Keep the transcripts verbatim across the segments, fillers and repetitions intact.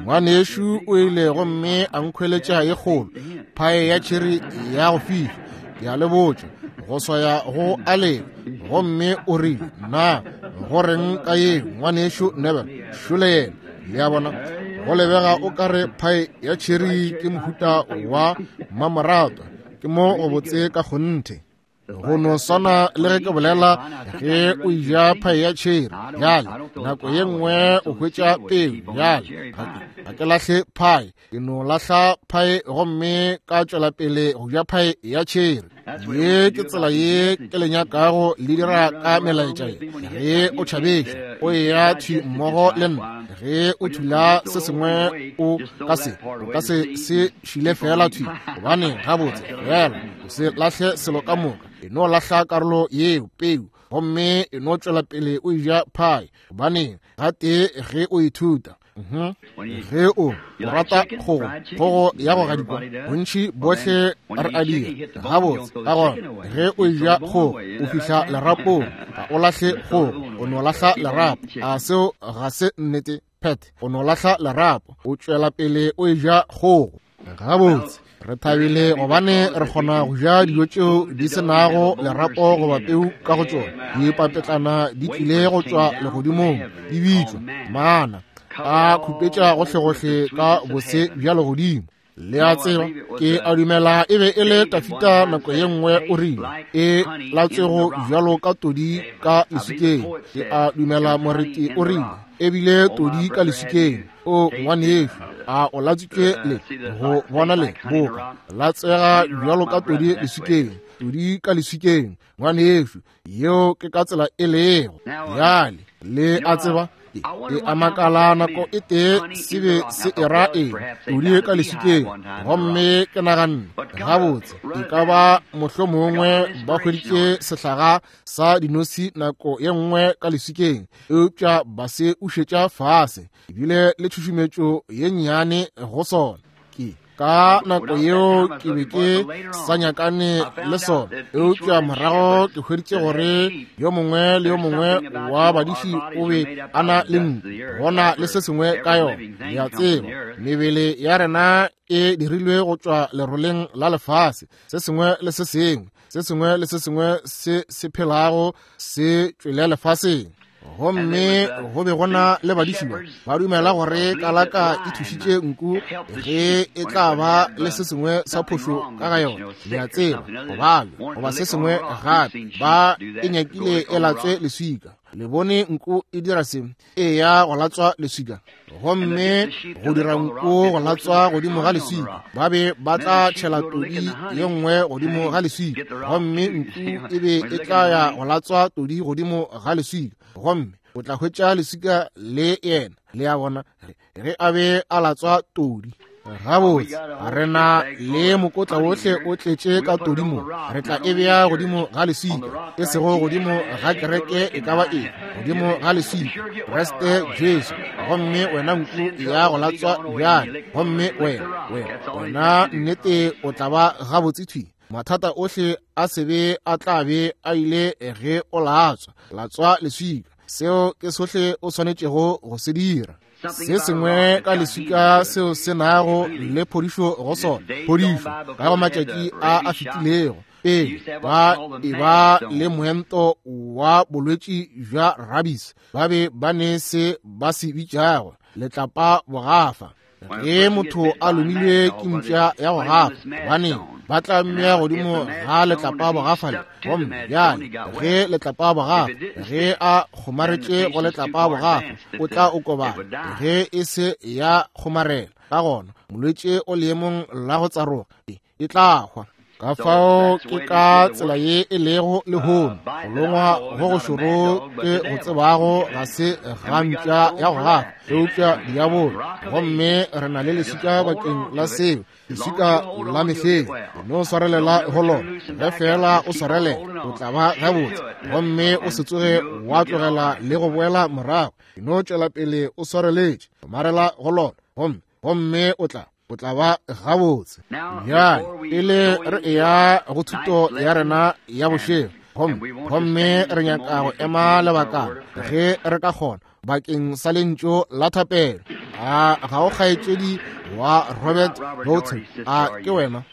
Ngwanešu o ile gomme a nkhweletša ye kgolo phae ya tšheri ya go fiša, ke a le botša, go swaya go aleng. Gomme o rile, na go reng ka ye ngwanešu Neville? Šole yena. Le a bona, go lebega o ka re phae ya tšheri ke mohuta wa mmamoratwa, ke mo go botse ka kgonthe. Go no swana le ge ke bolela, ge o ja phae ya tšheri bjale nako ye nngwe o hwetša peu. Bjale ga ke lahle phae, ke no lahla phae gomme ka tšwela pele go ja phae ya tšheri. Ye ke tsela ye ke le nyakago le dira ka melaetša ye. Ge o tšhabetše o eya thwi mmogo le nna, ge o thula se sengwe o ka se o ka se se šile fela thwi, gobane gabotse fela o se lahle selo ka moka, e no lahla karolo yeo peu gomme e no tšwela pele o ja phae, gobane gatee ge o ithuta. Ge o rata kgogo, kgogo ya go gadikwa, bontši bohle re a dira gabotse. Ka gona ge o ja kgogo o fihla lerapong, ga o lahle kgogo, o no lahla lerapo. A seo ga se nnete, Pat? O no lahla lerapo, o tšwela pele o ja kgogo. Gabotse re thabile gobane re kgona go ja dijo tšeo di se nago lerapo goba peu ka go tšona. Dipapetlana di tlile go tšwa legodimong, di bitšwa mana, a khupetša gohlegohle ka bose bja legodimo. Le a tseba, ke a dumela e be e le Tafita nako ye nngwe o rile, e latswego bjalo ka todi ka leswikeng. Ke a dumela moreti o rile, ebile todi ka leswikeng. O ngwanešu, a o latswitšwe le go bona le boka latswega bjalo ka todi leswikeng, todi ka leswikeng. Ngwanešu, yeo ke ka tsela e lego. Bjale le a tseba, e a makala nako e tee se be se era eng, todi ka leswikeng. Gomme ke naganne, gabotse e ka ba mohlomongwe ba hweditše sehlaga sa dinosi nako ye nngwe ka leswikeng, eupša ba se ušetša fase, ebile le tšhušumetšo ye nnyane go sona. Ke ka nako yeo ke be ke sa nyakane le sona, eupša morago ke hweditše gore yo mongwe le yo mongwe wa badiši o be a na le nku, gona le se sengwe ka yona. Le a tseba, mebele ya rena e dirilwe go tšwa leroleng la lefase, se sengwe le se sengwe, se sengwe le se sengwe se se phelago se tšwele lefaseng. Gomme go be gona le badiši ba ba dumela gore kalaka e thušitše nku ge e tla ba le se sengwe sa phošo ka ga yona. Le a tseba, gobane goba se sengwe gape, ba e nyakile e latswe leswika. Le bone nku e dira se, e ya go latswa leswika. Gomme go dira nku go latswa godimo ga leswika, ba be ba tla tšhela todi ye nngwe godimo ga leswika, gomme nku e be e tla ya go latswa todi godimo ga leswika, gomme o tla hwetša leswika le yena. Le a bona, ge a be a latswa todi. Gabotse re na le mokotla wohle o tletše ka todi mo, re tla e bea godimo ga leswika, e sego godimo ga kereke e ka ba eng, godimo ga leswika, Kriste Jesu. Gomme wena nku ya go latswa bjale, gomme wena wena wena nnete o tla ba gabotse thwi. Mathata ohle a sebe a tla be a ile ge o latswa latswa leswika. Seo ke sohle o swanetšego go se dira. Se sengwe ka leswika seo se nago le phodišo go sona, phodišo ka go matšatši a a fetilego pele ba e ba le moento wa bolwetši bja rabies, ba be ba ne se ba se bitšago letlapa bogafa. Ge motho a lomilwe ke mpša ya go gafa, gobane ba tla mmea godimo ga letlapa bogafa le. Gomme bjale ge letlapa bogafa, ge a kgomaretše go letlapa bogafa, o tla o kobana. Ge e se ya kgomarela, ka gona molwetši o leemong la go tsaroga, e tla hwa. Ka fao ke ka tsela ye e lego lehono, go longwa go go šoro ke go tsebago ga se ga mpša ya go gafa, eupša diabolo. Gomme re na le leswika bakeng la seo, leswika la mehleng. No swarelela go lona, ge fela o swarelela o tla ba gabotse, gomme o se tsoge wa tlogela le go boela morago. No tšwela pele o swareletše, marela go lona, gomme gomme o tla o tla ba gabotse. Bjale pele re eya go thuto ya rena ya bošego, gomme gomme re nyaka go ema lebakana ge re ka kgona bakeng sa lentšu la thapelo. A ga o kgaetšedi wa Robert Bolton? A ke wena?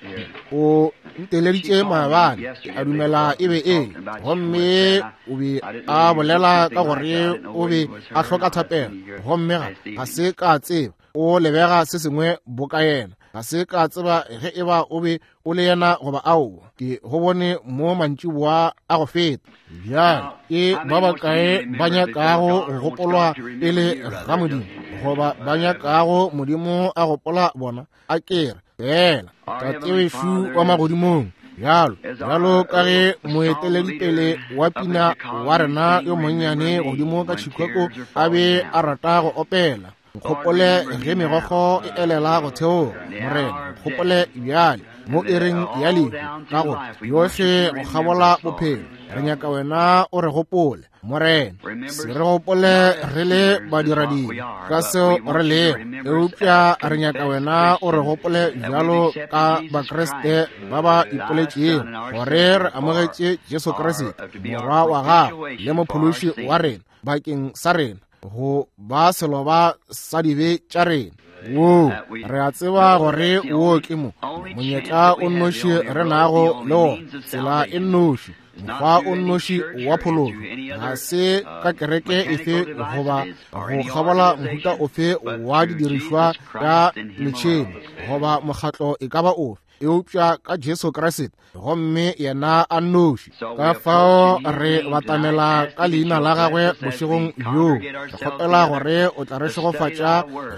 O nteleditše maabane, a dumela e be e. Gomme o be a bolela ka gore o be a hloka thapelo, gomme ga ga se ka tseba o lebega se sengwe boka yena. Ga se ka tseba ge e ba o be o le yena goba aowa. Ke go bone mo mantšiboa a go feta. Bjale ke ba bakae ba nyakago go gopolwa pele ga Modimo, goba ba nyakago Modimo a gopola bona? A ke re fela Tate wešo wa magodimong, bjalo bjalo ka ge moeteledipele wa pina wa rena yo monnyane godimo ka Chicago a be a rata go opela, nkgopole ge megokgo e elela go theoga. Morena, nkgopole bjale mo ereng ya lehu, ka gore yohle go kgabola bophelo re nyaka wena o re gopole. Morena, se re gopole re le badiradibe ka seo re lego, eupša re nyaka wena o re gopole bjalo ka Bakriste ba ba ipoletšego gore re amogetše Jesu Kriste Morwa wa gagwe le Mophološi wa rena bakeng sa rena, go ba seloba sa dibe tša rena. Woo, re a tseba gore wo ke mo monyetla o nnoši re nago le wona, tsela e nnoši, mokgwa o nnoši wa phološo. Ga se ka kereke efe goba go kgabola mohuta ofe wa didirišwa tša metšhene goba mokgatlo e ka ba ofe, eupša ka Jesu Kriste, gomme yena a nnoši. Ka fao re batamela ka leina la gagwe bošegong bjo. Re kgopela gore o tla re šegofatša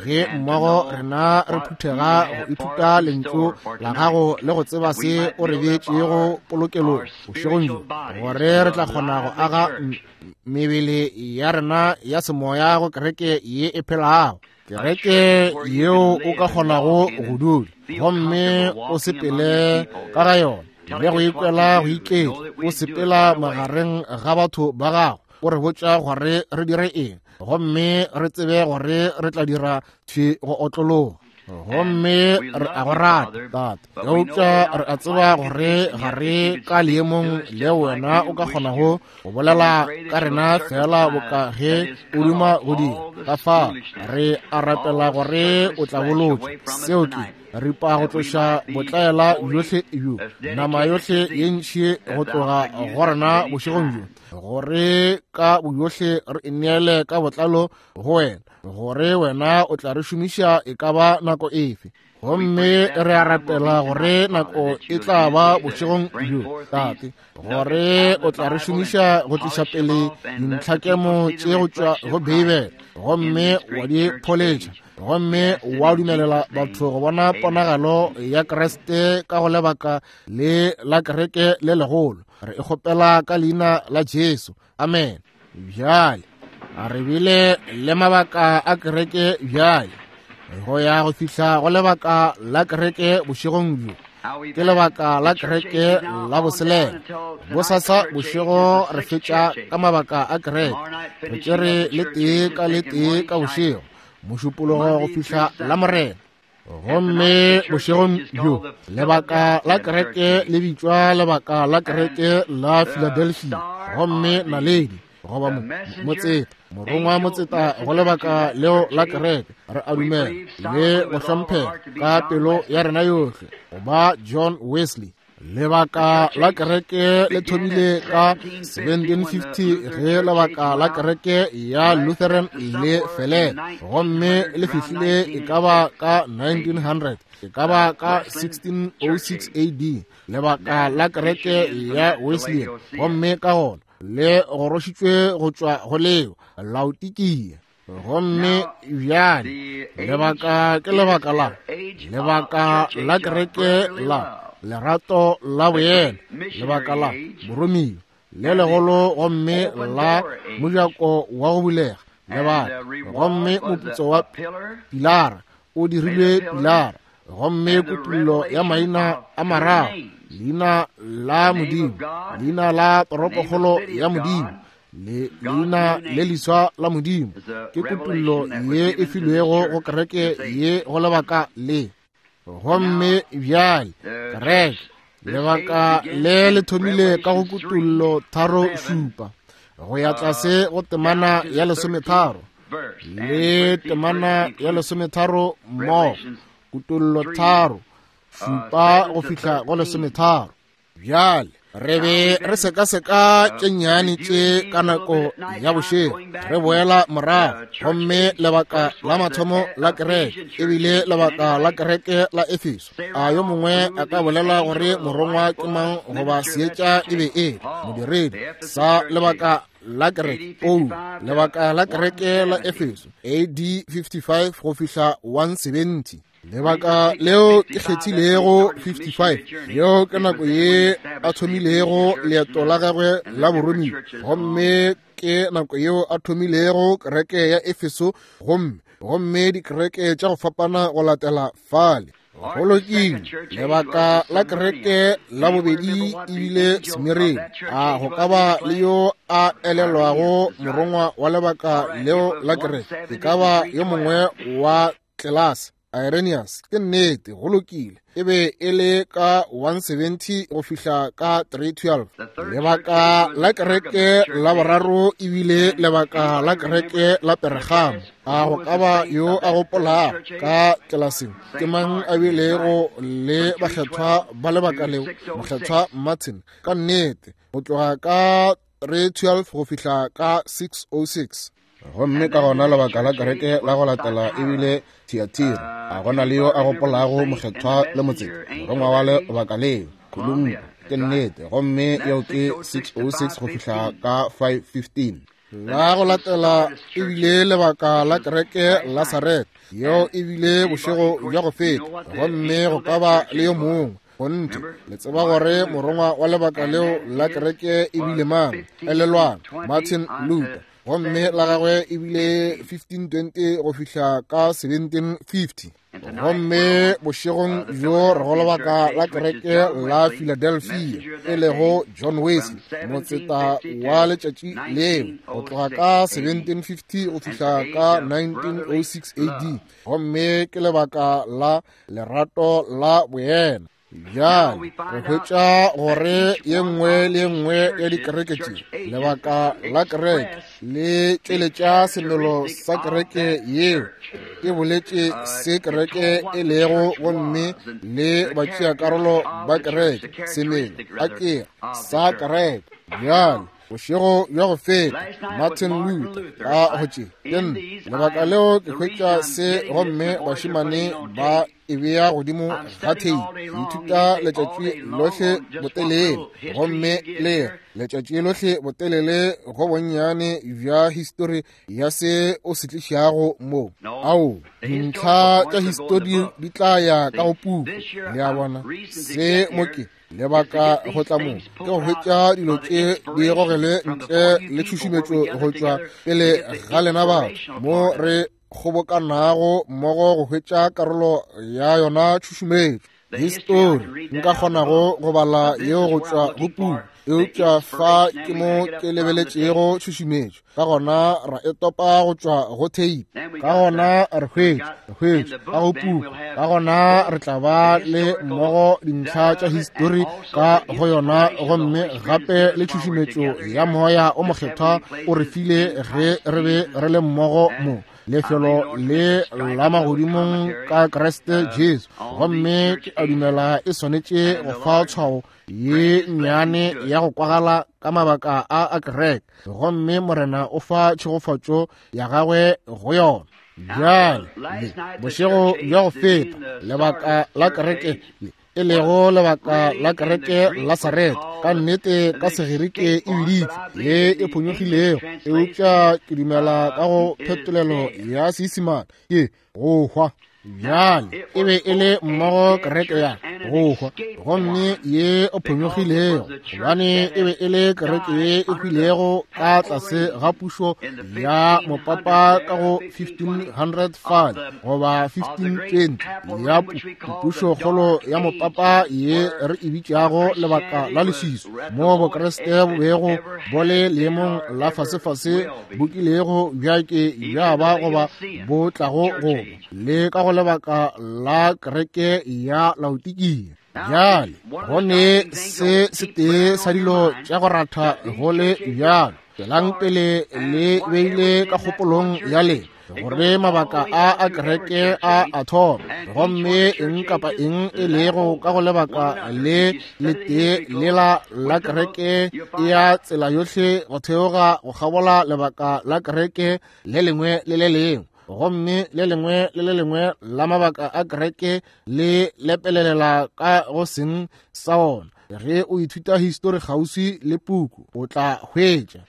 ge mmogo rena re phuthega go ithuta lentšu la gago le go tseba se o re beetšego polokelong bošegong bjo, gore re tla kgona go aga mebele ya rena ya semoya go kereke ye e phelago, kereke yeo o ka kgonago go dula gomme o sepele ka ga yona le go ikwela go iketla, o sepela magareng ga batho ba gago, o re botša gore re dire eng, gomme re tsebe gore re tla dira thwi go otlologa. Gomme re a go rata, Tate, eupša re a tseba gore ga re ka leemong le wena o ka kgonago go bolela ka rena fela boka ge o duma go dira. Ka fao re a rapela gore o tla bolotša seo ke ripa go tloša botlaela bjohle bjo, nama yohle ye ntši go tloga go rena bošegong bjo, gore ka boyohle re ineele ka botlalo go wena, gore wena o tla re šomiša e ka ba nako efe. Gomme re a rapela gore nako e tla ba bošegong bjo, Tate, gore o tla re šomiša go tliša pele dintlhakemo tše go tšwa go Beibele, gomme wa di pholetša, gomme wa dumelela batho go bona ponagalo ya Kriste ka go lebaka le la kereke le legolo. Re e kgopela ka leina la Jesu, amen. Bjale a re bile le mabaka a kereke bjale go ya go fihla go lebaka la kereke bošegong bjo, ke lebaka la kereke la boselela. Bosasa bošego re fetša ka mabaka a kereke, re tšere le tee ka le tee ka bošego, mošupologo go fihla la Morena. Gomme bošegong bjo lebaka la kereke le bitšwa lebaka la kereke la Philadelphia, gomme naledi goba motseta, morongwa motseta go lebaka leo la kereke, re a dumela le go hlomphega ka pelo ya rena yohle go ba John Wesley. Lebaka la kereke le thomile ka seventeen fifty ge lebaka la kereke ya Lutheran le felela, gomme le fihlile e ka ba ka nineteen hundred, e ka ba ka sixteen oh six A D, lebaka la kereke ya Wesleyan, gomme ka gona le gorošitšwe go tšwa go leo Laodikia. Gomme bjale lebaka ke lebaka la lebaka la kereke la lerato la boyena, lebaka la boromiwa le legolo, gomme la mojako wa go bulega lebaka, gomme moputso wa pilara o dirilwe pilara, gomme kutullo ya maina a mararo, leina la Modimo, leina la toropokgolo ya Modimo, le leina le leswa la Modimo, ke kutullo ye e filwego go kereke ye go lebaka le. Gomme bjale kereke lebaka le le thomile ka go kutullo tharo šupa go ya tlase go temana ya lesometharo. le temana ya lesometharo mmogo, Kutollo tharo šupa go fihla go lesometharo. Bjale re be re sekaseka tše nnyane tše ka nako ya bošego, re boela morago, gomme lebaka la mathomo la kereke ebile lebaka la kereke la Efeso. A yo mongwe a ka bolela gore morongwa ke mang goba seetša e be e modiredi sa lebaka la kereke? Paulo, lebaka la kereke la Efeso, A D fifty-five go fihla one seventy. Lebaka leo ke kgethilego fifty-five, yeo ke nako ye a thomilego leeto la gagwe la boromiwa, gomme ke nako yeo a thomilego kereke ya Efeso, gomme gomme dikereke tša go fapana go latela fale. Go lokile, lebaka la kereke la bobedi ebile Smirna. A go ka ba le yo a elelwago morongwa wa lebaka leo la kereke? E ka ba yo mongwe wa tlelase, Irenaeus. Ke nnete, go lokile, e be e le ka one seventy go fihla ka three twelve. Lebaka la kereke la boraro ebile lebaka la kereke la Pergamo. A go ka ba yo a gopolago ka tlelaseng ke mang a bilego le bakgethwa ba lebaka leo? Mokgethwa Martin. Ka nnete, go tloga ka three twelve go fihla ka six oh six. Gomme ka gona lebaka la kereke la go latela ebile Thyatira. A gona le yo a gopolago mokgethwa le motseta morongwa wa lebaka leo? Columba. Ke nnete, gomme yeo ke six oh six go fihla ka five fifteen. La go latela ebile lebaka la kereke la Sarete, yeo ebile bošego bja go feta, gomme go ka ba le yo mongwe. Gonthe, le tseba gore morongwa wa lebaka leo la kereke ebile mang? Elelwang, Martin Luther. Gomme la gagwe ebile fifteen twenty go fihla ka seventeen fifty. Gomme bošegong bjo re go lebaka la kereke la Philadelphia, e lego John Wesley, motseta wa letšatši leo, go tloga ka seventeen fifty go fihla ka nineteen oh six A D. Gomme ke lebaka la lerato la boena. Bjale re hwetša gore ye nngwe le ye nngwe ya dikereke tše, lebaka la kereke le tšweletša semelo sa kereke yeo, e boletše se kereke e lego, gomme le batšeakarolo ba kereke, semelo a ke sa kereke. Bjale bošego bja go feta, Martin Luther ka go tše ke nna lebaka leo ke hwetša se, gomme bašemane ba e bea godimo ga theipi. Ke ithuta letšatši lohle botelele, gomme le letšatši lohle botelele go bonnyane bja histori ya se o se tlišago mo. Ao, dintlha tša histori di tla ya ka go puku. Le a bona, se mo ke lebaka go tla mo ke go hwetša dilo tše di gogele ntle le tšhušumetšo go tšwa pele ga lena batho, mo re kgobokanago mmogo go hwetša karolo ya yona tšhušumetšo. Histori nka kgonago go bala yeo go tšwa go puku, eupša fa ke mo ke lebeletšego tšhušumetšo. Ka gona ra e topa go tšwa go theipi, ka gona re hwetša re hwetša ka go puku, ka gona re tla ba le mmogo dintlha tša histori ka go yona, gomme gape le tšhušumetšo ya moya o mokgethwa o re file ge re be re le mmogo mo lefelo le la magodimong ka Kriste Jesu. Gomme ke a dumela e swanetše go fa tshwao ye nnyane ya go kwagala ka mabaka a a kereke, gomme Morena o fa tšhegofatšo ya gagwe go yona. Bjale bošego bja go feta, lebaka la kereke le e lego lebaka la kereke la Sarete, ka nnete ka Segerike e biditšwe ye e phonyokgilego, eupša ke dumela ka go phetolelo ya Seisemane ke go hwa. Bjale e be e le mmogo kereke ya go hwa, gomme ye o phonyokgilego, gobane e be e le kereke ye e hwilego ka tlase ga pušo ya mopapa ka go fifteen hundred five goba fifteen twenty ya pušokgolo ya mopapa ye re e bitšago lebaka la leswiswi, mo bokreste bo bego bo le leemong la fasefase bo kilego bja ke bja ba goba bo tlago go le ka go lebaka la kereke ya Laodikia. Bjale go ne se setee sa dilo tša go ratha go le bjalo, Tšwelang pele le beile ka kgopolong ya lena gore mabaka a a kereke a a thoma, gomme eng kapa eng e lego ka go lebaka le letee lela la kereke e ya tsela yohle go theoga go kgabola lebaka la kereke le lengwe le le lengwe, gomme le lengwe le le lengwe la mabaka a kereke le lepelelela ka go seng sa ona. Ge o ithuta histori kgauswi le puku, o tla hwetša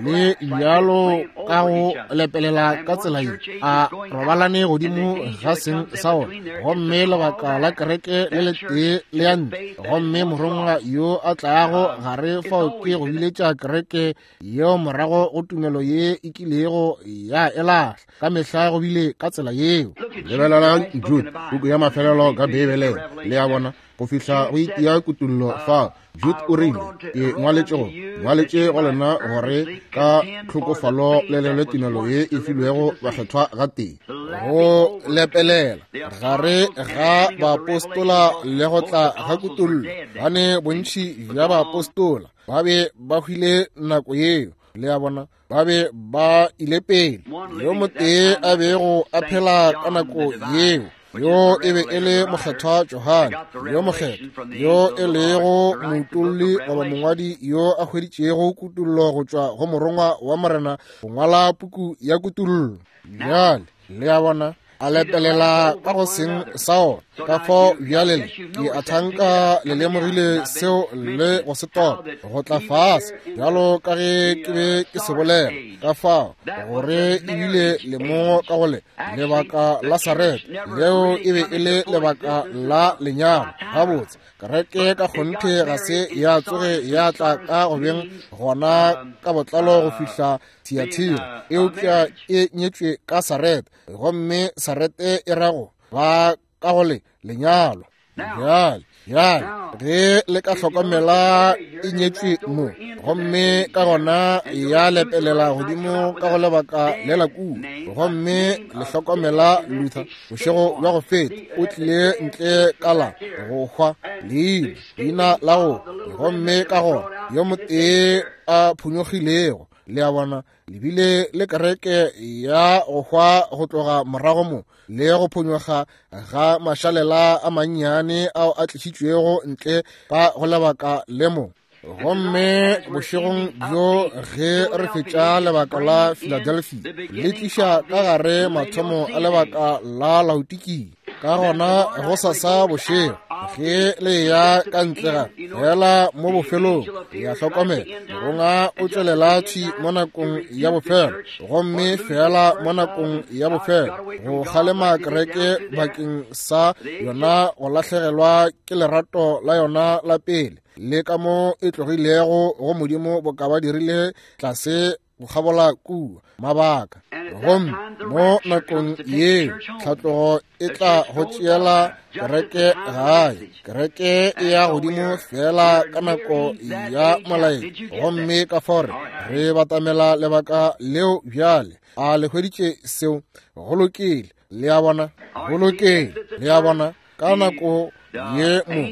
le bjalo ka go lepelela ka tsela ye a robalane godimo ga seng sa ona, gomme lebaka la kereke le letee le ya ntle, gomme morongwa yo a tlago gare fao ke go biletša kereke yeo morago go tumelo ye e kilego ya e lahla. Ka mehla go bile ka tsela yeo. Lebelelang Jude, puku ya mafelelo ka Beibeleng, le a bona, go fihla go itia kutullo fa. Jude o rile, ke ngwaletše go ngwaletše go lena gore ka tlhokofalo le lelwe tumelo ye e filwego bakgethwa gatee. Go lepelela gare ga baapostola le go tla ga kutullo, bane bontši bja baapostola ba be ba hwile nako yeo, le a bona, ba be ba ile pele. Yo motee a bego a phela ka nako yeo, yo e be e le mokgethwa Johane yo mokgethwa, yo e lego moutolli goba mongwadi yo a hweditšego kutullo go tšwa go morongwa wa Morena go ngwala puku ya kutullo. Bjale le a bona, a lepelela ka go seng sa ona. Ka fao bjale le ke a thanka le lemogile seo le go se topa go tla fase, bjalo ka ge ke be ke se bolela, ka fao gore ebile le mo ka go le lebaka la Sarete, leo e be e le lebaka la lenyalo. Gabotse, kereke ka kgonthe ga se ya tsoge ya tla ka go beng gona ka botlalo go fihla Thiatira, eupša e nyetšwe ka Sarete, gomme Sarete e rago ba ka go le lenyalo. Bjale, bjale ge le ka hlokomela e nyetšwe mo, gomme ka gona ya lepelela godimo ka go lebaka le la kua, gomme le hlokomela Luther bošego bja go feta o tlile ntle ka la go hwa leina leina la go, gomme ka gona yo motee a phonyokgilego, le a bona, lebile le kereke ya go hwa go tloga morago mo le go phonyokga ga mašalela a mannyane ao a tlišitšwego ntle ka go lebaka le mo. Gomme bošegong bjo ge re fetša lebaka la Philadelphia, le tliša ka gare mathomo a lebaka la Laodikia. Ka gona go sasa bošego ge le ya ka ntle ga fela mo bofelong, ya hlokomela morongwa o tšwelela thwi mo nakong ya bofelo, gomme fela mo nakong ya bofelo go kgalema kereke bakeng sa yona go lahlegelwa ke lerato la yona la pele, le ka mo e tlogilego go Modimo boka ba dirile tlase go kgabola kua mabaka. Gomme mo nakong yeo tlhatlogo e tla go tšeela kereke gae, kereke e ya godimo fela ka nako ya molaetša, gomme ka fao re batamela lebaka leo bjale. A le hweditše seo? Go lokile, le a bona, go lokile, le a bona. Ka nako ye mo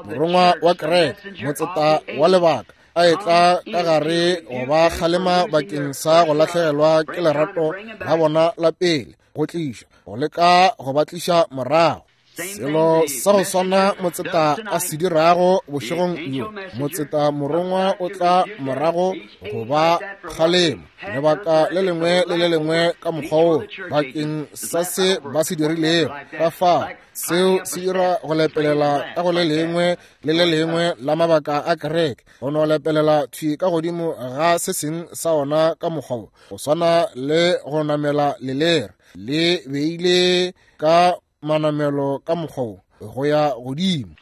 morongwa wa kereke, motseta wa lebaka, a etla ka gare go ba kgalema bakeng sa go lahlegelwa ke lerato la bona la pele, go tliša go leka go ba tliša morago. Selo sa go swana motseta a se dirago bošegong bjo, motseta morongwa o tla morago go ba kgalema lebaka le lengwe le le lengwe ka mokgwa wo bakeng sa se ba se dirilego. Ka fao seo se dira go lepelela ka go le lengwe le le lengwe la mabaka a kereke, go no lepelela thwi ka godimo ga se seng sa ona ka mokgwa wo, go swana le go namela lelere le beile ka manamelo ka mokgwa wo go ya godimo.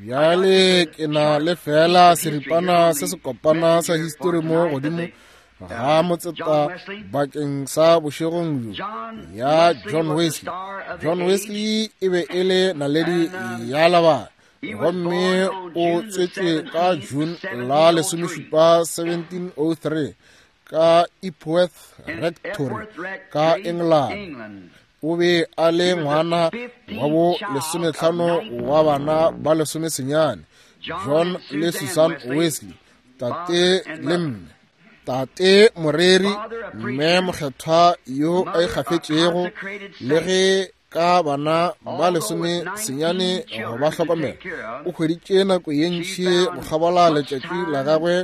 Bjale ke na le fela seripana se se kopana sa histori mo godimo ga motseta bakeng sa bošegong bjo ya John Wesley. John Wesley e be e le naledi ya lebaka, gomme o tswetšwe ka June la lesomešupa seventeen oh three ka Epworth Rectory ka England. O be a le ngwana wa bo lesomehlano wa bana ba lesomesenyane, John le Susan Wesley. Tate le mme, tate moreri, mme mokgethwa yo a ikgafetšego, le ge ka bana ba lesome senyane go ba hlokomela, o hweditše nako ye ntši go kgabola letšatši la gagwe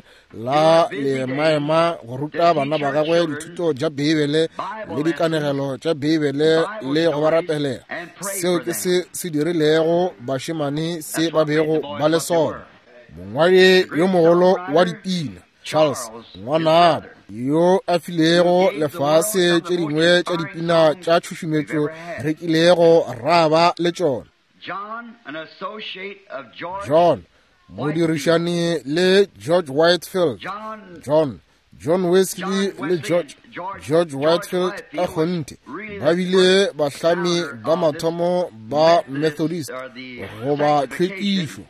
la lemaema go ruta bana ba gagwe dithuto tša Beibele le dikanegelo tša Beibele le go ba rapelela. Seo ke se se dirilego bašemane se ba bego ba le sona. Mongwadi yo mogolo wa dipina Charles ngwanabo yo a filego lefase tše dingwe tša dipina tša tšhušumetšo re kilego ra ba le tšona. John modirišani le George Whitefield, John John Wesley le George George Whitefield ka kgonthe ba bile bahlami ba mathomo ba Methodist goba tlhwekišo.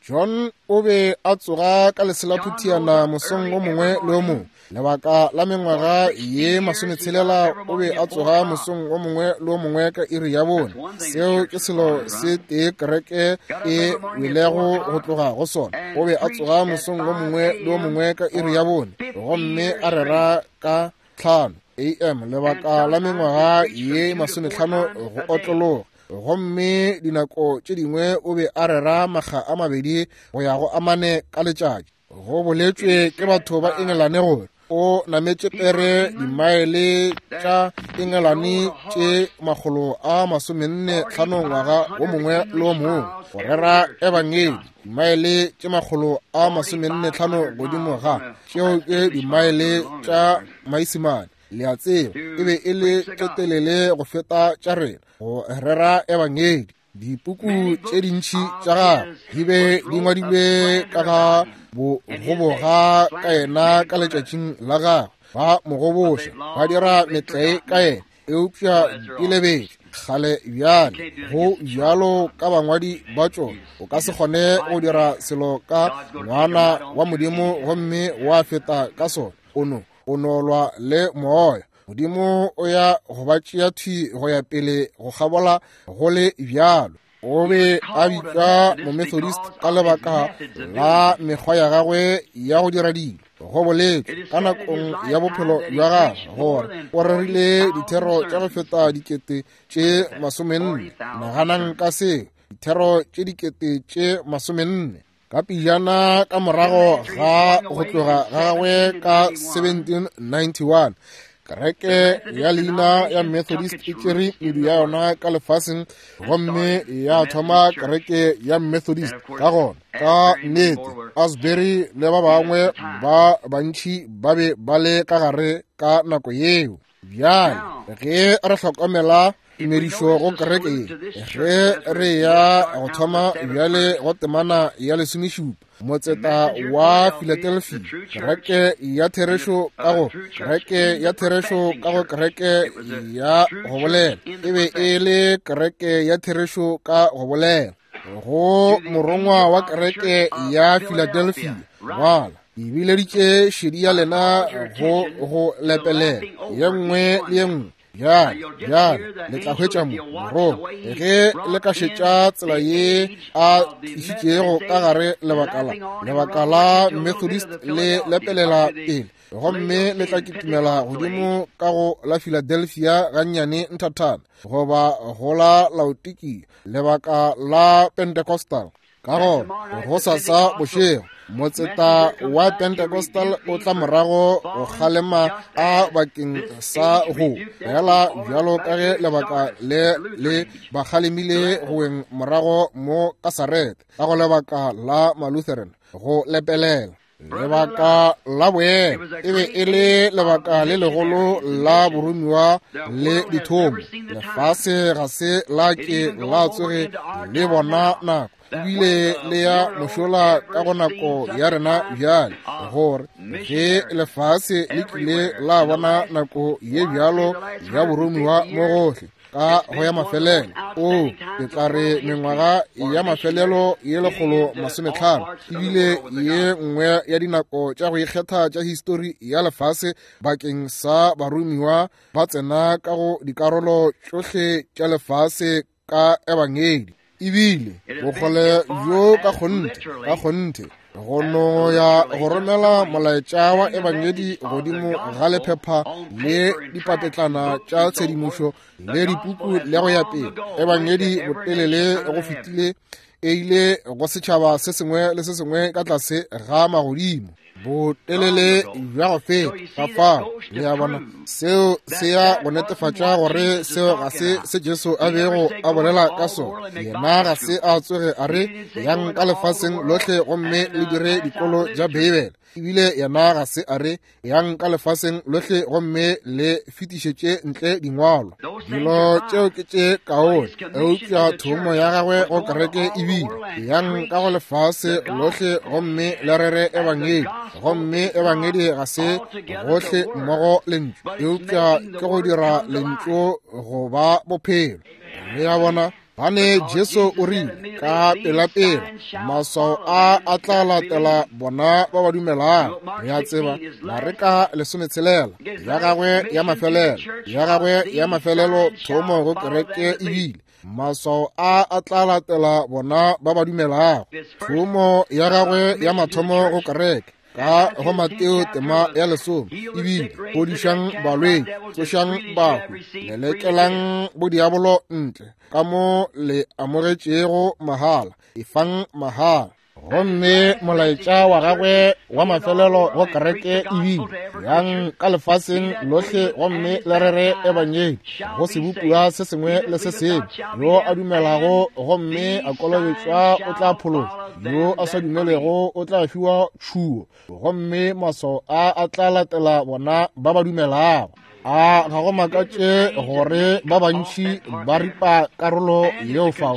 John o be a tsoga ka leselaphutiana mosong o mongwe le o mongwe. Lebaka la mengwaga ye masometshelela o be a tsoga mosong o mongwe le o mongwe ka iri ya bone. Seo ke selo se tee kereke e welego go tloga go sona. O be a tsoga mosong o mongwe le o mongwe ka iri ya bone gomme a rera ka tlhano A M lebaka la mengwaga ye masometlhano go otlologa. Gomme dinako tše dingwe o be a rera makga a mabedi go ya go amane ka letšatši. Go boletšwe ke batho ba Engelane gore o nametše pere dimaele tša Engelane tše makgolo a masomenne tlhano ngwaga wo mongwe le wo mongwe go rera ebangedi, dimaele tše makgolo a masomenne tlhano godimo ga tšeo ke dimaele tša Maisemane. Le a tseba e be e le tše telele go feta tša rena go rera ebangedi. Dipuku tše dintši tša gagwe di be di ngwadilwe ka ga bogoboga ka yena ka letšatšing la gagwe. Ba mo goboša, ba dira metlae ka yena, eupša di lebetše kgale bjale. Go bjalo ka bangwadi ba tšona, o ka se kgone go dira selo ka ngwana wa Modimo gomme wa feta ka sona. O no o nolwa le moya. Modimo o ya go ba tšea thwi go ya pele go kgabola go le bjalo. O be a bitšwa Momethodist ka lebaka la mekgwa ya gagwe ya go dira dilo. Go boletšwe ka nakong ya bophelo bja gagwe gore o rerile dithero tša go feta dikete tše masomenne. Naganang ka seo, dithero tše dikete tše masomenne. Ka pejana ka morago ga go tloga ga gagwe ka seventeen ninety-one, kereke ya leina ya Methodist e tšere medu ya yona ka lefaseng gomme ya thoma kereke ya Methodist. Ka gona ka nnete Asbury le ba bangwe ba bantši ba be ba le ka gare ka nako yeo. Bjale ge re hlokomela tumedišo go kereke ye, ge re ya go thoma bjale go temana ya lesomešupa, motseta wa Philadelphia, kereke ya therešo ka go kereke ya therešo ka go kereke ya go bolela, e be e le kereke ya therešo ka go bolela. Go morongwa wa kereke ya Philadelphia ngwala, e bileditše šedi ya lena go go lepelela ye nngwe le ye nngwe. Bjale, bjale le tla hwetša mo morongwa ge le ka šetša tsela ye a tlišitšego ka gare lebaka la lebaka la Methodist le lepelela pele, gomme le tla kitimela godimo ka go la Philadelphia gannyane nthathana, goba go la Laodikia, lebaka la Pentecostal. Ka gona go sasa bošego motseta wa Pentecostal o tla morago go kgalema a bakeng sa go fela bjalo ka ge lebaka le le ba kgalemile go weng morago mo ka Sarete ka go lebaka la Malutheran go lepelela. Lebaka la boemo e be e le lebaka le legolo la boromiwa le dithomo. Lefase ga se la ke la tsoge le bona nako ebile le ya mošola ka go nako ya rena bjale, gore ge lefase le kile la bona nako ye bjalo ya boromiwa mo gohle ka go ya mafelelo. O ke tla re mengwaga ya mafelelo ye lekgolo masometlhano ebile ye nngwe ya dinako tša go ikgetha tša histori ya lefase bakeng sa baromiwa ba tsena ka go dikarolo tšohle tša lefase ka ebangedi. Ebile bokgole bjo ka kgonthe ka kgonthe Go no ya go romela molaetša wa ebangedi godimo ga lephepha le dipapetlana tša tshedimošo le dipuku le go ya pele. Ebangedi botelele go fetile e ile go setšhaba se sengwe le se sengwe ka tlase ga magodimo. Botelele bja go feta ka fao, le a bona, seo se ya go netefatša gore seo ga se se Jesu a bego a bolela ka sona. Yena ga se a tsoge a re yang ka lefaseng lohle gomme le dire dikolo tša Beibele. Ebile yena ga se a re yang ka lefaseng lohle gomme le fetišetše ntle dingwalo. Dilo tšeo ke tše kaone, eupša thomo ya gagwe go kereke ebile yang ka go lefase lohle gomme le rere ebangedi. Gomme ebangedi ga se gohle mmogo lentšu, eupša ke go dira lentšu go ba bophelo. Le a bona, bane Jesu o rile ka pelapela, maswao a a tla latela bona ba ba dumelago. Re a tseba Mareka lesometshelela ya gagwe ya mafelelo, ya gagwe ya mafelelo thomo go kereke ebile maswao a a tla latela bona ba ba dumelago. Thomo ya gagwe ya mathomo go kereke ka go Mateo tema ya lesome ebile fodišang balwetši, tsošang bahu, lelekelang bodiabolo ntle, ka mo le amogetšego mahala, efang mahala. Gomme molaetša wa gagwe wa mafelelo go kereke ebile yang ka lefaseng lohle gomme le rere ebangedi go sebopiwa se sengwe le se sengwe. Yo a dumelago gomme a kolobetšwa o tla phološwa, yo a sa dumelego o tla fiwa tšhuo, gomme maswao a a tla latela bona ba ba dumelago. A ga go makatše gore ba bantši ba ripa karolo yeo fao,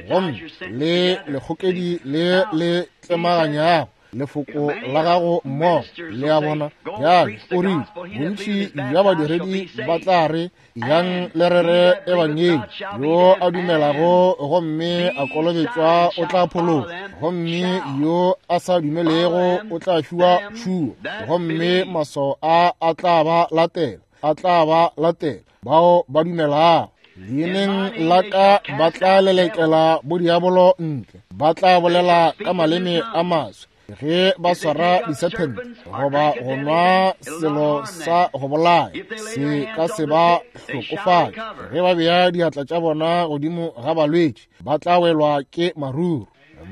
gomme le lekgokedi le le tlemaganyago lefoko la gago mmogo. Le a bona, bjale o rile bontši bja badiredi ba tla re yang le rere ebangedi, yo a dumelago gomme a kolobetšwa o tla phološwa, gomme yo a sa dumelego o tla fiwa tšhuo, gomme maswao a a tla ba latela, a tla ba latela bao ba dumelago. Leineng la ka ba tla lelekela bodiabolo ntle, ba tla bolela ka maleme a maswe. Ge ba swara disephente goba go nwa selo sa go bolaya, se ka se ba hlokofatše. Ge ba bea diatla tša bona godimo ga balwetši, ba tla welwa ke maruru.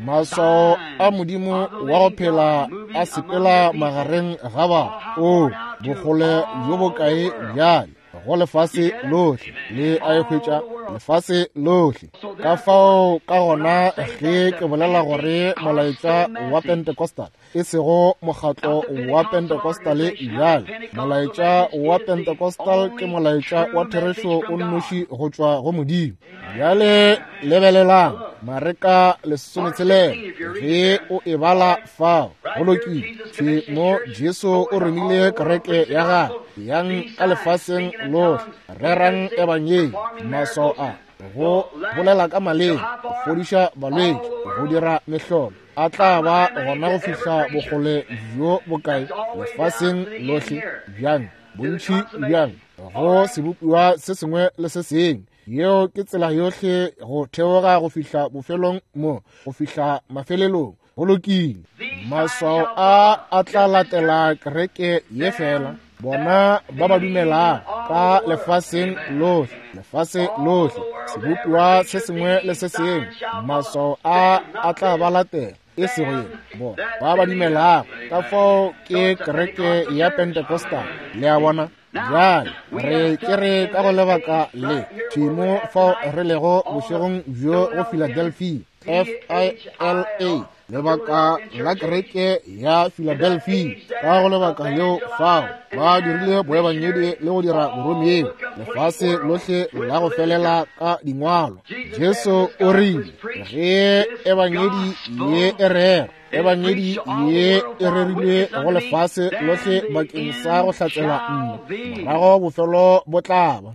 Maswao a Modimo wa go phela a sepela magareng ga ba. O bokgole bjo bokae bjale go lefase lohle, le a e hwetša lefase lohle. Ka fao ka gona ge ke bolela gore molaetša wa Pentecostal e sego mokgatlo wa Pentecostal bjale, molaetša wa Pentecostal ke molaetša wa therešo o nnoši go tšwa go Modimo. Bjale lebelelang Mareka lesometshelela ge o e bala fao. Go lokile, thwe mo Jesu o romile kereke ya gagwe yang ka lefaseng lohle, rerang ebangedi, maswao a go bolela ka maleme, go fodiša balwetši, go dira mehlolo, a tla ba gona go fihla bokgole bjo bokae lefaseng lohle. Bjang bontši bjang go sebopiwa se sengwe le se sengwe. Yeo ke tsela yohle go theoga go fihla bofelong mo, go fihla mafelelong. Go lokile, maswao a a tla latela kereke ye fela bona ba ba dumelago ka lefaseng lohle, lefase lohle, sebopiwa se sengwe le se sengwe. Maswao a a tla ba latela, e sego yena, bona ba ba dumelago. Ka fao ke kereke ya Pentecostal, le a bona. Bjale re ke re ka go lebaka le thimo fao re lego bošegong bjo go Philadelphia, F I L A, lebaka la kereke ya Philadelphia. Ka go lebaka leo fao ba dirile boebangedi le go dira boromiwa lefase lohle la go felela ka dingwalo. Jesu o rile ge ebangedi ye e rera, ebangedi ye e rerilwe go lefase lohle bakeng sa go hlatsela nna, morago bofelo bo tla ba.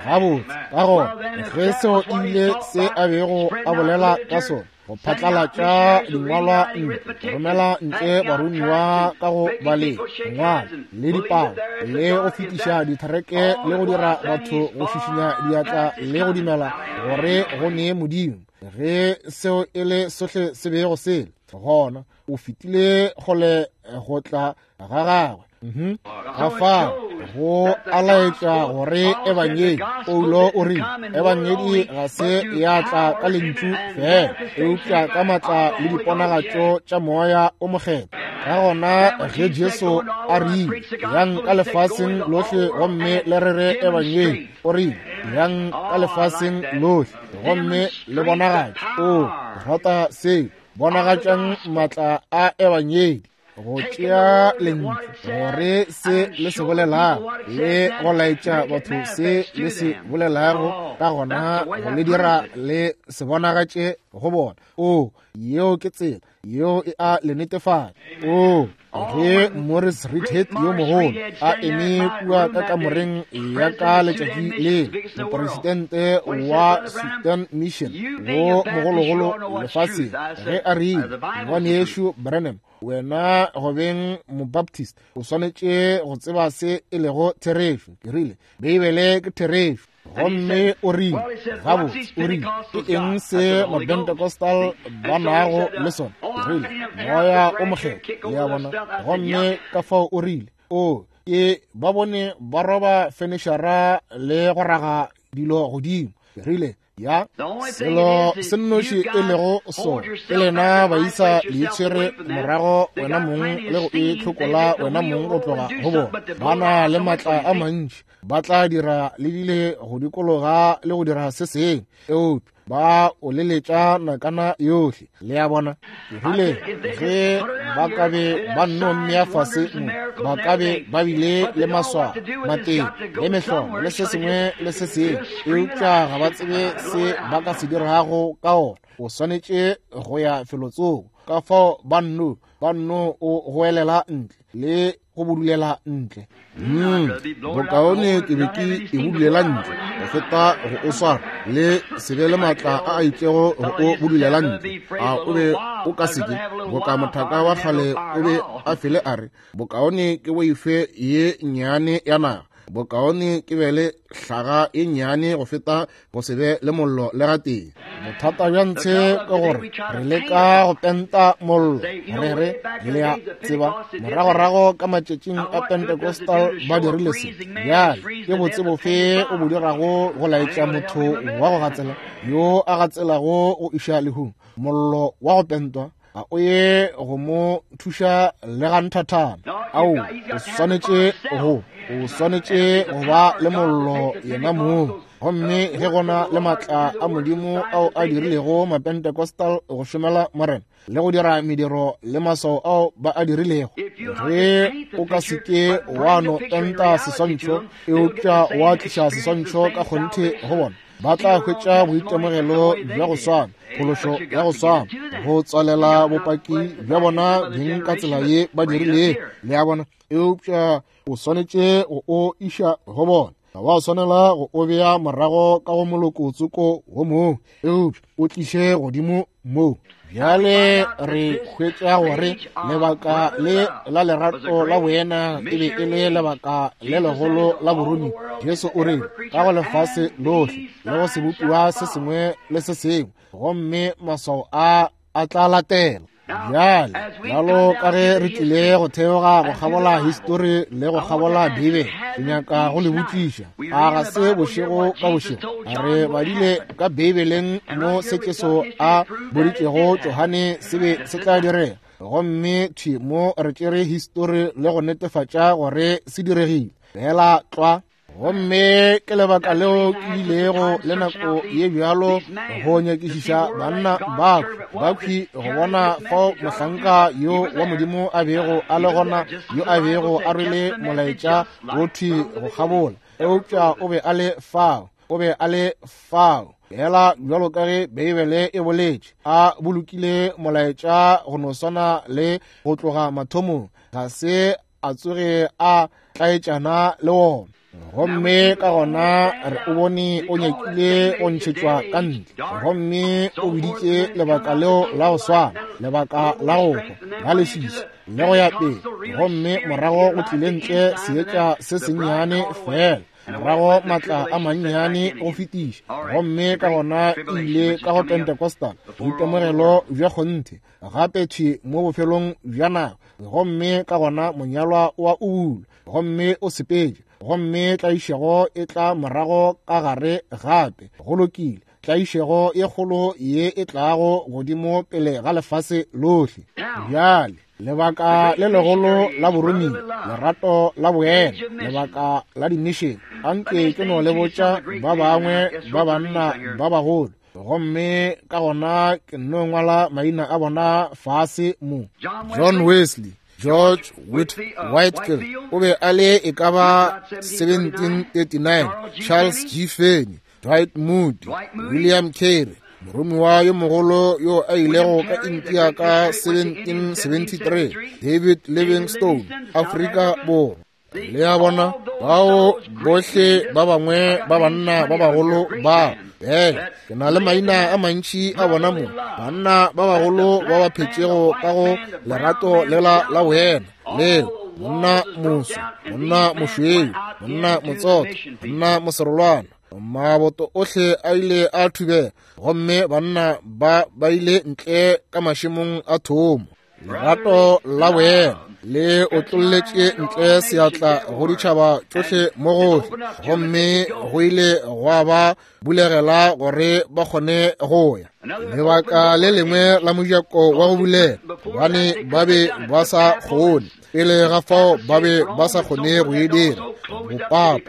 Gabotse, ka gona ge seo ebile se a bego a bolela ka sona, go phatlalatša dingwalwa ntle, romela ntle baromiwa ka go baleng, ngwala le dipalo, le go fetiša dithereke, le go dira batho go šišinya diatla le go dumela gore go nee Modimo. Ge seo e le sohle se bego sele, Gona o fetile kgole go tla ga gagwe. Mhm. Ka fao go a laetša gore ebangedi, Paulo o rile ebangedi ga se ya tla ka lentšu fela, eupša ka matla le diponagatšo tša moya o mokgethwa. Ka gona ge Jesu a rile yang ka lefaseng lohle gomme le rere ebangedi, o rile yang ka lefaseng lohle gomme le bonagatše. O rata seo, bonagatšang matla a ebangedi, go tšea lentšu gore se le se bolelago le go laetša batho se le se bolelago, ka gona go le dira le se bonagatše go bona. O yeo ke tsela yeo e a le netefatša. O ge Morris Reidhead yo mogolo a eme kua ka kamoreng ya ka letšatši le, mopresidente wa Southern Mission wo mogologolo lefaseng, ge a rile, ngwanešu Branham, wena go beng mobaptist o swanetše go tseba se e lego therešo. Ke rile, Beibele ke therešo. Gomme o rile, gabotse, o rile, ke eng se mapentecostal ba nago le sona? Ke rile, moya o mokgethwa, le a bona. Gomme ka fao o rile, o ke ba bone ba roba fenešara le go raga dilo godimo. Ke rile, ya selo se nnoši e lego sona ke lena baisa le itshwere morago wena mong le go itlhokola wena mong go tloga go bona. Ba na le matla a mantši, ba tla dira le dile go dikologa le go dira se sengwe, eupša ba o leletša nakana yohle. Le a bona. Ke rile, ge ba ka be ba nno mmea fase mo, ba ka be ba bile le maswao, mateng le mehlolo le se sengwe le se sengwe, eupša ga ba tsebe se ba ka se dirago ka ona. O swanetše go ya felotsoko. Ka fao ba nno ba nno o goelela ntle le go budulela ntle. Mm, bokaone ke be ke e budulela ntle go feta go o swara le se be le matla a a itšego go o budulela ntle. A o be o ka se ke boka mothaka wa kgale o be a fele a re, bokaone ke boife ye nnyane ya naga, bokaone ke be le hlaga e nnyane go feta go se be le mollo le gatee. Bothata bja ntshe ke gore re leka go penta mollo, re re le a tseba moragorago ka matšatšing a Pentecostal ba dirile se. Bjale ke botse bofe o bo dirago go laetša motho wa go gatsela yo a gatselago go iša lehung mollo wa go pentwa? A o ye go mo thuša le ga nthathana? Ao, o swanetše go o swanetše go ba le mollo yena mong. Gomme ge gona le matla a Modimo ao a dirilego mapentecostal go šomela Morena le go dira mediro le maswao ao ba a dirilego, ge o ka se ke wa no penta seswantšho, eupša wa tliša seswantšho ka kgonthe go bona, ba tla hwetša boitemogelo bja go swana, phološo ya go swana, go tswalela bopaki bja bona beng ka tsela ye ba dirilego. Le a bona. Eupša o swanetše go o iša go bona, wa swanela go o bea morago ka go moloko tsoko wo mongwe, eupša o tliše godimo mo. Bjale re hwetša gore lebaka le la lerato la boena e be e le lebaka le legolo la borumi. Jesu o rile ka go lefase lohle le go sebopiwa se sengwe le se sengwe, gomme maswao a a tla latela. Bjale bjalo ka ge re tlile go theoga go kgabola histori le go kgabola Beibele, ke nyaka go le botšiša, a ga se bošego ka bošego re badile ka Beibeleng mo se Jesu a boditšego Johane se be se tla direga, gomme thwi mo re tšere histori le go netefatša gore se diregile fela tlwa. Gomme ke lebaka leo ke ilego le nako ye bjalo go nyakišiša banna bakhwi bakhwi go bona fao mohlanka yo wa Modimo a bego a le gona, yo a bego a rwele molaetša wo thwi go kgabola, eupša o be a le fao, o be a le fao fela bjalo ka ge Beibele e boletše, a bolokile molaetša go no swana le go tloga mathomong, ga se a tsoge a tlaetšana le wona. Gomme ka gona re o bone o nyakile go ntšhetšwa ka ntle, gomme o biditše lebaka leo la go swana, lebaka la go hwa, la leswiswi le go ya pele. Gomme morago go tlile ntle seetša se sennyane fela, Morago maatla a mannyane go fetiša, gomme ka gona e ile ka go Pentecostal, boitemogelo bja kgonthe, gape thwi mo bofelong bja nako, gomme ka gona monyalwa wa ubulwa, gomme o sepetše, gomme tlaišego e tla morago ka gare gape. Go lokile, tlaišego ye kgolo ye e tlago godimo pele ga lefase lohle. Bjale lebaka le legolo la boromiwa, lerato la boena, lebaka la di-mission. Anke ke no le botša ba bangwe ba banna ba bagolo, gomme ka gona ke no ngwala maina a bona fase mo. John Wesley, George Whit Whitefield o be a le e ka ba seventeen thirty-nine, Charles G. Finney, Dwight Moody, William Carey, moromiwa yo mogolo yo a ilego ka India ka seventeen seventy-three, David Livingstone, Afrika Borwa. Le a bona bao bohle ba bangwe ba banna ba bagolo ba. Ee, ke na le maina a mantši a bona mo, banna ba bagolo ba ba phetšego ka go lerato lela la boena leo, monna moso, monna mošweu, monna motsotho, monna moserolwana. Maboto ohle a ile a thubega, gomme banna ba ba ile ntle ka mašemong a thomo. Lerato la boena le otlolletše ntle seatla go ditšhaba tšohle mo gohle, gomme go ile gwa ba bulegela gore ba kgone go ya. Lebaka le lengwe la mojako wa go bulega, gobane ba be ba sa kgone pele ga fao, ba be ba sa kgone go e dira. Bopapa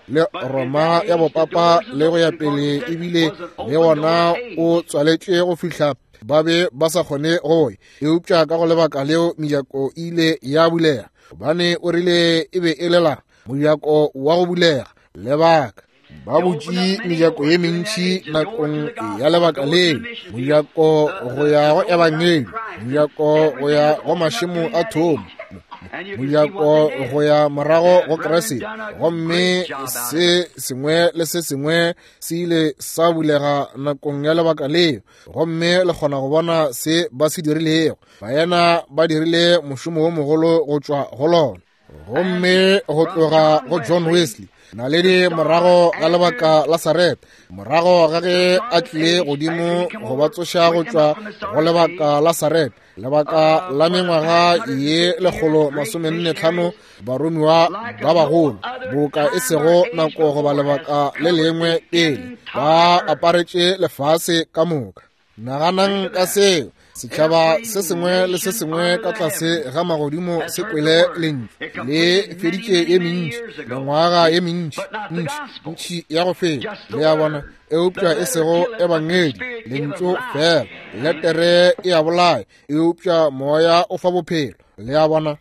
le Roma ya bopapa le go ya pele, ebile le wona o tswaletše go fihla ba be ba sa kgone go ya. Eupša ka go lebaka leo mejako e ile ya bulega, gobane o rile e be e le la mojako wa go bulega. Lebaka ba butše mejako ye mentši nakong ya lebaka leo, mojako go ya go ebangedi, mojako go ya go mašemo a thomo, mojako go ya morago go Kriste, gomme se sengwe le se sengwe se ile sa bulega nakong ya lebaka leo, gomme le kgona go bona se ba se dirilego. Baena ba dirile mošomo wo mogolo go tšwa go lona. Gomme go tloga go John Wesley, naledi morago ga lebaka la Sarepta, morago ga ge a tlile godimo go ba tsoša go tšwa go lebaka la Sarepta, lebaka la mengwaga ye lekgolo masomenne tlhano, baromiwa ba bagolo boka e sego nako goba lebaka le lengwe pele ba aparetše lefase ka moka. Naganang ka seo, setšhaba se sengwe le se sengwe ka tlase ga magodimo se kwele lentšu le feditše ye mentši, mengwaga ye mentši ntši ntši ya go feta, le a bona, eupša e sego ebangedi, lentšu fela. Letere e a bolaya, eupša moya o fa bophelo, le a bona.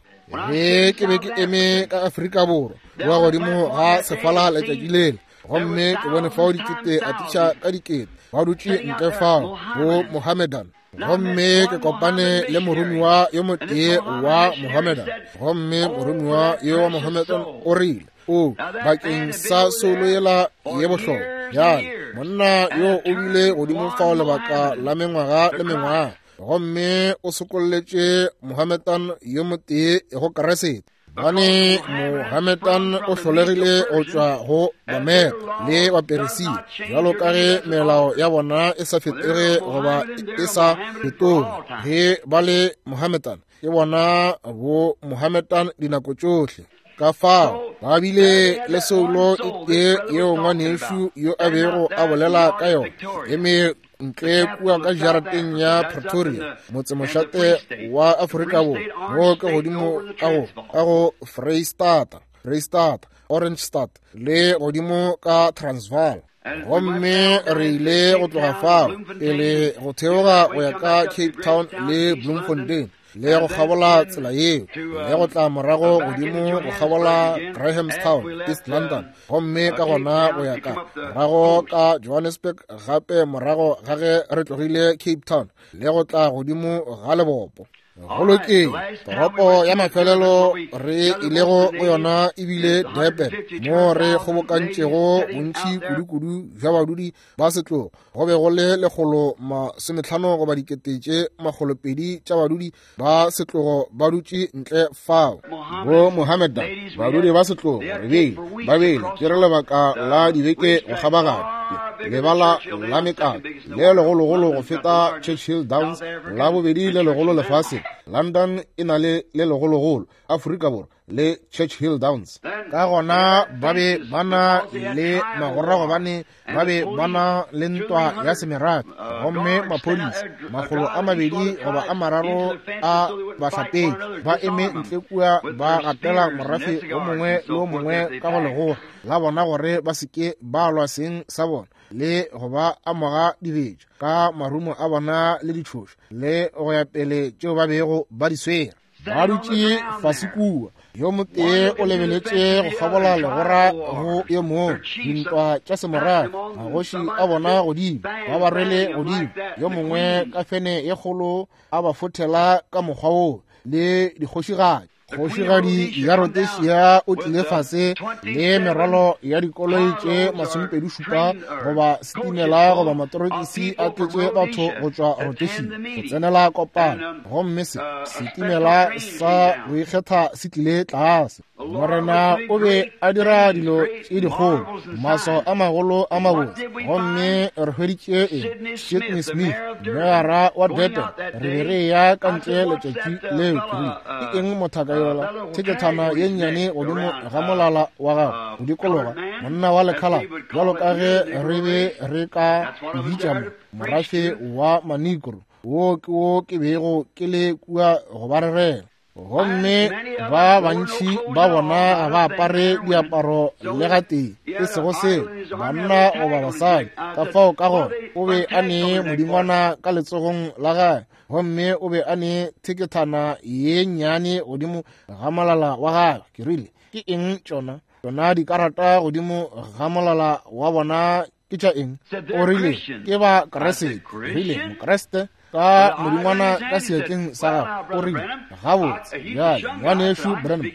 Ge ke be ke eme ka Afrika Borwa wa godimo ga sefala letšatši lela, gomme ke bone fao dikete atiša ka dikete ba dutše ntle fao bo Mohammedan, gomme ke kopane le moromiwa yo motee wa Mohammedan, gomme moromiwa yo wa Mohammedan o rile, o bakeng sa soulo yela ye bohlokwa. Bjale monna yo o bile godimo fao lebaka la mengwaga le mengwaga, gomme o sokolletše Mohammedan yo motee go Kriste. Bane Mohammedan o hlolegile go tšwa go Bameda le Baperesia, bjalo ka ge melao ya bona e sa fetoge goba e sa fetoge. Ge ba le Mohammedan, ke bona bo Mohammedan dinako tšohle. Ka fao ba bile le soulo e tee yeo ngwanešu yo a bego a bolela ka yona, eme ntle kua ka jarateng ya Pretoria, motsemošate wa Afrika Borwa, mo ke godimo ka go ka go Freistata, Freistata, Orange State le godimo ka Transvaal. Gomme re ile go tloga fao pele go theoga go ya ka Cape Town le Bloemfontein, le go kgabola tsela yeo, le go tla morago godimo go kgabola Grahamstown, East London, gomme ka gona go ya ka morago ka Johannesburg gape morago ga ge re tlogile Cape Town, le go tla godimo ga lebopo. Go lokile, toropo ya mafelelo re ilego go yona ebile Durban, mo re kgobokantšego bontši kudu-kudu bja badudi ba setlogo. Go be go le lekgolo masometlhano goba dikete tše makgolopedi tša badudi ba setlogo ba dutše ntle fao. Bo Mohammedan, badudi ba setlogo, re beile ba beile tšere lebaka la dibeke go kgabaganya lebala la mekano le legologolo go feta Churchill Downs, la bobedi le legolo lefaseng. London e na le le legologolo, Afrika Borwa le Churchill Downs. Ka gona ba be ba na le magora gobane ba be ba na le ntwa ya semerafe, gomme maphodisa makgolo a mabedi goba a mararo a bahlapetši ba eme ntle kua ba gatela morafe o mongwe le o mongwe ka go legora la bona gore ba se ke ba lwa seng sa bona le go ba amoga dibetša ka marumo a bona le ditšhošo le go ya pele tšeo ba bego ba di swere. Ba dutše fase kua, yo motee o lebeletše go kgabola legora go yo mongwe, dintwa tša semorafe, magoši a bona godimo, ba ba rwele godimo, yo mongwe ka fene ye kgolo a ba fothela ka mokgwa woo le dikgošigadi. Kgošigadi ya Rhodesia o tlile fase le merwalo ya dikoloi tše masomepedi šupa goba setimela goba matorokisi a tletše batho go tšwa Rhodesia go tsenela kopano, gomme se setimela sa go ikgetha se tlile tlase. Morena o be a dira dilo tše dikgolo, maswao a magolo a mabotse, gomme re hweditše eng? Sidney Smith, meyara wa Durban, re be re eya ka ntle letšatši leo. Ke rile, ke eng mothaka yola thekethana ye nnyane godimo ga molala wa gagwe go dikologa, monna wa lekhala bjalo ka ge re be re ka bitša mo morafe wa Manigro, wo ke wo ke bego ke le kua go ba rerela. Gomme ba bantši ba bona ga ba apare diaparo le gatee, e sego seo, banna goba basadi. Ka fao ka gona o be a ne modingwana ka letsogong la gagwe, gomme o be a ne thekethana ye nnyane godimo ga molala wa gagwe. Ke rile, ke eng tšona? Tšona dikarata godimo ga molala wa bona ke tša eng? O rile, ke ba Kreste. Rile, Mokreste ka modingwana ka seatleng sa gagwe. O rile, gabotse bjale ngwanešu Branham,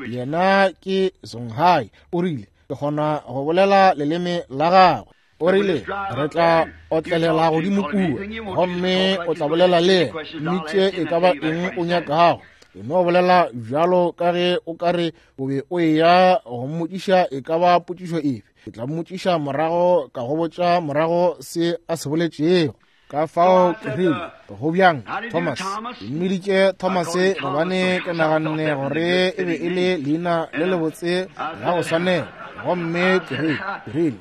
yena ke Songhai. O rile, ke kgona go bolela leleme la gagwe. O rile, re tla otlelela godimo kua, gomme o tla bolela le yena, mmitše e ka ba eng o nyakago. E no bolela bjalo ka ge o ka re o be o eya go mmotšiša e ka ba potšišo efe. Ke tla mmotšiša morago, ka go botša morago se a se boletšego. Ka fao ke rile, go bjang Thomas? Ke mmiditše Thomas gobane ke naganne gore e be e le leina le lebotse la go swanela. Gomme ke rile, ke rile,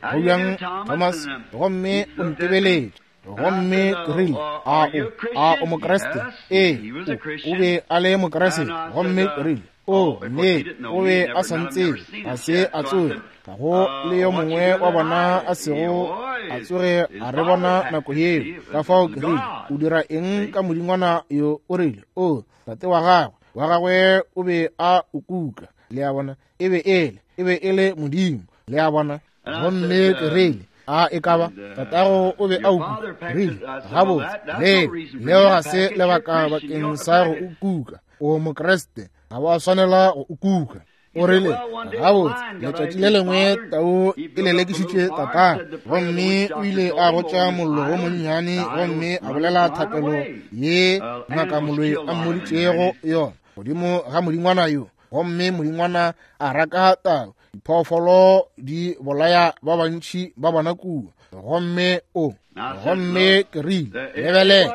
go bjang Thomas? Gomme o ntebeletše. Gomme ke rile, a o, a o Mokreste? Ee, o be a le Mokreste. Gomme ke rile, o nnete, o be a sa ntsebe, ga se a tsoge, ga go le yo mongwe wa bona a sego a tsoge a re bona nako yeo. Ka fao ke rile, o dira eng ka modingwana yo? O rile, o tate wa gagwe, wa gagwe o be a o kuka. Le a bona, e be ele, e be e le modimo. Le a bona. Gomme ke rile, a e ka ba tatago o be a o kuka? Rile, gabotse, le leo ga se lebaka bakeng sa go o kuka. O Mokreste, ga wa swanela go o kuka. O rile, gabotse, letšatši le lengwe tau e lelekišitše tatagwe, gomme o ile a gotša mollo wo monnyane, gomme a bolela thapelo ye ngaka moloi a mmoditšego yona godimo ga modingwana yo, gomme modingwana a raka tau. Diphoofolo di bolaya ba bantši ba bona kua. Gomme o, gomme ke rile, lebelela,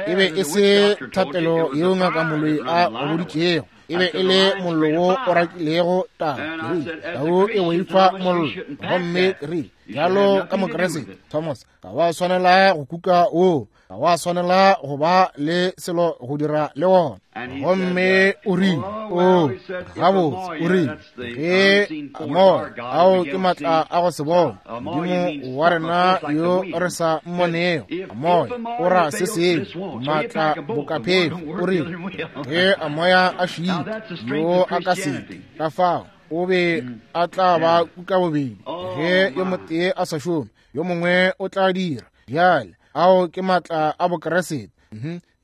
e be e se thapelo yeo ngaka moloi a go boditšego, e be e le mollo wo o rakilego tau. Ke rile, tau e boifa mollo. Gomme ke rile, bjalo ka Mokreste Thomas, ga wa swanela go kuka woo, ga wa swanela go ba le selo go dira le wona. Gomme o rile, o gabotse, o rile, ge moya, ao ke maatla a go se bone, Modimo wa rena yo re sa mmonego, moya o ra se sengwe, maatla bokaphefo. O rile, ge a moya a šita, yo a ka seke, ka fao o be a tla ba kuka bobedi. Ge yo motee a sa šome, yo mongwe o tla dira. Bjale ao ke maatla a Bokreste.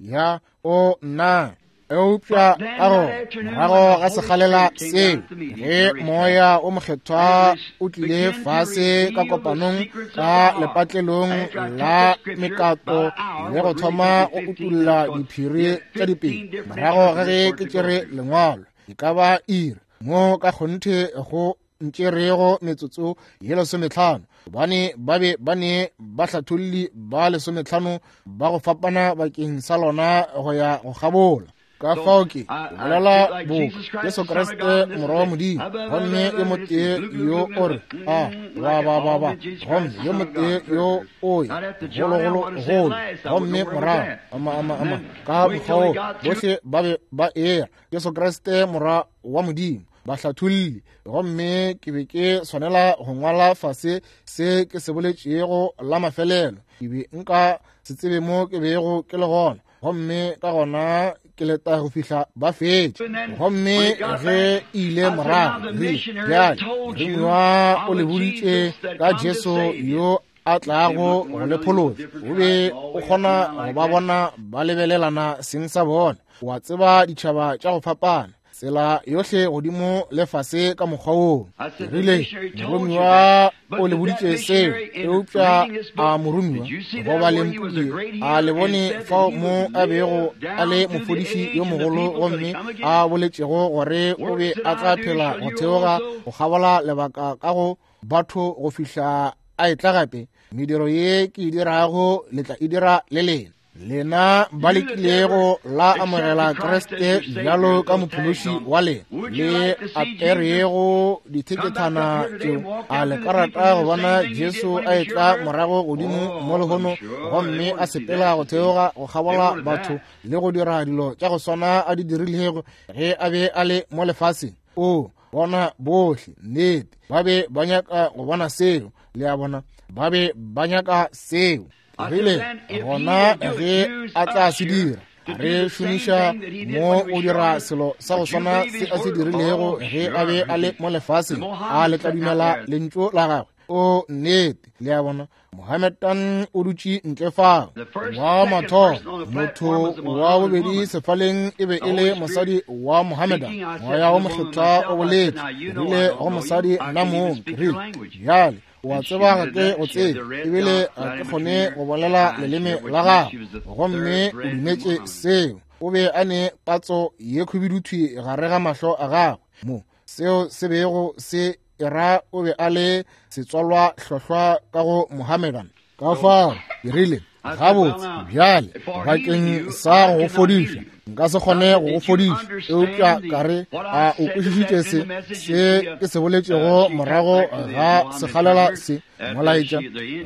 Ya, o nna. Eupša ka go morago ga sekgalela seo, ge moya o mokgethwa o tlile fase ka kopanong ka lepatlelong la mekato le go thoma go utulla diphiri tša dipele, morago ga ge ke tšere lengwalo e ka ba iri mo ka kgonthe go ntšerego metsotso ye lesometlhano, gobane ba be ba ne bahlatholli ba lesometlhano ba go fapana bakeng sa lona go ya go kgabola. Ka fao ke bolela boka Jesu Kriste morwa wa Modimo, gomme yo motee yo o re a ba ba ba ba, gomme yo motee yo o ye gologolo golo, gomme morago ama ama ama ka mokgwa wo bohle ba be ba era Jesu Kriste morwa wa Modimo, bahlatholli. Gomme ke be ke swanela go ngwala fase se ke se boletšego la mafelelo. Ke be nka se tsebe mo ke bego ke le gona, gomme ka gona ke leta go fihla ba fetše. Gomme ge ile morago rile, bjale moromiwa o le boditše ka Jesu yo a tlago go le phološa. O be o kgona go ba bona ba lebelelana seng sa bona. Wa tseba ditšhaba tša go fapana, tsela yohle godimo le fase ka mokgwa woo. Rile moromiwa o le boditše seo, eupša a moromiwa go ba le mpule a le bone fao mo a bego a le mofodiši yo mogolo, gomme a boletšego gore o be a tla phela go theoga go kgabola lebaka ka go batho go fihla a etla gape. Mediro ye ke e dirago le tla e dira le lena. Lena ba lekilego la amogela Kriste bjalo ka mophološi wa lena, le aperego dithekethana tšeo, a le ka rata go bona Jesu a etla morago godimo mo lehono gomme a sepela go theoga go kgabola batho le go dira dilo tša go swana a di dirilego ge a be a le mo lefaseng? O bona bohle, nnete, ba be ba nyaka go bona seo. Le a bona, ba be ba nyaka seo. Rile gona ge a tla se dira, re šomiša mo o dira selo sa go swana se a se dirilego ge a be a le mo lefaseng, a le tla dumela lentšu la gagwe? O nnete. Le a bona, Mohammedan o dutše ntle fao. Wa mathomo, motho wa bobedi sefaleng e be e le mosadi wa Mohammedan. Moya wo mokgethwa o boletše, rile go mosadi, nna mong, rile, bjale wa tseba ga ke go tsebe, ebile ga ke kgone go bolela leleme la gago. Gomme o dumetše seo. O be a ne patso ye khubiduthwi gare ga mahlo a gagwe, mo seo se bego se era o be a le setswalwa hlohlwa ka go Mohammedan. Ka fao ke rile, gabotse bjale bakeng sa go fodiša nka se kgone go go fodiša, eupša ka re a o kwešišitše se se ke se boletšego morago ga sekgalela se molaetša?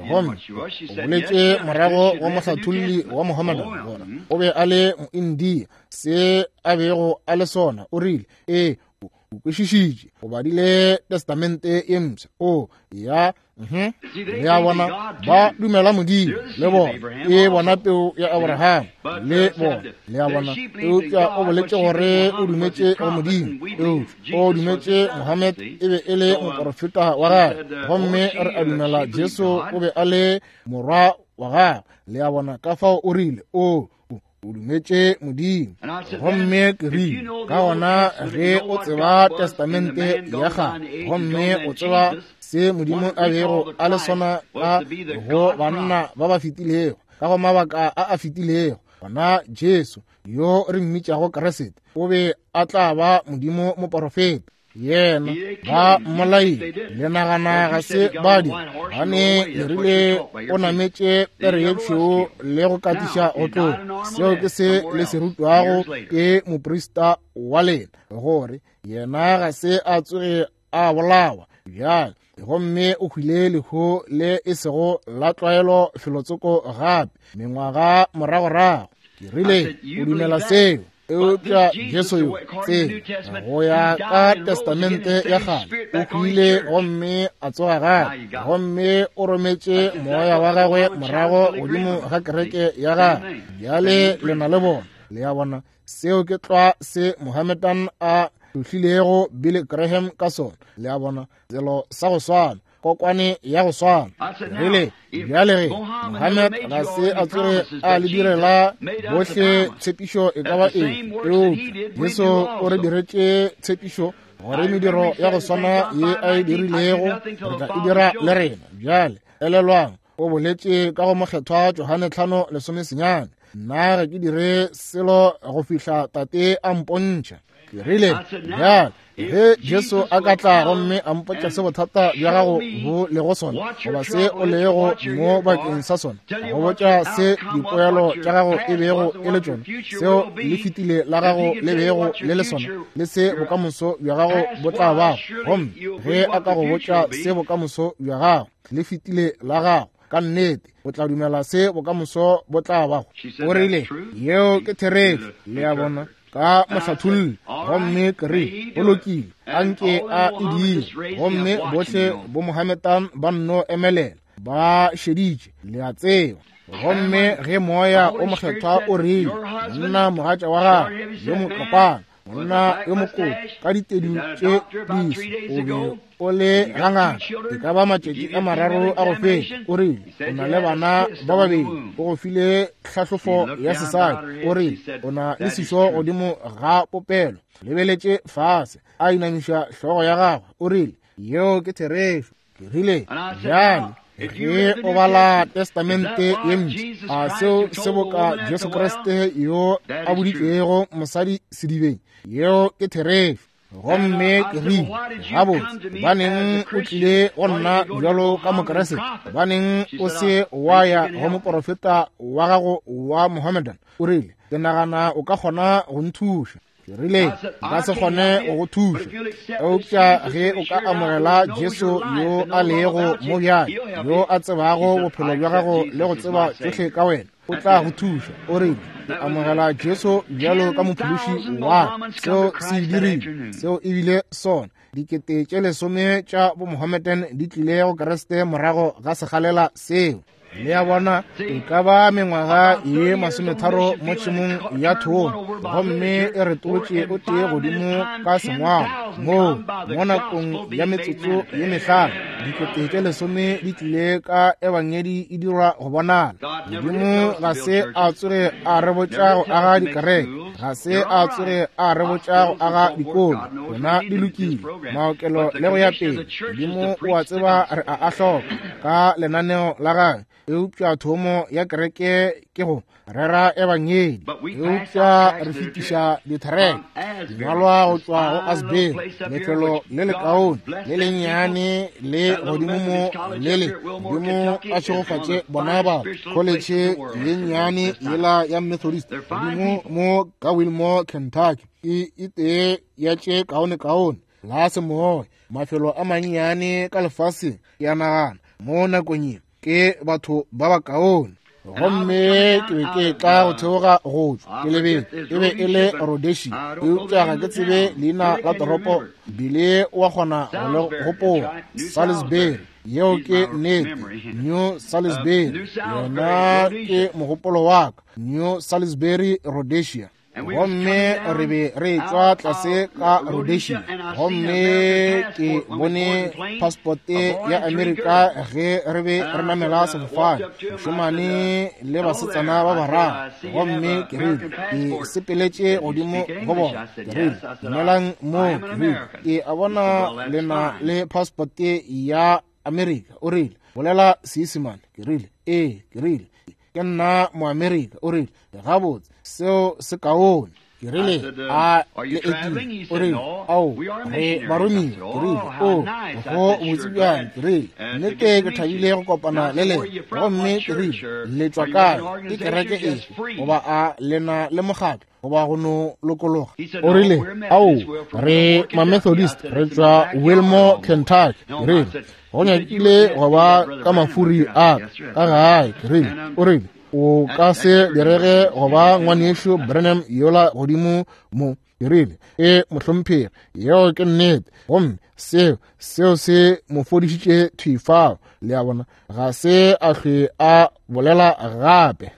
Gomme o boletše morago go mohlatholli wa Mohammedan gore o be a le Moindia, se a bego a le sona. O rile, ee, o kwešišitše, o badile testamente ye mpsha. O ya, le a bona, ba dumela Modimo le bona, e bona peu ya Abraham le bona. Le a bona, eupša o boletše gore o dumetše go Modimo, eupša o dumetše Mohammed e be e le moporofeta wa gagwe, gomme re a dumela Jesu o be a le morwa wa gagwe. Le a bona, ka fao o rile, o o dumetše Modimo. Gomme ke rile, ka gona ge o tseba testamente ya kgale, gomme o tseba se Modimo a bego a le sona ka go banna ba ba fetilego, ka go mabaka a a fetilego, gona Jesu yo re mmitšago Kriste o be a tla ba Modimo moporofeta. Yena ba mmolaile, le nagana ga se ba di gane le rile o nametše pere ye tšhweu le go katiša go tloga. Seo ke se le se rutwago ke moprista wa lena, gore yena ga se a tsoge a bolawa bjale, gomme o hwile lehu le e sego la tlwaelo felotsoko gape mengwaga moragorago. Ke rile, o dumela seo? Eupša Jesu yo tsebe go ya ka testamente ya kgale o hwile gomme a tsoga gape, gomme o rometše moya wa gagwe morago godimo ga kereke ya gagwe. Bjale le na le bona. Le a bona, seo ke tlwa se Mohammedan a hlohlilego Billy Graham ka sona. Le a bona, selo sa go swana. Kokwane ya go swana. Rile, bjale ge Mohammed ga se a tsoge a le direla bohle tshepišo e ka ba eng, eupša Jesu o re diretše tshepišo gore mediro ya go swana ye a e dirilego re tla e dira le rena. Bjale elelwang, o boletše ka go mokgethwa Johane tlhano lesome senyane, nna ga ke dire selo go fihla tate a mpontšha. Ke rile, bjale ge Jesu a ka tla gomme a mpotša se bothata bja gago bo lego sona, goba se o lego mo bakeng sa sona, go botša se dipoelo tša gago e bego e le tšona, seo le fetile la gago le bego le le sona, le se bokamoso bja gago bo tla bago, gomme ge a ka go botša se bokamoso bja gago le fetile la gago, ka nnete o tla dumela se bokamoso bo tla bago. O rile, yeo ke therešo. Le a bona, ka mohlatholli. Gomme ke re, go lokile, a nke a e dire. Gomme bohle bo Mohammedan ba nno emelela, ba šeditše, le a tseba. Gomme ge moya o mokgethwa o rile, monna mogatša wa gagwe yo mokopana, monna yo mokoto ka ditedu tše diso, o be o le ga ngaka e ka ba matšatši a mararo a go feta. O rile, o na le bana ba babedi, o go file tlhahlofo ya sesadi. O rile, o na le sešo godimo ga popelo. Lebeletše fase, a inamiša hlogo ya gagwe. O rile, yeo ke therešo. Ke rile, bjale ge o bala Testamente ye mpsha, a seo se boka Jesu Kriste yo a boditšego mosadi sedibeng? Yeo ke therešo. Gomme ke rile, gabotse, gobaneng o tlile go nna bjalo ka Mokeresete? Gobaneng o se wa ya go moporofeta wa gago wa Mohammedan? O rile, ke nagana o ka kgona go nthuša. Ke rile, nka se kgone go go thuša, eupša ge o ka amogela Jesu yo a lego mo bjale, yo a tsebago bophelo bja gago le go tseba tšohle ka wena, o tla go thuša. O rile, ke amogela Jesu bjalo ka mophološi wa ka. Seo se e dirile, seo e bile sona. Dikete tše lesome tša bo Mohammedan di tlile go Kriste morago ga segalela seo. Le a bona, e ka ba mengwaga ye masometharo mo tšhemong ya thomo, gomme e retolotše o tee godimo ka sengwalo moo mo nakong ya metsotso ye mehlano dikete tše lesome di tlile ka ebangedi e dirwa go bonala. Modimo ga se a tsoge a re botša go aga dikereke, ga se a tsoge a re botša go aga dikolo, tšona di lokile, maokelo le go ya pele. Modimo o a tseba re a a hloka ka lenaneo la gagwe, eupša thomo ya kereke ke go rera ebangedi. Eupša re fetiša dithereke dingwalwa go tšwa go Asbury, lefelo le lekaone le lennyane le godimo mo le le godimo a šegofatše bona batho, kholetšhe ye nnyane yela ya Methodist godimo mo ka Wilmore, Kentucky, e e tee ya tše kaonekaone la semoya mafelo a mannyane ka lefaseng. Ke a nagana mo nakong ye ke batho ba bakaone. Gomme ke be ke tla go theoga go tšwa ke lebele, e be e le Rhodesia, eupša ga ke tsebe leina la toropo, bile wa kgona go le gopola. Salisbury, yeo ke nnete, New Salisbury, yona ke mogopolo wa ka, New Salisbury, Rhodesia. Gomme re be re tšwa tlase ka Rhodesia, gomme ke bone passporte ya Amerika ge re be re namela sefofane, mošemane le basetsana ba bararo. Gomme ke rile, ke sepeletše godimo go bona, ke rile, dumelang mo, ke rile, ke a bona le na le passporte ya Amerika. O rile, bolela Seisemane. Ke rile, ee. Ke rile, ke nna Moamerika. O rile, gabotse, seo se kaone. Ke rile, a le etile? O rile, ao, re baromiwa. Ke rile, o, go botse bjang. Ke rile, nnete ke thabile go kopana le lena. Gomme ke rile, le tšwa kae? Ke kereke efe? Goba a le na le mokgatlo? Goba go no lokologa? O rile, ao, re ma-Methodist, re tšwa Wilmore, Kentucky. Ke rile, go nyakile go ba ka mafuri a ka gae. Ke rile, o rile, o ka se direge go ba ngwanešu Branham yola godimo mo. Ke rile, e mohlomphegi, yeo ke nnete. Gomme seo seo se mo fodišitše thwi fao. Le a bona, ga se a hlwe a bolela gape.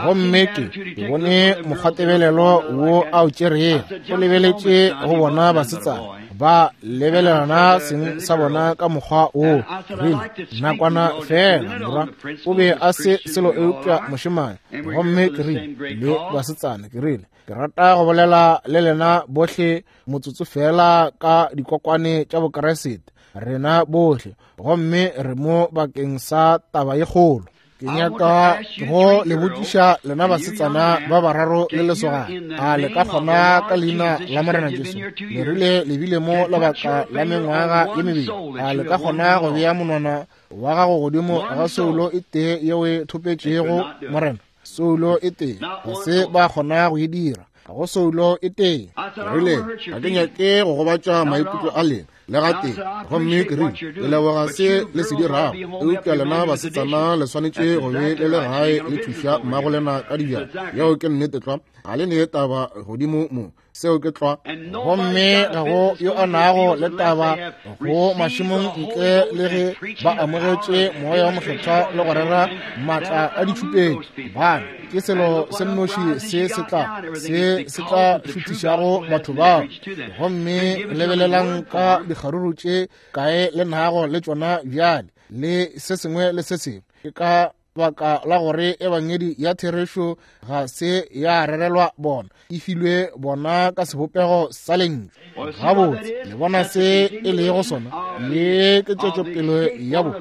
Gomme ke ke bone mokgwatebelelo wo a o tšerego, o lebeletše go bona basetsana Ba lebelelana seng sa bona ka mokgwa woo. Rile nakwana fela morwa o be a se selo eupša mošemane. Gomme ke rile le basetsana, ke rile ke rata go bolela le lena bohle motsotso fela ka dikokwane tša Bokeresete, rena bohle, gomme re mo bakeng sa taba ye kgolo. Ke nyaka go le botšiša lena basetsana ba bararo le lesogana, a le ka kgona ka leina la Morena Jesu, le rile le bile mo lebaka la mengwaga ye mebedi, a le ka kgona go bea monwana wa gago godimo ga soulo e tee yeo e thopetšego Morena? Soulo e tee, ga se ba kgona go e dira, ga go soulo e tee. Rile ga ke nyake go gobatša maikutlo a lena le gatee, gomme ke rile le leboga se le se dirago, eupša lena basetsana le swanetše go be le le gae le thuša mmago lena ka dibjana. Yeo ke nnete tlwa, ga le ne taba godimo mo, seo ke tlwa. Gomme ga go yo a nago le taba go mašemong ntle le ge ba amogetše Moya wa Mokgethwa le go rera maatla a ditšhupetšo. Bana ke selo se nnoši se se tla se se tla šuthišago batho bao. Gomme lebelelang ka dikgaruru tše kae le nago le tšona bjale, le se sengwe le se sengwe. Ke ka baka la gore ebangedi ya therešo ga se ya rerelwa bona, e filwe bona ka sebopego sa lentšu. Gabotse le bona se e lego sona, ye ke tšwetšopele ya bo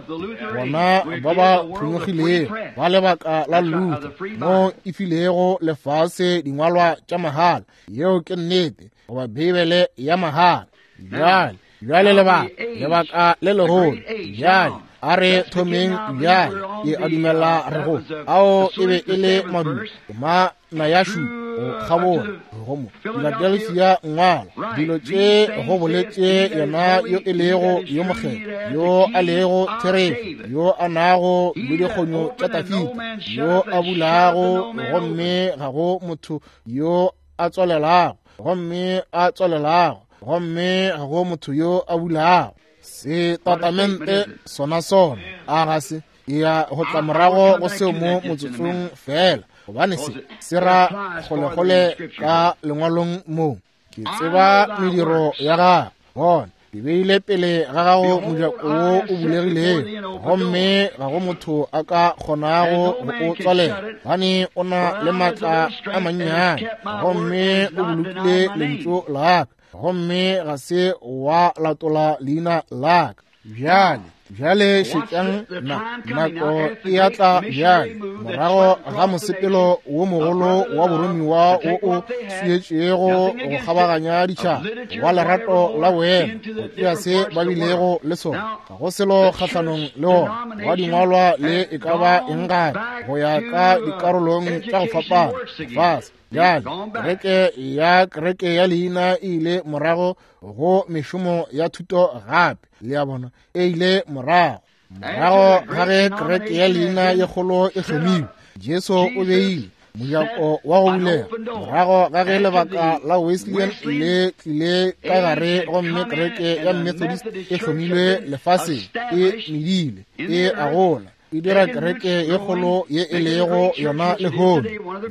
bona ba ba phonyokgilego ba lebaka la Luther, mo e filego lefase dingwalwa tša mahala. Yeo ke nnete, goba Beibele ya mahala. Bjale bjale lebaka lebaka le legolo bjale, a re thomeng bjale. Ke a dumela re go ao e be e le madulo ma na ya šupa go kgabola go mo Philadelphia. Ngwala dilo tše go boletše yena yo e lego yo mokgethwa, yo a lego therešo, yo a nago le dikgonyo tša Dafida, yo a bulago gomme ga go motho yo a tswalelago, gomme a tswalelago gomme ga go motho yo a bulago. Setatamente sona sona a ga se ya go tla morago go seo mo motsotsong fela, gobane se se ra kgolekgole ka lengwalong mo. Ke tseba mediro ya gago, bona ke beile pele ga gago mojako wo o bulegilego, gomme ga go motho a ka kgonago go o tswalela, gobane o na le maatla a mannyane, gomme o bolokile lentšu la ka, gomme ga se wa latola leina la ka. Bjale bjale šetšang na nako e a tla bjale, morago ga mosepelo wo mogolo wa boromiwa wo o swietšego go kgabaganya ditšhaba wa lerato la boemo, go tšea se ba bilego le sona, ga go selo kgahlanong le ona, wa dingwalwa le e ka ba eng gape, go ya ka dikarolong tša go fapana lefase. Bjale kereke ya kereke ya leina e ile morago go mešomo ya thuto gape, le a bona, e ile morago morago ga ge kereke ya leina ye kgolo e hlomilwe. Jesu o beile mojako wa go bulega morago ga ge lebaka la Wesleyan le tlile ka gare, gomme kereke ya Methodist e hlomilwe lefaseng, e medile, e a gola, e dira kereke ye kgolo ye e lego yona lehono,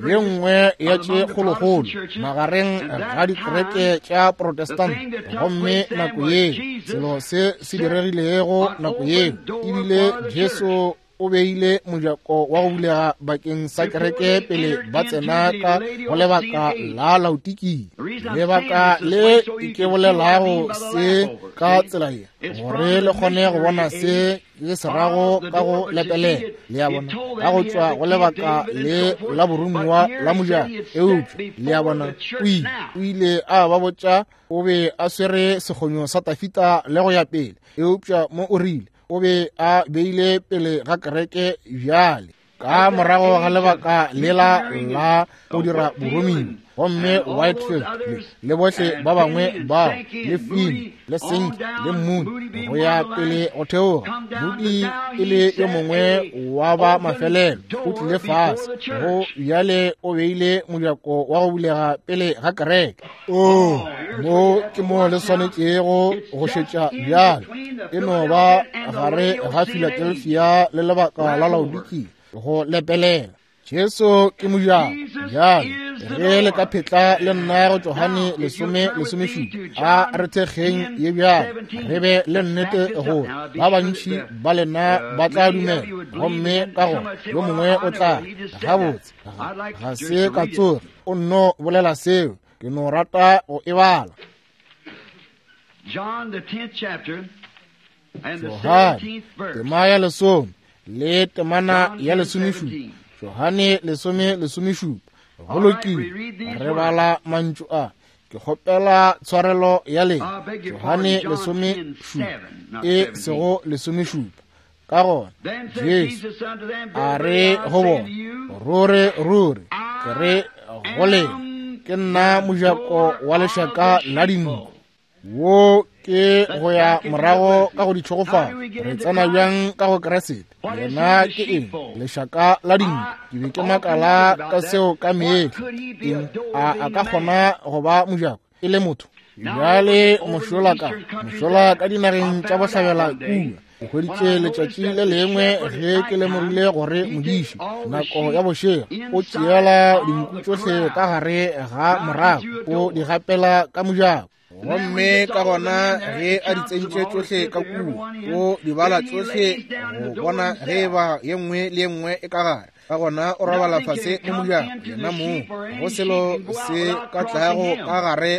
ye nngwe ya tše kgolokgolo magareng ga dikereke tša Protestant. Gomme nako ye selo se se diregilego nako ye ebile Jesu o beile mojako wa go bulega bakeng sa kereke pele ba tsena ka go lebaka la Laodikia. Lebaka le ke bolelago se ka tsela ye gore le kgone go bona se ke se rago ka go lepelela, le a bona, ka go tšwa go lebaka le la boromiwa la mojako. Eupša le a bona, o ile o ile a ba botša o be a swere sekgonyo sa Dafida le go ya pele, eupša mo o rile o be a beile pele ga kereke bjale ka morago ga lebaka lela la go dira boromiwa. Gomme Whitefield le bohle ba bangwe bao, le Finn le Sink le Moody go ya pele go theoga, Moody e le yo mongwe wa ba mafelelo, o tlile fase go bjale o beile mojako wa go bulega pele ga kereke. O mo ke mo le swanetšego go šetša bjale, e no ba gare ga Philadelphia le lebaka la Laodikia go lepelela. Jesu ke mojako. Bjale ge le ka phetla le nna go Johane lesome lesomešupa, a re thekgeng ye bjale, re be le nnete gore ba bantši ba lena ba tla dumela, gomme ka gona yo mongwe o tla gabotse ga se ka tsoge o nno bolela seo, ke no rata go e bala. Johane tema ya lesome le temana ya lesomešupa. Johane lesome lesomešupa. Go lokile, re bala mantšu a. Ke kgopela tshwarelo ya lena. Johane lesomešupa, e sego lesomešupa. Ka gona Jesu a re go bona, ruri ruri ke re go lena, ke nna mojako wa lešaka la dinku. Wo ke go ya morago ka go ditšhogofalo. Re tsena bjang ka go Kriste? Yena ke eng? Lešaka la dinku. Ke be ke makala ka seo ka mehla. Eng a a ka kgona go ba mojako e le motho? Bjale mošola ka mošola ka dinageng tša bohlabela kua, ke hweditše letšatši le lengwe ge ke lemogile gore modiši nako ya bošego o tšeela dinku tšohle ka gare ga morago, o di gapela ka mojako. Gomme ka gona ge a di tsentše tšohle ka kua, o di bala tšohle go bona ge e ba ye nngwe le ye nngwe e ka gare. Ka gona o robala fase mo mojako yena moo, go selo se ka tlago ka gare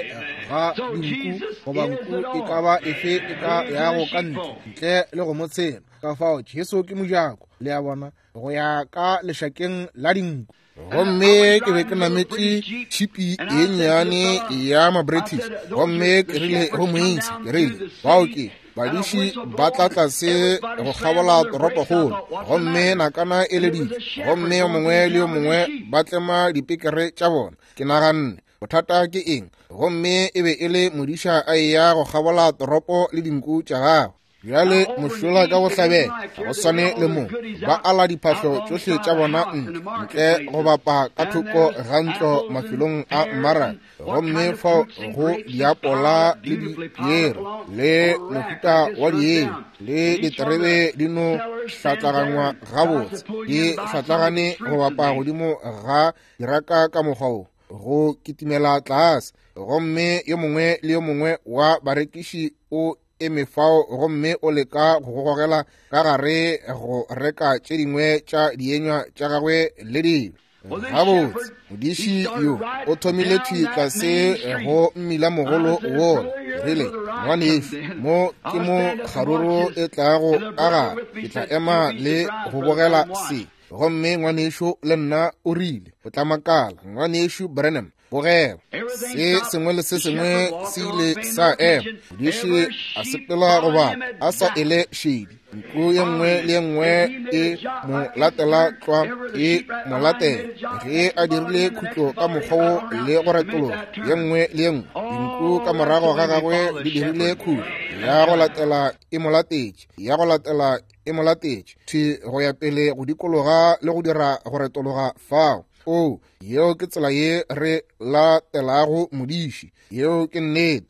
ga dinku goba nku e ka ba efe e ka yago ka ntle ntle le go mo tshela. Ka fao Jesu ke mojako, le a bona, go ya ka lešakeng la dinku. Gomme ke be ke nametše tšhipi ye nnyane ya ma-British, gomme ke rile go moisa, ke rile, bao ke badiši ba tla tlase go kgabola toropokgolo, gomme nakana e leditše, gomme yo mongwe le yo mongwe ba tlema dipekere tša bona. Ke naganne, bothata ke eng? Gomme e be e le modiša a eya go kgabola toropo le dinku tša gagwe. Bjale mošola ka bohlabela go swane le mo, ba ala diphahlo tšohle tša bona ntle ntle go bapa ka thoko ga ntlo mafelong a mmaraka, gomme fao go diapola le dipiere le mohuta wa dienywa le diterebe di no hlatlagangwa gabotse, di hlatlagane go bapa godimo ga diraka ka mokgwa wo go kitimela tlase. Gomme yo mongwe le yo mongwe wa barekiši o eme fao gomme o leka go gogela ka gare go reka tše dingwe tša dienywa tša gagwe le dilo. Gabotse modiši yo o thomile thwi tlase go mmila mogolo wola. Rile, ngwanešu, mo ke mo kgaruru e tlago ka gare, ke tla ema le go bogela se. Gomme ngwanešu le nna o rile, o tla makala, ngwanešu Branham, bogela. Se sengwe le se sengwe se ile sa ema. Modiši a sepela go bapa a sa ele šedi. Nku ye nngwe le ye nngwe e mo latela tlwa, e mo latela. Ge a dirile khutlo ka mokgwa wo le go retologa, ye nngwe le ye nngwe dinku ka morago ga gagwe di dirile khutlo, ya go latela e mo latetše, ya go latela e mo latetše, thwi go ya pele go dikologa le go dira go retologa fao. O, yeo ke tsela ye re latelago modiši. Yeo ke nnete.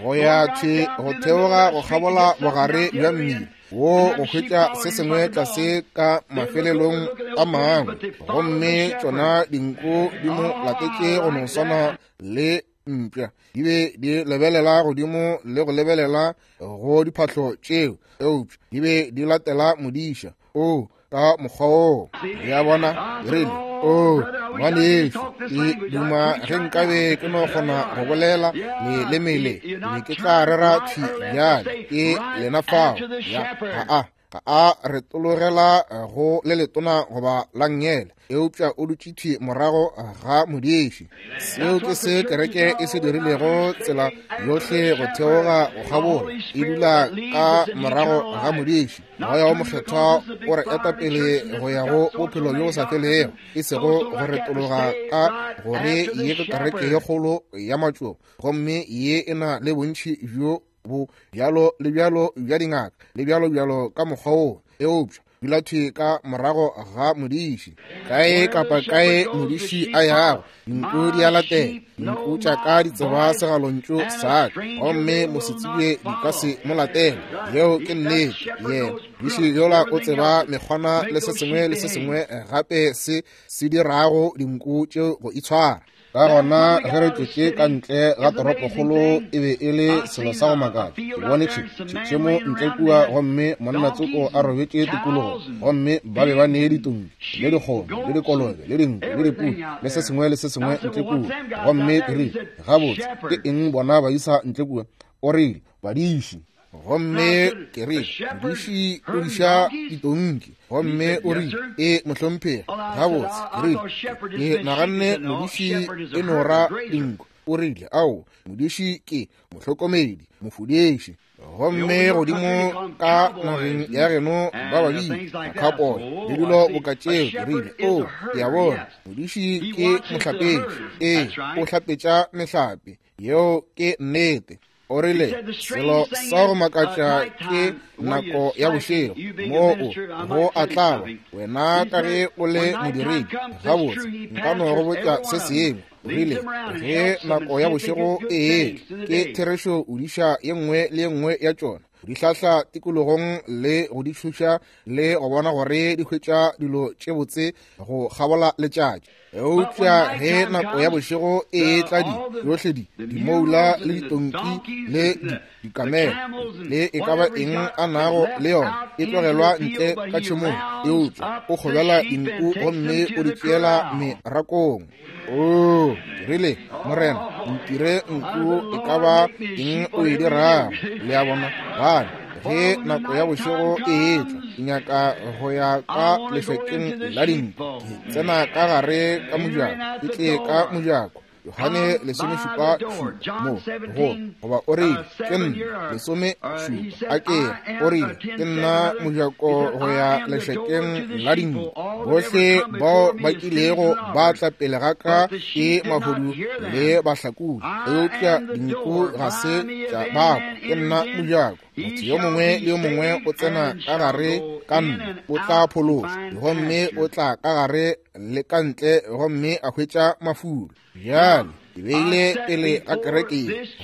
Go ya thwi go theoga go kgabola bogare bja mmila wo go hwetša se sengwe tlase ka mafelelong a mangwe, gomme tšona dinku di mo latetše go no swana le mpša. Di be di lebelela godimo le go lebelela go diphahlo tšeo, eupša di be di latela modiša. O, ka mokgwa woo, ya bona, rile, o, ngwanešu, ke duma ge nkabe ke no kgona go bolela leleme le, be ke tla rera thwi bjale. Ke lena fao. Ya, ga a ga a retologela go le letona goba la nngele, eupša o dutše thwi morago ga modiši. Seo ke se kereke e se dirilego tsela yohle go theoga go kgabola, e dula ka morago ga modiši. Moya wo Mokgethwa o re eta pele go ya go bophelo bjo bo sa felego, e sego go retologa ka gore ye ke kereke ye kgolo ya matšoba, gomme ye e na le bontši bjo bo bjalo le bjalo bja dingaka le bjalo bjalo ka mokgwa wo. Eupša Dula thwi ka morago ga modiši. Kae kapa kae modiši a yago, dinku di a latela. Dinku tša ka di tseba segalontšu sa ka, gomme mosetsebje di ka se mo latele. Yeo ke nnete. Yena modiši yola o tseba mekgwana le se sengwe le se sengwe gape se se dirago dinku tšeo go itshwara. Ka gona ge re tšwetše ka ntle ga toropokgolo e be e le selo sa go makatša. Ke bone tšhemo ntle kua gomme monna tsoko a robetše tikologo, gomme ba be ba nee ditonki le dikgomo le dikolobe le dinku le dipudi le se sengwe le se sengwe ntle kua. Gomme ke rile, gabotse ke eng bona ba isa ntle kua? O rile, badiši. Gomme ke rile, modiši o diša ditonki. Gomme o rile, e mohlomphegi. Gabotse, ke rile, ke naganne modiši e no ra dinku. O rile, ao, modiši ke mohlokomedi, mofudiši. Gomme godimo ka nageng ya geno ba babedi makhapoy le dilo boka tšeo. Ke rile, o, ke a bona, modiši ke mohlapetši. Ee, o hlapetša mehlape. Yeo ke nnete. O rile, selo sa go makatša ke nako ya bošego moo go a tlaba wena ka ge o le modiredi. Gabotse, nka no go botša se sengwe. O rile, ge nako ya bošego e etla, ke therešo o diša ye nngwe le ye nngwe ya tšona, di hlahla tikologong le go di thuša le go bona gore di hwetša dilo tše botse go kgabola letšatši. Eupša ge nako ya bošego e etla, di tšohle di dimoula le ditonki le dikamela le e ka ba eng a nago le yona e tlogelwa ntle ka tšhemong, eupša o kgobela dinku gomme o di tšeela merakong. O rile, Morena, ntire nku e ka ba eng o e dirago. Le a bona, bana, ge nako ya bošego e etla, ke nyaka go ya ka lešokeng la dinku. Ke tsena ka gare ka mojako, ke tle ka mojako. Yohane lesomešupa šupa mo go goba o rile, ke nna lesomešupa a ke o rile, ke nna mojako go ya lešokeng la dinku. Bohle bao ba kilego ba tla pele ga ka ke mahodu le bahlakodi, eupša dinku ga se tša bakwa. Ke nna mojako. Motho yo mongwe le yo mongwe o tsena ka gare ka nna o tla phološwa, gomme o tla ka gare le ka ntle gomme a hwetša mafulo. Bjale ke beile pele ga kereke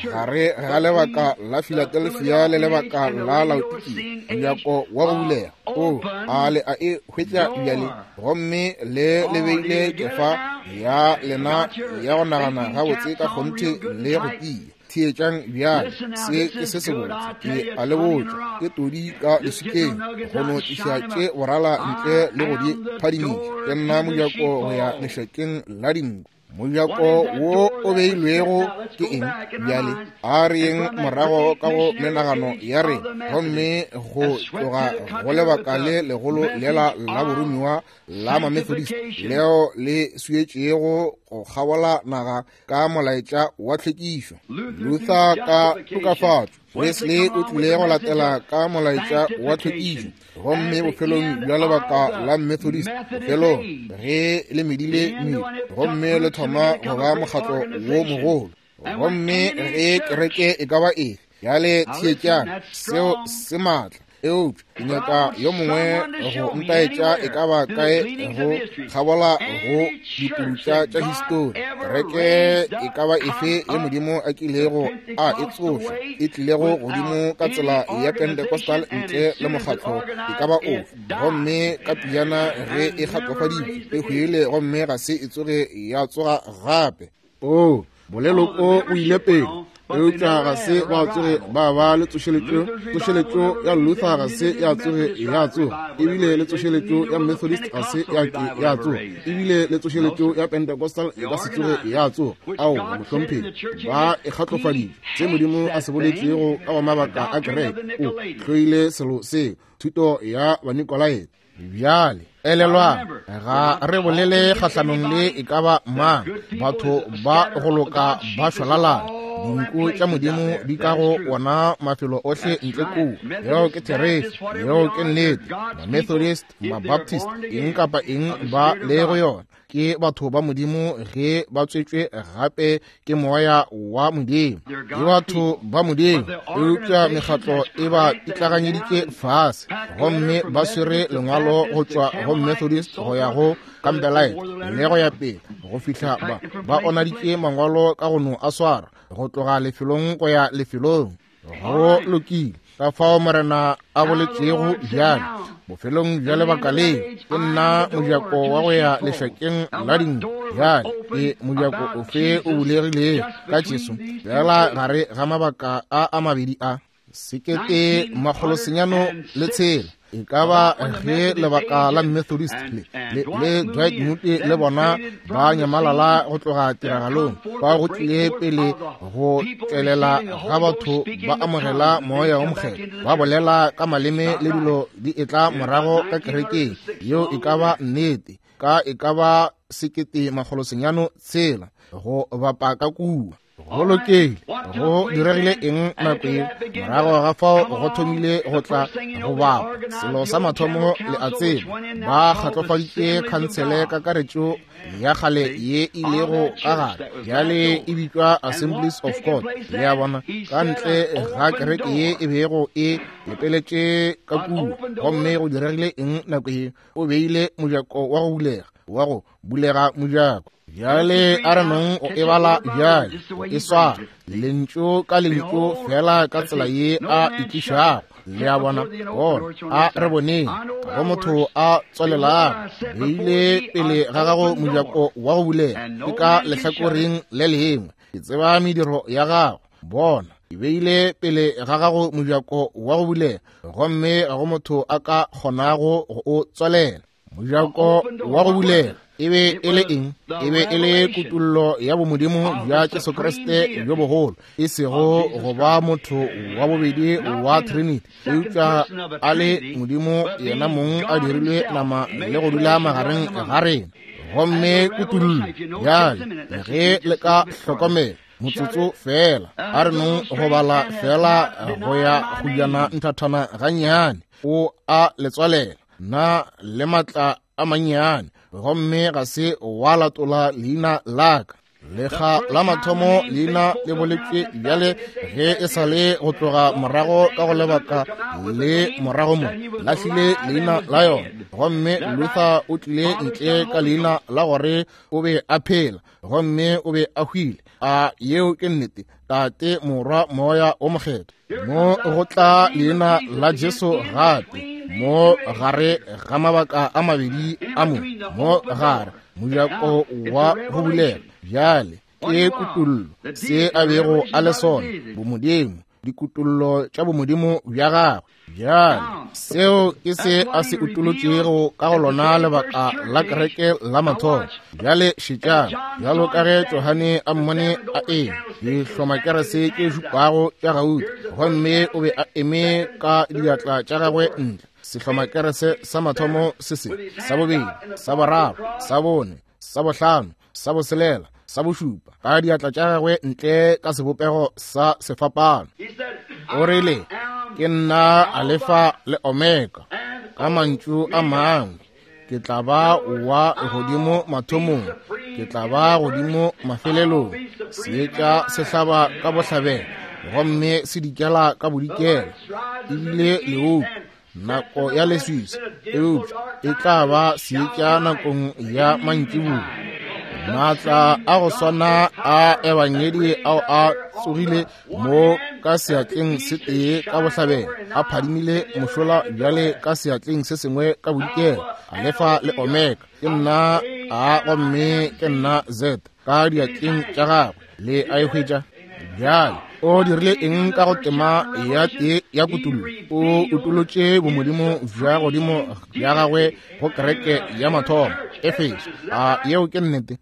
gare ga lebaka la Philadelphia le lebaka la Laodikia mojako wa go bulega. O a le a e hwetša bjale, gomme le le beile kefa ya lena ya go nagana gabotse ka kgonthe le go tia. Theetšang bjale, se ke se sebotse, ke a le botša, ke todi ka leswikeng go no tliša tše borala ntle le go di phadimiša. Ke nna mojako go ya lešokeng la dinku. Mojako wo o beilwego ke eng? Bjale a re yeng morago ka go menagano ya rena, gomme go tloga go lebaka le legolo lela la boromiwa la Mamethodist leo le swietšego go kgabola naga ka molaetša wa tlhwekišo. Luther ka tokafatšo, Wesley o tlile go latela ka molaetša wa tlhwekišo, gomme bofelong bja lebaka la Methodist, bofelong ge le medile medu gomme le thoma go ba mokgatlo wo mogolo. Gomme ge kereke e ka ba efe, bjale theetšang, seo se maatla, eupša ke nyaka yo mongwe go ntaetša e ka ba kae go kgabola go dipurutša tša histori. Kereke e ka ba efe ye Modimo a kilego a e tsoša, e tlilego godimo ka tsela ya Pentecostal ntle le mokgatlo e ka ba ofe, gomme ka pejana ge e kgatlofaditšwe e hwile gomme ga se e tsoge ya tsoga gape. O boleloko o ile pele, eupša ga se ba tsoge ba ba le tsošeletšo. Tsošeletšo ya Luther ga se ya tsoge ya tsoga, ebile le tsošeletšo ya Methodist ga se ya ke ya tsoga, ebile le tsošeletšo ya Pentecostal e ka se tsoge ya tsoga. Ao, mohlomphegi, ba e kgatlofaditše. Se Modimo a se boletšego ka go mabaka a kereke, o hloile selo seo, thuto ya Banikolaite. Bjale elelwang, ga re bolele kgahlanong le e ka ba mang. Batho ba go loka ba šwalalana. Dinku tša Modimo di ka go wona mafelo ohle ntle kua. Yeo ke therešo, yeo ke nnete. Ma-Methodist, ma-Baptist, eng kapa eng ba le go yona, Ke batho ba Modimo ge ba tswetšwe gape ke moya wa Modimo. Ke batho ba Modimo, eupša mekgatlo e ba itlaganyeditše fase, gomme ba swere lengwalo go tšwa go Methodist go ya go Campbellite le go ya pele, go fihla ba ba onaditše mangwalo ka go no a swara go tloga lefelong go ya lefelong. Go lokile. Ka fao Morena a boletšego bjale, bofelong bja lebaka le, ke nna mojako wa go ya lešakeng la dinku. Bjale ke mojako ofe o bulegilego ka Jesu fela gare ga mabaka a a mabedi a? Sekete makgolo senyano le tshela. E ka ba ge lebaka la Methodist le, le, le Dwight Moody le bona ba nyamalala go tloga tiragalong, ba go tlile pele go tšwelela ga batho ba amogela moya o mokgethwa, ba bolela ka maleme le dilo di etla morago ka kerekeng. Yeo e ka ba nnete ka e ka ba sekete makgolo senyano tshela go bapa ka kua. Go lokile. Go diregile eng nako ye? Morago ga fao go thomile go tla go bapa. Selo sa mathomo le a tseba, ba kgatlofaditše khansele kakaretšo ya kgale ye ilego ka gare, bjale e bitšwa Assemblies of God. Le a bona, ka ntle ga kereke ye e bego e lepeletše ka kua. Gomme go diregile eng nako ye? O beile mojako wa go bulega, wa go bulega mojako. Bjale a re nong o e bala bjale, e swara lentšu ka lentšu fela ka tsela ye a e tlišago. Le a bona, bona, a re boneng go motho a tswalelago, beile pele ga gago mojako wa go bulega, ke ka lehlakoreng le lengwe. Ke tseba mediro ya gago. Bona, ke beile pele ga gago mojako wa go bulega, gomme ga go motho a ka kgonago go o tswalela. Mojako wa go bulega e be e le eng? E be e le kutollo ya bomodimo bja Jesu Kriste bjo bogolo, e sego go ba motho wa bobedi wa Trinity, eupša a le Modimo yena mong a dirilwe nama le go dula magareng ga rena. Gomme kutollo bjale, ge le ka hlokomela motsotso fela, a re nong go bala fela go ya go jana nthathana gannyane. O a le tswalela na le matla a mannyane, gomme ga se wa latola leina la ka. Lekga la mathomo leina le boletšwe bjale ge e sa le go tloga morago ka go lebaka le morago mo lahlile leina la yona. Gomme Luther o tlile ntle ka leina la gore o be a phela, gomme o be a hwile. A yeo ke nnete? Tate, Morwa, Moya o Mokgethwa. Mo go tla leina la Jesu gape mo gare ga mabaka a mabedi a mo, mo gare mojako wa go bulega. Bjale ke kutollo, se a bego a le sona, bomodimo, dikutollo tša bomodimo bja gagwe. Bjale seo ke se a se utolotšego ka go lona lebaka la kereke la mathomo. Bjale šetšang, bjalo ka ge Johane a mmone a eme dihlomakerese tše šupago tša gauta, gomme o be a eme ka diatla tša gagwe ntle. Sehlomakerese sa mathomo se se, sa bobedi, sa boraro, sa bone, sa bohlano, sa boselela, sa bošupa, ka diatla tša gagwe ntle ka sebopego sa sefapano. O rile, ke nna Alefa le Omega. Ka mantšu a mangwe, ke tla ba wa godimo mathomong, ke tla ba godimo mafelelong. Seetša se hlaba ka bohlabela, gomme se dikela ka bodikela. Ebile leoto nako ya leswiswi, eupša e tla ba seetša nakong ya mantšiboa. Maatla a go swana a ebangedi ao a tsogile mo ka seatleng se tee ka bohlabela, a phadimile mošola bjale ka seatleng se sengwe ka bodikela. Alefa le Omega, ke nna A gomme ke nna Z ka diatleng tša gagwe. Le a e hwetša? Bjale o dirile eng ka go tema ya tee ya kutollo? O utolotše bomodimo bja godimo bja gagwe go kereke ya mathomo, Efeso. A yeo ke nnete?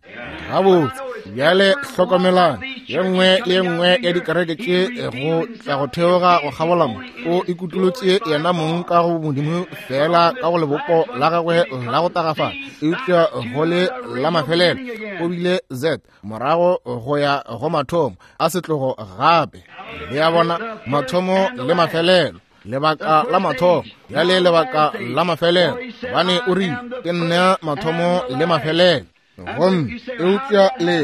Gabotse. Bjale hlokomelang, ye nngwe le ye nngwe ya dikereke tše go tla go theoga go kgabola mo, o ikutolotše yena mong ka go modimo fela ka go lebopo la gagwe la go tagafala, eupša go le la mafelelo o bile Z morago go ya go mathomo a setlogo gape. Le a bona, mathomo le mafelelo, lebaka la mathomo bjale lebaka la mafelelo, gobane o rile ke nna mathomo le mafelelo. Gomme eupša le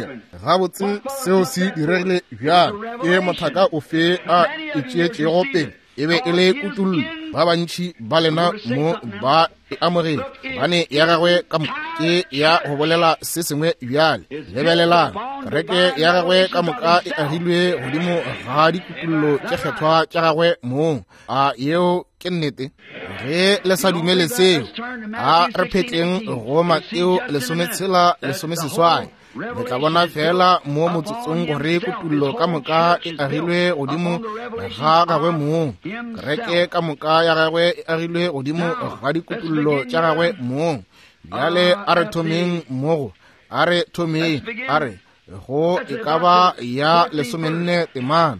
gabotse seo se diregile bjang? Ke mothaka ofe a e tšeetšego pele? E be e le kutullo. Ba bantši ba lena mo ba e amogetše, gobane ya gagwe ka moka ke ya go bolela se sengwe bjale. Lebelelang, kereke ya gagwe ka moka e agilwe godimo ga dikutullo tše kgethwa tša gagwe mong. A yeo ke nnete? Ge le sa dumele seo, a re phetleng go Mateo lesometshela lesomeseswai. Le tla bona fela mo motsotsong gore kutullo ka moka e agilwe godimo ga gagwe mong. Kereke ka moka ya gagwe e agilwe godimo ga dikutullo tša gagwe mong. Bjale a re thomeng mogo, a re thomeng, a re go e ka ba ya lesomenne temana.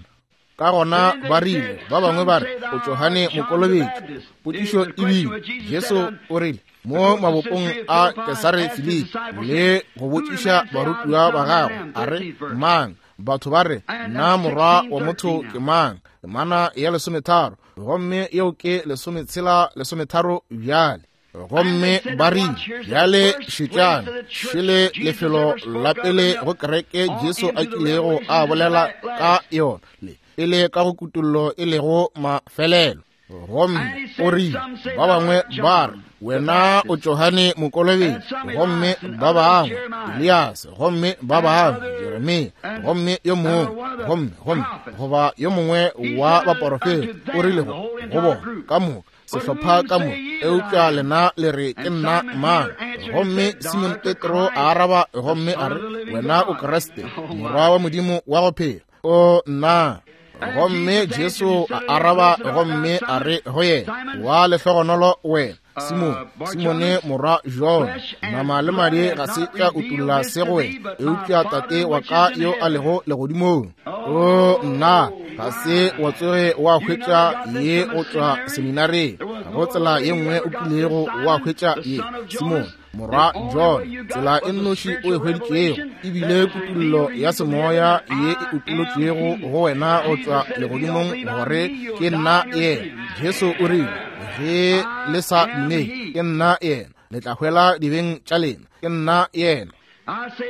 Ka gona ba rile, ba bangwe ba re o Johane Mokolobetši. Potšišo e bile, Jesu o rile mo mabopong a Kesare Filipi le go botšiša barutiwa ba gagwe, a re, mang? Batho ba re, nna morwa wa motho ke mang? Temana ya lesometharo, gomme yeo ke lesometshela lesometharo bjale. Gomme ba rile, bjale šetšang, šele lefelo la pele go kereke Jesu a kilego a bolela ka yona, le pele ka go kutullo e lego mafelelo. Gomme o rile, ba bangwe ba re wena o Johane Mokolobetši, gomme ba bangwe Elias, gomme ba bangwe Jeremia, gomme yo mongwe, gomme gomme goba yo mongwe wa baporofeta. O rile go go bona ka moka sehlopha ka moka, eupša lena le re ke nna mang? Gomme Simon Petro a araba gomme a re, wena o Kriste, morwa wa Modimo wa go phela. O nna. Gomme Jesu a araba gomme a re go yena, wa lehlogonolo wena Simone, Simone morwa Jona, nama le madi ga se tša utolla se go wena, eupša Tate wa ka yo a lego legodimong. O nna, ga se wa tsoge wa hwetša ye go tšwa seminareng, go tsela ye nngwe o kilego wa hwetša ye, Simone morwa John. Tsela e nnoši o e hweditšego ebile kutullo ya semoya ye e utolotšwego go wena go tšwa legodimong gore ke nna yena. Jesu o rile, ge le sa dumele ke nna yena, le tla hwela dibeng tša lena. Ke nna yena.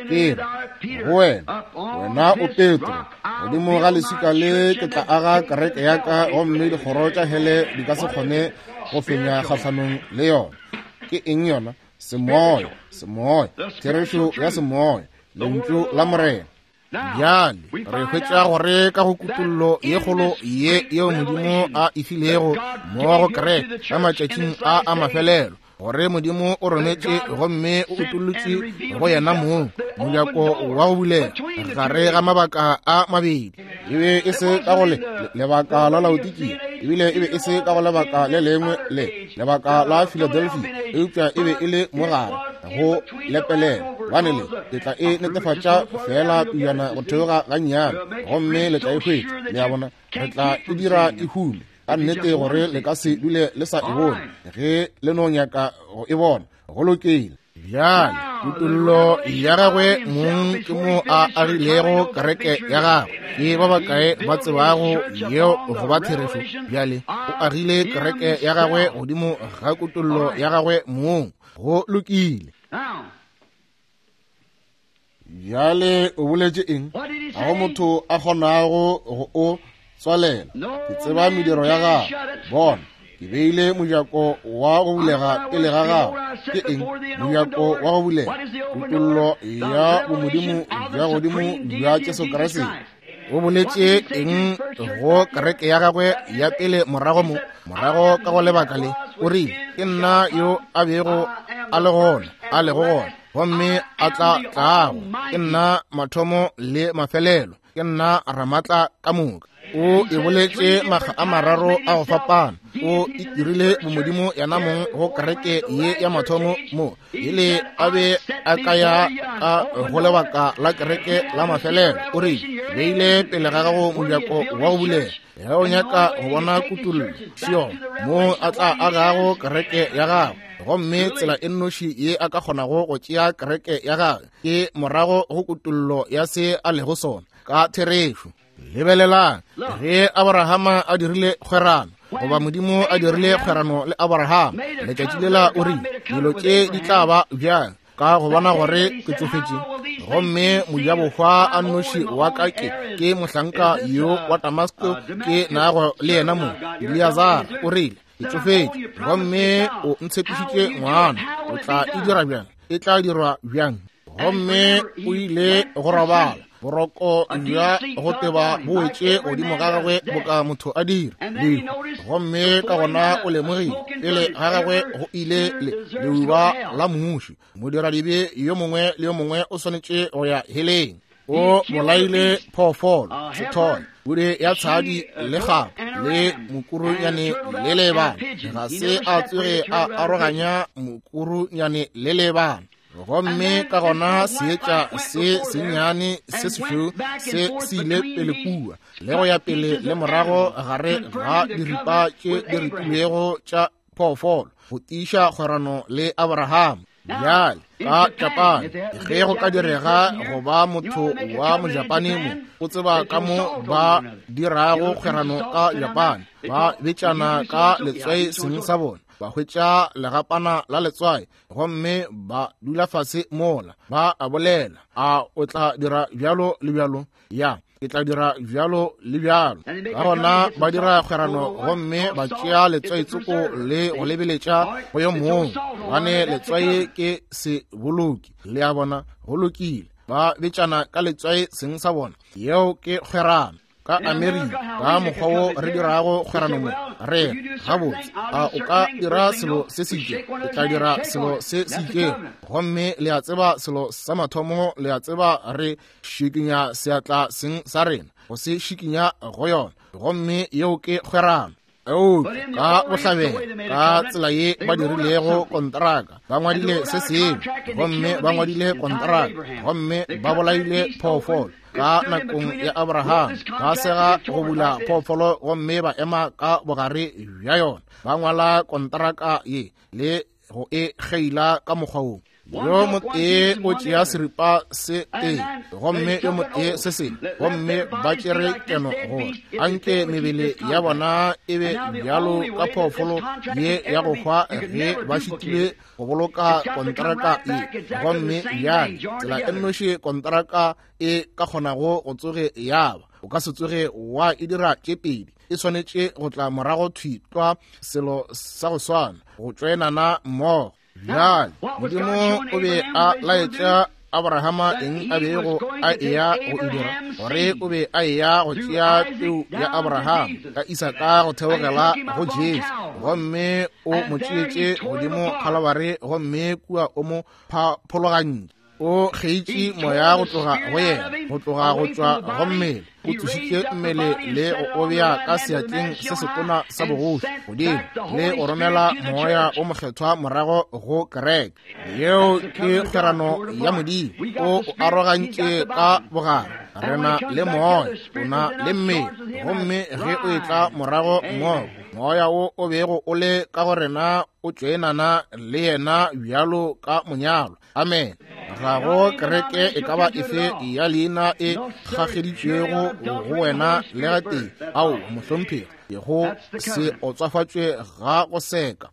Ke re go wena, wena o Petro, godimo ga leswika le ke tla aga kereke ya ka, gomme dikgoro tša hele di ka se kgone go fenya kgahlanong le yona. Ke eng yona? Semoya, semoya, therešo ya semoya, lentšu la Morena. Bjale re hwetša gore ka go kutullo ye kgolo ye yeo Modimo a e filego mo go kereke ka matšatšing a a mafelelo, gore Modimo o rometše gomme o utollotše go yena mong mojako wa go bulega gare ga mabaka a mabedi. E be e se ka go le lebaka la Laodikia, ebile e be e se ka go lebaka le lengwe le lebaka la Philadelphia, eupša e be e le mogare go lepelela. Gobane le le tla e netefatša fela pejana go theoga gannyane, gomme le tla e hwetša. Le a bona, re tla e dira e hume ka nnete gore le ka se dule le sa e bone ge le no nyaka go e bona. Go lokile. Bjale kutullo ya gagwe mong ke mo a agilego kereke ya gagwe. Ke ba bakae ba tsebago yeo go ba therešo? Bjale o agile kereke ya gagwe godimo ga kutullo ya gagwe mong. Go lokile. Bjale o boletše eng? Ga go motho a kgonago go o tswalela. Ke tseba mediro ya gago. Bona, ke beile mojako wa go bulega pele ga gago. Ke eng mojako wa go bulega? Kutullo ya bomodimo bja godimo bja Jesu Kriste. O boletše eng go kereke ya gagwe ya pele morago mo, morago ka go lebaka le? O rile, ke nna yo a bego a le gona, a lego gona, gomme a tla tlago. Ke nna mathomo le mafelelo, ke nna ramatla ka moka. O e boletše makga a mararo a go fapana. O itirile bomodimo yena mong go kereke ye ya mathomo mo ele a be a ka ya ka go lebaka la kereke la mafelelo. O rile, beile pele ga gago mojako wa go bulega. Ge o nyaka go bona kutullo, Sion, mo a tla agago kereke ya gagwe. Gomme tsela e nnoši ye a ka kgonago go tšea kereke ya gagwe ke morago go kutullo ya se a lego sona ka therešo. Lebelelang, ge Abrahama a dirile kgwerano, goba Modimo a dirile kgwerano le Abrahama, letšatši lela o rile, dilo tše di tla ba bjang? Ka go bona gore ke tsofetše, gomme mojabohwa a nnoši wa ka ke ke mohlanka yo wa Damasko ke nago le yena mo, Eleazar. O rile, ke tsofetše, gomme o ntshepišitše ngwana. O tla e dira bjang? E tla dirwa bjang? Gomme o ile go robala, boroko bja go teba bo wetše godimo ga gagwe boka motho a dira lehu. Gomme ka gona o lemogile pele ga gagwe go ile le leuba la mmuši. Modiradibe yo mongwe le yo mongwe o swanetše go ya heleng. O bolaile phoofolo, sethole, pudi ya tshadi le kgapa le mokurunyane le lebana. Ga se a tsoge a aroganya mokurunyane le lebana. Gomme ka gona seetša se sennyane se sešweu se se ile pele kua le go ya pele le morago gare ga diripa tše di ripilwego tša phoofolo go tiiša kgwerano le Abraham. Bjale ka Japane, ge go ka direga go ba motho wa Mojapane mo, o tseba ka mo ba dirago kgwerano ka Japane. Ba betšana ka letswai seng sa bona, ba hwetša legapana la letswai, gomme ba dula fase mola ba a bolela, a o tla dira bjalo le bjalo, ya ke tla dira bjalo le bjalo. Ka gona ba dira kgwerano, gomme ba tšea letswai tsoko le go lebeletša go yo mongwe, gobane letswai ke seboloki. Le a bona, go lokile. Ba betšana ka letswai seng sa bona, yeo ke kgwerano. Ka Amerika, ka mokgwa wo re dirago kgwerano mo, re gabotse, a o ka dira selo se se itšego, ke tla dira selo se se itšego. Gomme le a tseba selo sa mathomo, le a tseba re šikinya seatla seng sa rena, go se šikinya go yona, gomme yeo ke kgwerano. Eupša ka bohlabela, ka tsela ye ba dirilego kontraka, ba ngwadile se sengwe, gomme ba ngwadile kontraka, gomme ba bolaile phoofolo. Ka nakong ya Abraham, ba sega go bula phoofolo gomme ba ema ka bogare bja yona, ba ngwala kontraka ye le go e kgeila ka mokgwa wo. Yo motee o tšea seripa se tee, gomme yo motee se sengwe, gomme ba tšere keno gore anke mebele ya bona e be bjalo ka phoofolo ye ya go hwa ge ba šitilwe go boloka kontraka ye. Gomme bjale tsela e nnoši kontraka e ka kgonago go tsoge ya ba, o ka se tsoge wa e dira tše pedi, e swanetše go tla morago thwi tlwa selo sa go swana, go tšoenana mmogo. Bjale Modimo o be a laetša Abrahama eng a bego a eya go e dira, gore o be a eya go tšea peu ya Abraham ka Isaka go theogela go Jesu, gomme o mo tšeetše godimo Khalabare, gomme kua o mo phologantše. O kgeitše moya go tloga go yena, go tloga go tšwa go mmele. O tsošitše mmele le go o bea ka seatleng se setona sa bogoši godimo, le go romela moya o mokgethwa morago go kereke. Yeo ke kgwerano ya Modimo. O o arogantše ka bogare. Re na le moya, o na le mmele, gomme ge o etla morago mmogo, moya wo o bego o le ka go rena o tšoenana le yena bjalo ka monyalwa. Amen. Ga go kereke e ka ba efe ya leina e kgageditšwego go wena le gatee. Ao, mohlomphegi, go se otswafatšwe ga go seka.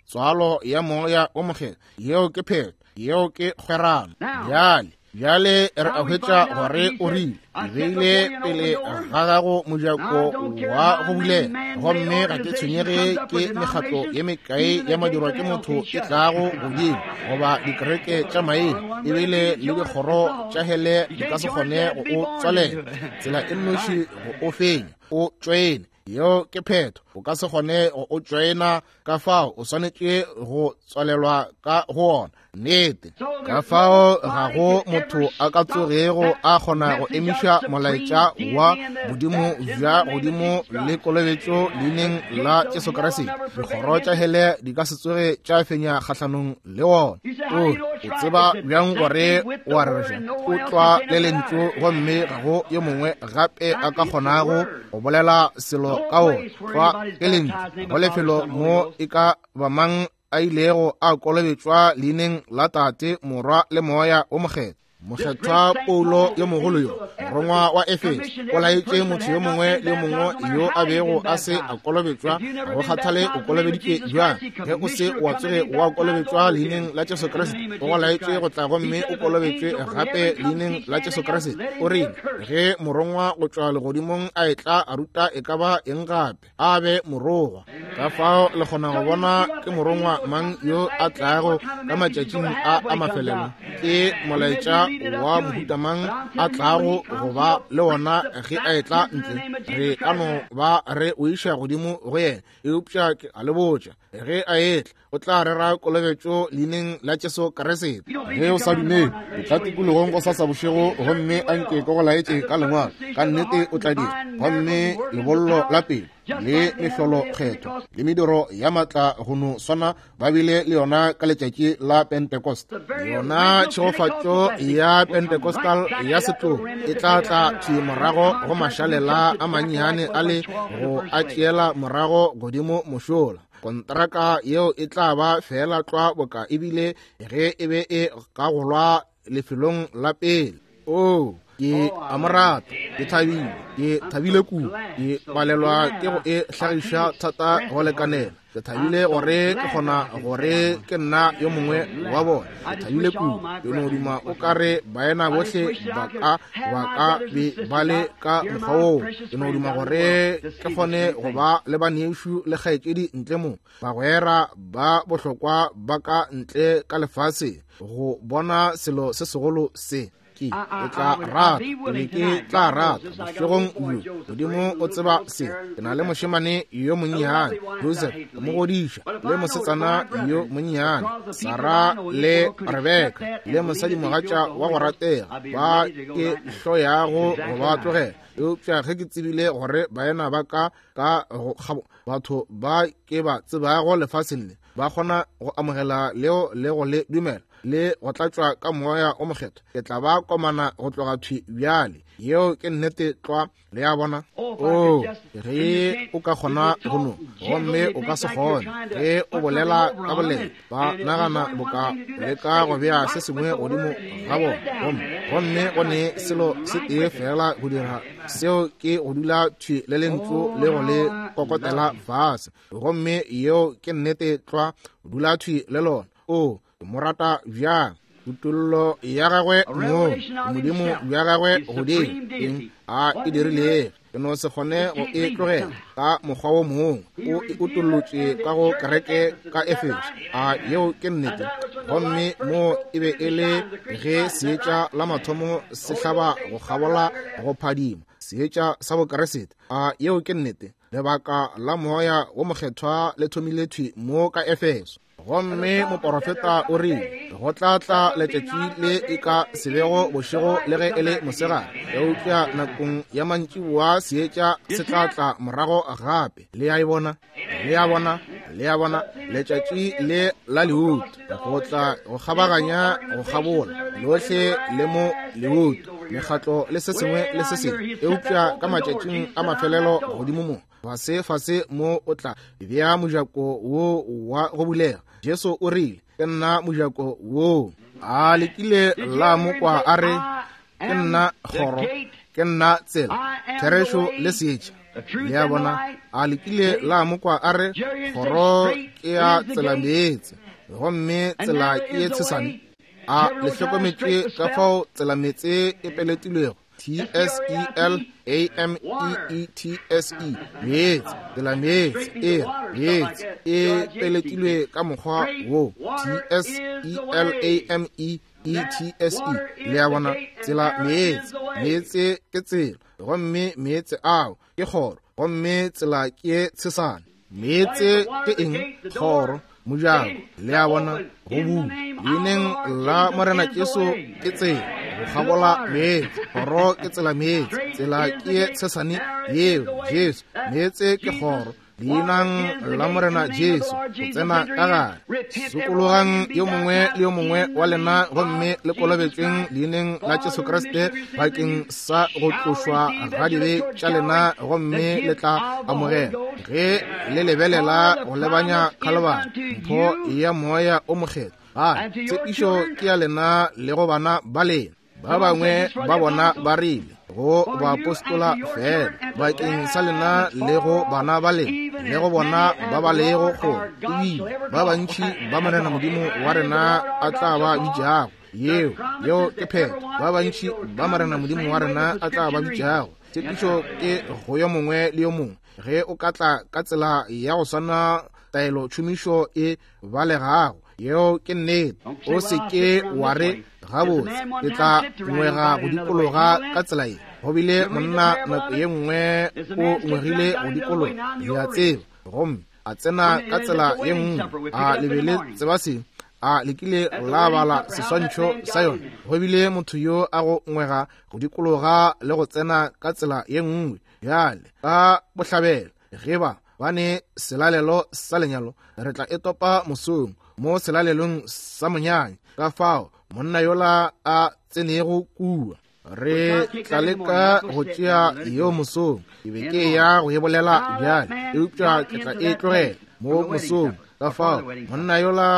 Tswalo ya moya o mokgethwa, yeo ke phetho, yeo ke kgwerano. Bjale bjale re a hwetša gore o rile, ke beile pele ga gago mojako wa go bulela, gomme ga ke tshwenyege ke mekgatlo ye mekae ya madirwa ke motho e tlago godimo, goba dikereke tša maina, ebile le dikgoro tša hele di ka se kgone go o tswalela. Tsela e nnoši go o fenya, o tšoene. Yeo ke phetho. O ka se kgone go o tšoena, ka fao o swanetše go tswalelwa ka go ona. Nnete. Ka fao ga go motho a ka tsogego a kgona go emiša molaetša wa Modimo bja godimo le kolobetšo leineng la Jesu Kriste. Dikgoro tša hele di ka se tsoge tša fenya kgahlanong le wona. O o tseba bjang gore o a rereša? O tlwa le lentšu, gomme ga go yo mongwe gape a ka kgonago go bolela selo ka wona. Tlwa ke lentšu, go lefelo mo e ka ba mang a ilego a kolobetšwa leineng la Tate, Morwa le Moya o Mokgethwa. Mokgethwa Paulo yo mogolo yo, morongwa wa Efeso, o laetše motho yo mongwe le yo mongwe yo a bego a se a kolobetšwa, go kgathale o kolobeditše bjang, ge o se wa tsoge wa kolobetšwa leineng la Jesu Kriste, o go laetše go tla gomme o kolobetšwe gape leineng la Jesu Kriste. O rile ge morongwa go tšwa legodimong a etla a ruta e ka ba eng gape, a be morongwa. Ka fao le kgona go bona ke morongwa mang yo a tlago ka matšatšing a a mafelelo, ke molaetša wa mohuta mang a tlago go ba le wona ge a etla ntle. Re ka no ba re o iša godimo go yena, eupša ke a le botša, ge a etla o tla rera kolobetšo leineng la Jesu Kriste. Ge o sa dumele, o tla tikologong go sasa bošego gomme a nke ke go laetše ka lengwalo, ka nnete o tla dira. Gomme lebollo la pele le mehlolo kgetho le mediro ya matla go no swana ba bile le yona ka letšatši la Pentecost. Yona tšhegofatšo ya Pentecostal ya setlogo e tla tla thwi morago go mašalela a mannyane a le go a tšeela morago godimo mošola. Kontraka yeo e tla ba fela tlwa boka ebile ge e be e kagolwa lefelong la pele. Oh, ke a mo rata, ke thabile, ke thabile kudu, ke palelwa ke go e hlagiša thata go lekanela. Ke thabile gore ke kgona gore ke nna yo mongwe wa bona. Ke thabile kudu, ke no duma o ka re baena bohle ba ka ba ka be ba le ka mokgwa woo. Ke no duma gore ke kgone go ba le banešu le kgaetšedi ntle mo, bagwera ba bohlokwa ba ka ntle ka lefase, go bona selo se segolo se. Ke ke tla rata, ke be ke tla rata bošegong bjo. Modimo o tseba se. Ke na le mošemane yo monnyane Joseph, go mo godiša, le mosetsana yo monnyane Sarah le Rebecca, le mosadimogatša wa go ratega ba ke hloyago go ba tlogela. Eupša ge ke tsebile gore baena ba ka ka go batho ba ke ba tsebago lefaseng le ba kgona go amogela leo le go le dumela le go tlatšwa ka moya o mokgethwa, ke tla ba komana go tloga thwi bjale. Yeo ke nnete tlwa. Le a bona? Oh, ge o ka kgona go no, gomme o ka se kgone. Ge o bolela ka boleta, ba nagana boka leka go bea se sengwe godimo ga bona, gomme gomme go ne selo se tee fela go dira, seo ke go dula thwi le lentšu le go le kokotela fase. Gomme yeo ke nnete tlwa, dula thwi le lona. Oh, ke mo rata bjang. Kutollo ya gagwe mo, Modimo bja gagwe godimo, eng a e dirilego, ke no se kgone go e tlogela ka mokgwa wo mongwe. O e utollotše ka go kereke ka Efeso. A yeo ke nnete. Gomme mo e be e le ge seetša la mathomo se hlaba go kgabola go phadima, seetša sa Bokriste. A yeo ke nnete. Lebaka la moya wo mokgethwa le thomile thwi mo ka Efeso. Gomme moporofeta o rile go tla tla letšatši le e ka se bego bošego le ge e le mosegare, eupša nakong ya mantšiboa seetša se tla tla morago gape. Le a e bona? Le a bona? Le a bona? Letšatši le la leuto go tla go kgabaganya go kgabola lohle le mo leuto, mekgatlo le se sengwe le se sengwe, eupša ka matšatšing a mafelelo godimo mo fase fase mo o tla bea mojako wo wa go bulega. Jesu o rile, ke nna mojako wo. A lekile la mo kwa a re, ke nna kgoro, ke nna tsela, therešo le seetša. Le a bona? A lekile la mo kwa a re, kgoro ke ya tsela meetse, gomme tsela ke ye tshesane. A le hlokometše ka fao tsela meetse e peletilwego? T S E L A M E E T S E, meetse, tsela meetse, e meetse e peletilwe ka mokgwa wo, T S E L A M E E T S E. Le a bona? Tsela meetse, meetse ke tsela, gomme meetse ao ke kgoro, gomme tsela ke tshesane. Meetse ke eng? Kgoro, mojako. Le a bona? Go bula leineng la Morena Jesu ke tsela go kgabola meetse. Kgoro ke tsela meetse, tsela ke tshesane yeo Jesu. Meetse ke kgoro, leinang la Morena Jesu go tsena ka gare. Sokologang yo mongwe le yo mongwe wa lena gomme le kolobetšweng leineng la Jesu Kriste bakeng sa go tlošwa ga dibe tša lena, gomme le tla amogela ge le lebelela go lebanya Khalibari mpho ya moya o mokgethwa. Gae tshepišo ke ya lena le go bana ba lena. Ba bangwe ba bona ba rile go baapostola fela, bakeng sa lena le go bana ba lena le go bona ba ba lego kgole, ebile ba bantši ba Morena Modimo wa rena a tla ba bitšago. Yeo yeo ke phetho. Ba bantši ba Morena Modimo wa rena a tla ba bitšago. Tshepišo ke go yo mongwe le yo mongwe. Ge o ka tla ka tsela ya go swana taelo tšhomišo e balegago, yeo ke nnete. O se ke wa re gabotse ke tla ngwega go dikologa ka tsela ye. Go bile monna nako ye nngwe o ngwegile go dikologa, le a tseba, gomme a tsena ka tsela ye nngwe, a lebele tseba se a lekile la bala seswantšho sa yona. Go bile motho yo a go ngwega go dikologa le go tsena ka tsela ye nngwe. Bjale ka bohlabela ge ba ba ne selalelo sa lenyalo, re tla e topa mosong mo selalelong sa monyanya. Ka fao monna yola a tsenego kua, re tla leka go tšea yeo mosong. Ke be ke ya go e bolela bjale, eupša ke tla e tlogela mo mosong. Ka fao monna yola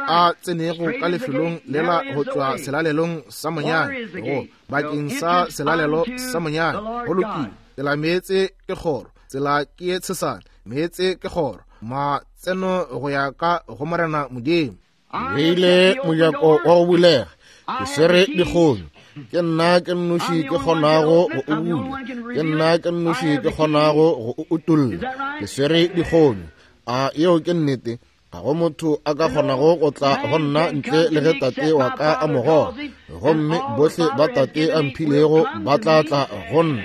a tsenego ka lefelong lela go tšwa selalelong sa monyanya, go bakeng sa selalelo sa monyanya. Go lokile, tsela meetse ke kgoro, tsela ke ye tshesane, meetse ke kgoro, matseno go ya ka go Morena Modimo. Beile mojako wa go bulega, ke swere dikgonyo. Ke nna ke nnoši ke kgonago go o bula, ke nna ke nnoši ke kgonago go o utolla. Ke swere dikgonyo. A yeo ke nnete. Ga go motho a ka kgonago go tla go nna ntle le ge Tate wa ka a mo goga, gomme bohle ba Tate a mphilego ba tla tla go nna.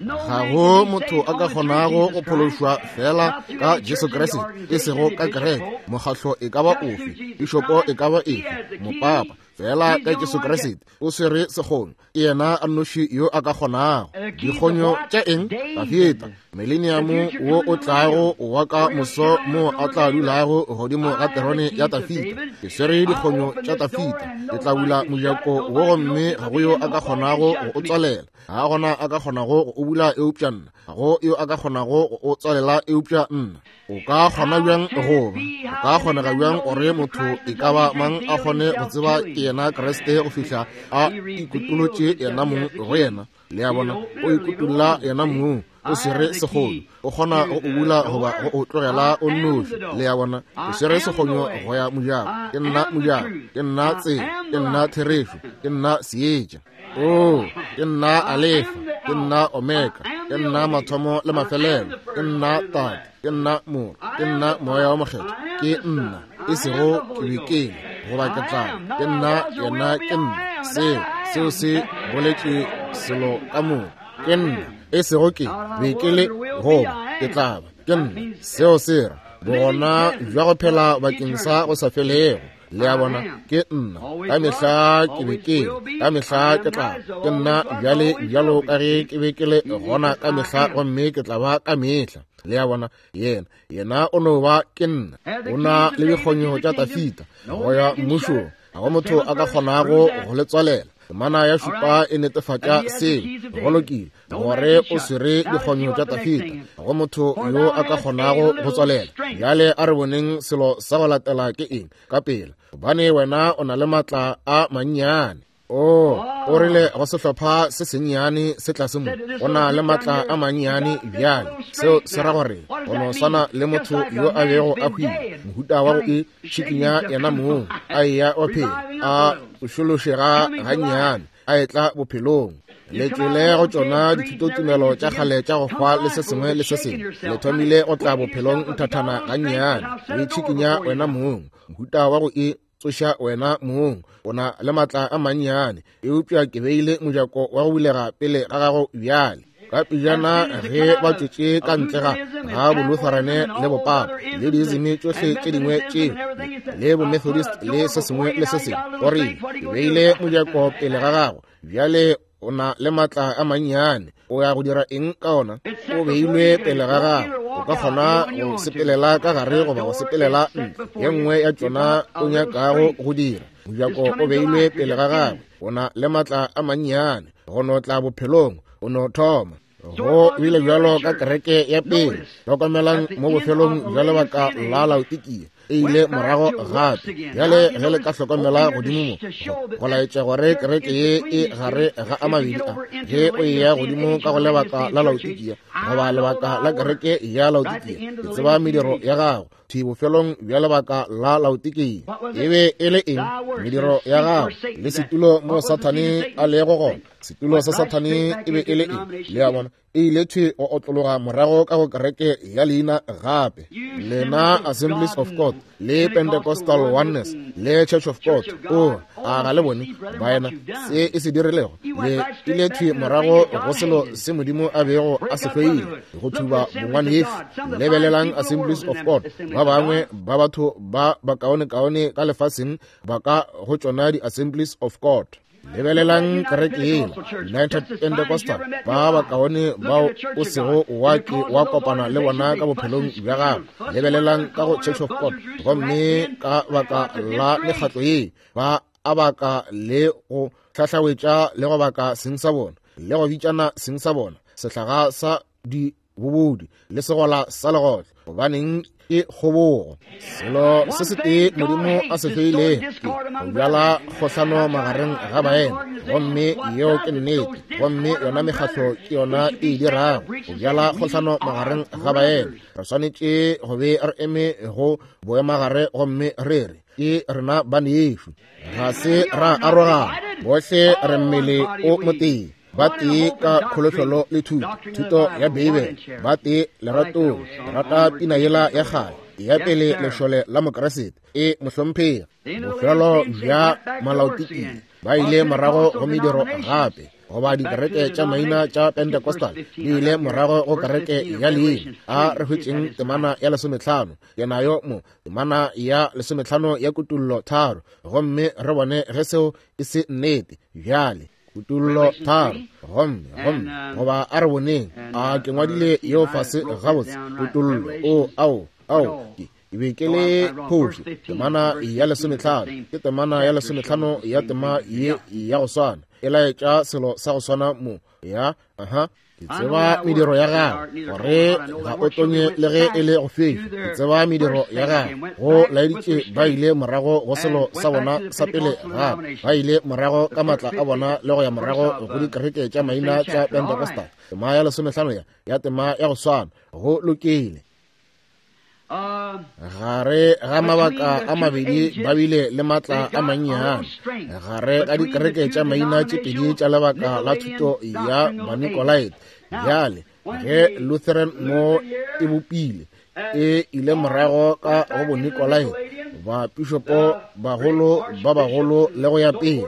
Ga go motho a ka kgonago go phološwa fela ka Jesu Kriste, e sego ka kereke, mokgahlo e ka ba ofe, pišopo e ka ba efe, mopapa, fela ka Jesu Kriste. O swere sekgonyo, ke yena a nnoši yo a ka kgonago. Dikgonyo tša eng? Tafita, mileniamo wo o tlago wa ka moso mo a tla dulago godimo ga terone ya Tafita. Ke swere dikgonyo tša Tafita, ke tla bula mojako wo gomme ga go yo a ka kgonago go o tswalela. Ga gona a ka kgonago go o bula eupša nna, ga go yo a ka kgonago go o tswalela eupša nna. O ka kgona bjang go ba? O ka kgonega bjang gore motho e ka ba mang a kgone go tseba ke yena Kriste go fihla a ikutolotše yena mong go yena? Le a bona, o ikutolla yena mong, o swere sekgonyo, o kgona go o bula goba go o tlogela o nnoši. Le a bona, o swere sekgonyo go ya mojako. Ke nna mojako, ke nna tsela, ke nna therešo, ke nna seetša. O, ke nna Alefa, ke nna Omega, ke nna mathomo le mafelelo, ke nna Tate, ke nna Morwa, ke nna Moya wa Mokgethwa, ke nna, e sego ke be ke le goba ke tla, ke nna yena, ke nna. Seo seo se boletše selo ka moka. Ke nna, e sego ke be ke le goba ke tla ba, ke nna. Seo se ra bogona bja go phela bakeng sa go sa felego. Le a bona, ke nna, ka mehla ke be ke le, ka mehla ke tla, ke nna bjale bjalo ka ge ke be ke le gona ka mehla, gomme ke tla ba ka mehla. Le a bona, yena yena o no ba ke nna. O na le dikgonyo tša Tafita go ya mmušong, ga go motho a ka kgonago go le tswalela. Temana ya šupa e netefatša seo. Go lokile gore o swere dikgonyo tša Tafita, ga go motho yo a ka kgonago go tswalela. Bjale a re boneng selo sa go latela ke eng ka pela, gobane wena o na le maatla a mannyane. O o rile go sehlopha se sennyane se tlase mo, o na le maatla a mannyane bjale. Seo se ra gore o no swana le motho yo a bego a hwile, mohuta wa go e tšhikinya yena mong, a eya wa phela, a tsošološega gannyane, a etla bophelong. Le tšwele go tšona dithutotumelo tša kgale tša go hwa le se sengwe le se sengwe, le thomile go tla bophelong nthathana gannyane, o itšhikinya wena mong, mohuta wa go e tsoša wena mong. O na le maatla a mannyane, eupša ke beile mojako wa go bulega pele ga gago bjale. Ka pejana ge ba tšwetše ka ntle ga ga bolutherane le bopapa le diizimi tšohle tše dingwe tšeo le bomethodist le se sengwe le se sengwe, o rile ke beile mojako pele ga gago bjale, o na le maatla a mannyane, o ya go dira eng ka ona? O beilwe pele ga gago, o ka kgona go sepelela ka gare goba go sepelela ntle, ye nngwe ya tšona o nyakago go dira. Mojako o beilwe pele ga gagwe, o na le maatla a mannyane, go no tla bophelong, o no thoma. Go bile bjalo ka kereke ya pele. Hlokomelang mo bofelong bja lebaka la Laodikia, E ile morago gape. Bjale ge le ka hlokomela godimo mo, go laetša gore kereke ye e gare ga a mabedi a. Ge o eya godimo ka go lebaka la Laodikia, goba lebaka la kereke ya Laodikia, ke tseba mediro ya gago. Thwi bofelong bja lebaka la Laodikia, e be e le eng? Mediro ya gago le setulo mo Sathane a lego gona. Setulo sa Sathane e be e le eng? Le a bona, e ile thwi go otlologa morago ka go kereke ya leina gape. Lena Assemblies of God le Pentecostal Oneness le Church of God, o a ga le bone baena se e se dirilego? Le ile thwi morago go selo se Modimo a bego a se hloile, go thuba bongwanešu. Lebelelang Assemblies of God, ba bangwe ba batho ba bakaonekaone ka lefaseng ba ka go tšona di-Assemblies of God. Lebelelang kereke yela, United Pentecostal, ba bakaone bao o sego wa ke wa kopana le bona ka bophelong bja gago. Lebelelang ka go Church of God, gomme ka baka la mekgatlo ye ba a baka le go hlahlawetša le go baka seng sa bona, le go bitšana seng sa bona, sehlaga sa dibobodi le segola sa legotlo. Gobaneng ke kgobogo? Selo se setee Modimo a se hloilego ke go bjala kgohlano magareng ga baena, gomme yeo ke nnete. Gomme yona mekgatlo ke yona e dirago go bjala kgohlano magareng ga baena. Re swanetše go be re eme go boemagare gomme re re ke rena banešu, ga se ra arogana, bohle re mmele o motee. Ba tee ka kholofelo le thuto, thuto ya Beibele, ba tee leratong, rata pina yela ya kgale ya pele lešole la Mokriste e mohlomphegi. Bofelo bja Malaodikia ba ile morago go mediro gape, goba dikereke tša maina tša Pentecostal di ile morago go kereke ya leina. A re hwetšeng temana ya lesometlhano, ke nayo mo, temana ya lesometlhano ya Kutullo tharo, gomme re bone ge seo e se nnete. Bjale Kutullo tharo, gomme gomme goba a re boneng, a ke ngwadile yeo fase gabotse. Kutullo, o ao ao ke be ke le phošo. Temana ya lesometlhano ke temana ya lesometlhano ya tema ye ya go swana, e laetša selo sa go swana mo ya aha. Ke tseba mediro ya gago, gore ga o tonye le ge e le go feša. Ke tseba mediro ya gago. Go laeditše ba ile morago go selo sa bona sa pele gape, ba ile morago ka matla a bona le go ya morago go dikereke tša maina tša Pentecostal. Tema ya lesomehlano ya ya tema ya go swana. Go lokile. Gare ga mabaka a mabedi ba bile le matla a mannyane gare ga dikereke tša maina tše pedi tša lebaka la thuto ya Banikolaite. Bjale ge Lutheran mo e bopile, e ile morago ka go Bonikolaite, bapišopo bagolo ba bagolo le go ya pele.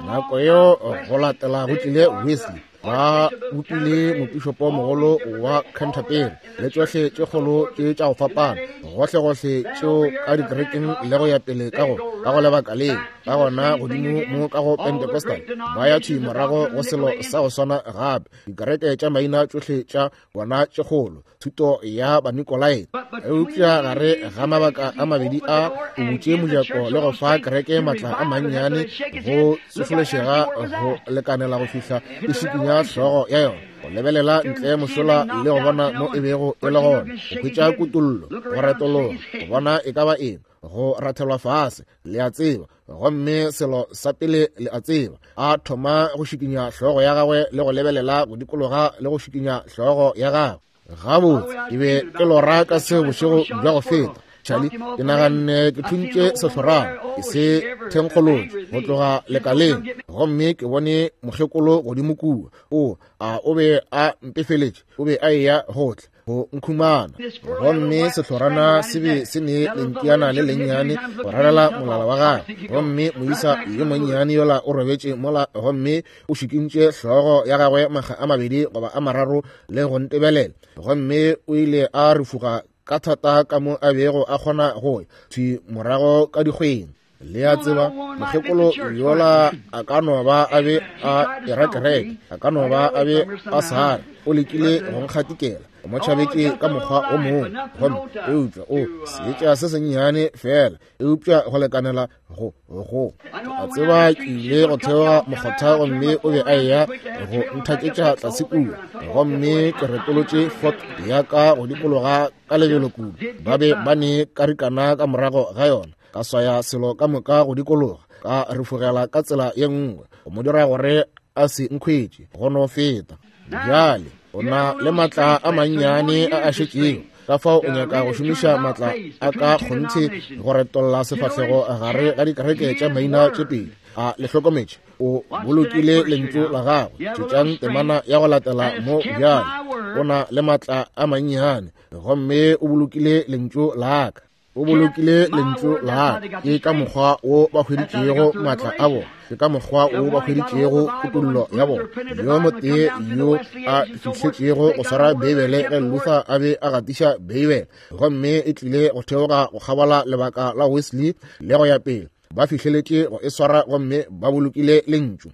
Nako yeo go latela go tlile Wesley, ba bopile mopišopo mogolo wa Canterbury le tšohle tše kgolo tše tša go fapana, gohlegohle tšeo ka dikerekeng le go ya pele ka go ka go lebaka leo. Ka gona godimo mo ka go Pentecostal ba ya thwi morago go selo sa go swana gape, dikereke tša maina tšohle tša bona tše kgolo, thuto ya Banikolaite. Eupša gare ga mabaka a mabedi a, o butše mojako le go fa kereke matla a mannyane go tsošološega go lekanela go fihla e šikinya hlogo ya yona, go lebelela ntle mošola le go bona mo e bego e le gona, go hwetša kutollo, go retologa, go bona e ka ba eng, go rathelwa fase, le a tseba. Gomme selo sa pele le a tseba, a thoma go šikinya hlogo ya gagwe le go lebelela go dikologa le go šikinya hlogo ya gagwe. Gabotse, ke be ke lora ka seo bošego bja go feta, Charlie. Ke naganne ke thuntše sehlorana, ke se thenkgolotše go tloga lekaleng, gomme ke bone mokgekolo godimo kua. O a o be a mpefeletše, o be a eya go tla go nkhumana. Gomme sehlorana se be se ne lenkiana le lennyane go rarela molala wa gagwe, gomme moisa yo monnyane yola o robetše mola, gomme o šikintše hlogo ya gagwe makga a mabedi goba a mararo le go ntebelela, gomme o ile a refuga ka thata ka mo a bego a kgona go ya thwi morago ka dikgweng. Le a tseba, mokgekolo yola a ka no ba a be a era kereke, a ka no ba a be a sa re, o lekile go nkgatikela, o mo tšhabetše ka mokgwa o mongwe, gomme eupša o seetša se sennyane fela, eupša go lekanela go go. A tseba ke ile go theoga mokgotha gomme o be a eya go nthaketša tlase kua, gomme ke retolotše Ford ya ka go dikologa ka lebelo kudu, ba be ba ne karikana ka morago ga yona, ka swaya selo ka moka go dikologa, ka refogela ka tsela ye nngwe, go mo dira gore a se nkhwetše go no feta. Bjale o na le matla a mannyane a a šetšego, ka fao o nyaka go šomiša matla a ka kgonthe go retolla sefahlego gare ga dikereke tša maina tše pedi. A le hlokometše, o bolokile lentšu la gagwe. Tšetšang temana ya go latela mo bjale. O na le matla a mannyane, gomme o bolokile lentšu la ka. O bolokile lentšu la ka. Ke ka mokgwa wo ba hweditšego matla a bona, ke ka mokgwa wo ba hweditšego kutollo ya bona. Yo motee yo a fihletšego go swara Beibele ge Luther a be a gatiša Beibele, gomme e tlile go theoga go kgabola lebaka la Wesley le go ya pele, ba fihleletše go e swara gomme ba bolokile lentšu,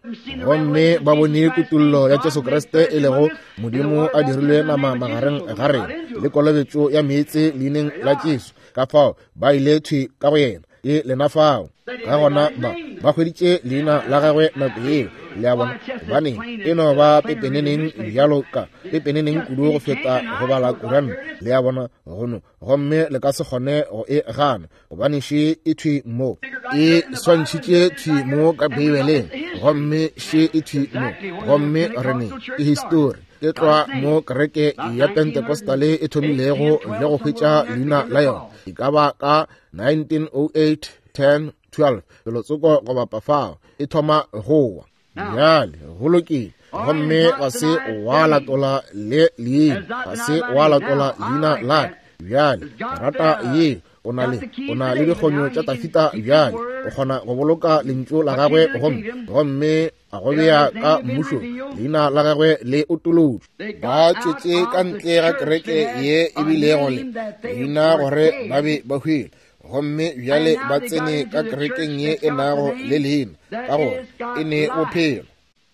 gomme ba bone kutollo ya Jesu Kriste e lego Modimo a dirilwe nama magareng ga rena, le kolobetšo ya meetse leineng la Jesu. Ka fao ba ile thwi ka go yena, ke lena fao. Ka gona ba ba hweditše leina la gagwe nako yeo. Le a bona, gobane e no ba pepeneneng bjalo ka pepeneneng kudu go feta go bala Kuranta. Le a bona, gono gomme le ka se kgone go e gana, gobane še e thwi mo, e swantšhitše thwi mo ka Beibeleng, gomme še e thwi mo, gomme re ne ke histori. Ke tlwa mo kereke ya Pentecostale e thomilego le go hwetša leina la yona, e ka ba ka nineteen oh eight, ten, twelve, felotsoko go bapa fao e thoma go wa. Bjale go lokile, gomme ga se wa latola le leina, ga se wa latola leina la ka. Bjale rata ye, o na le o na le dikgonyo tša Tafita. Bjale o kgona go boloka lentšu la gagwe, gomme gomme a go bea ka mmušong, leina la gagwe le otolotšwe. Ba tšwetše ka ntle ga kereke ye e bilego le leina gore ba be ba hwile, gomme bjale ba tsene ka kerekeng ye e nago le leina, ka gore e ne bophelo.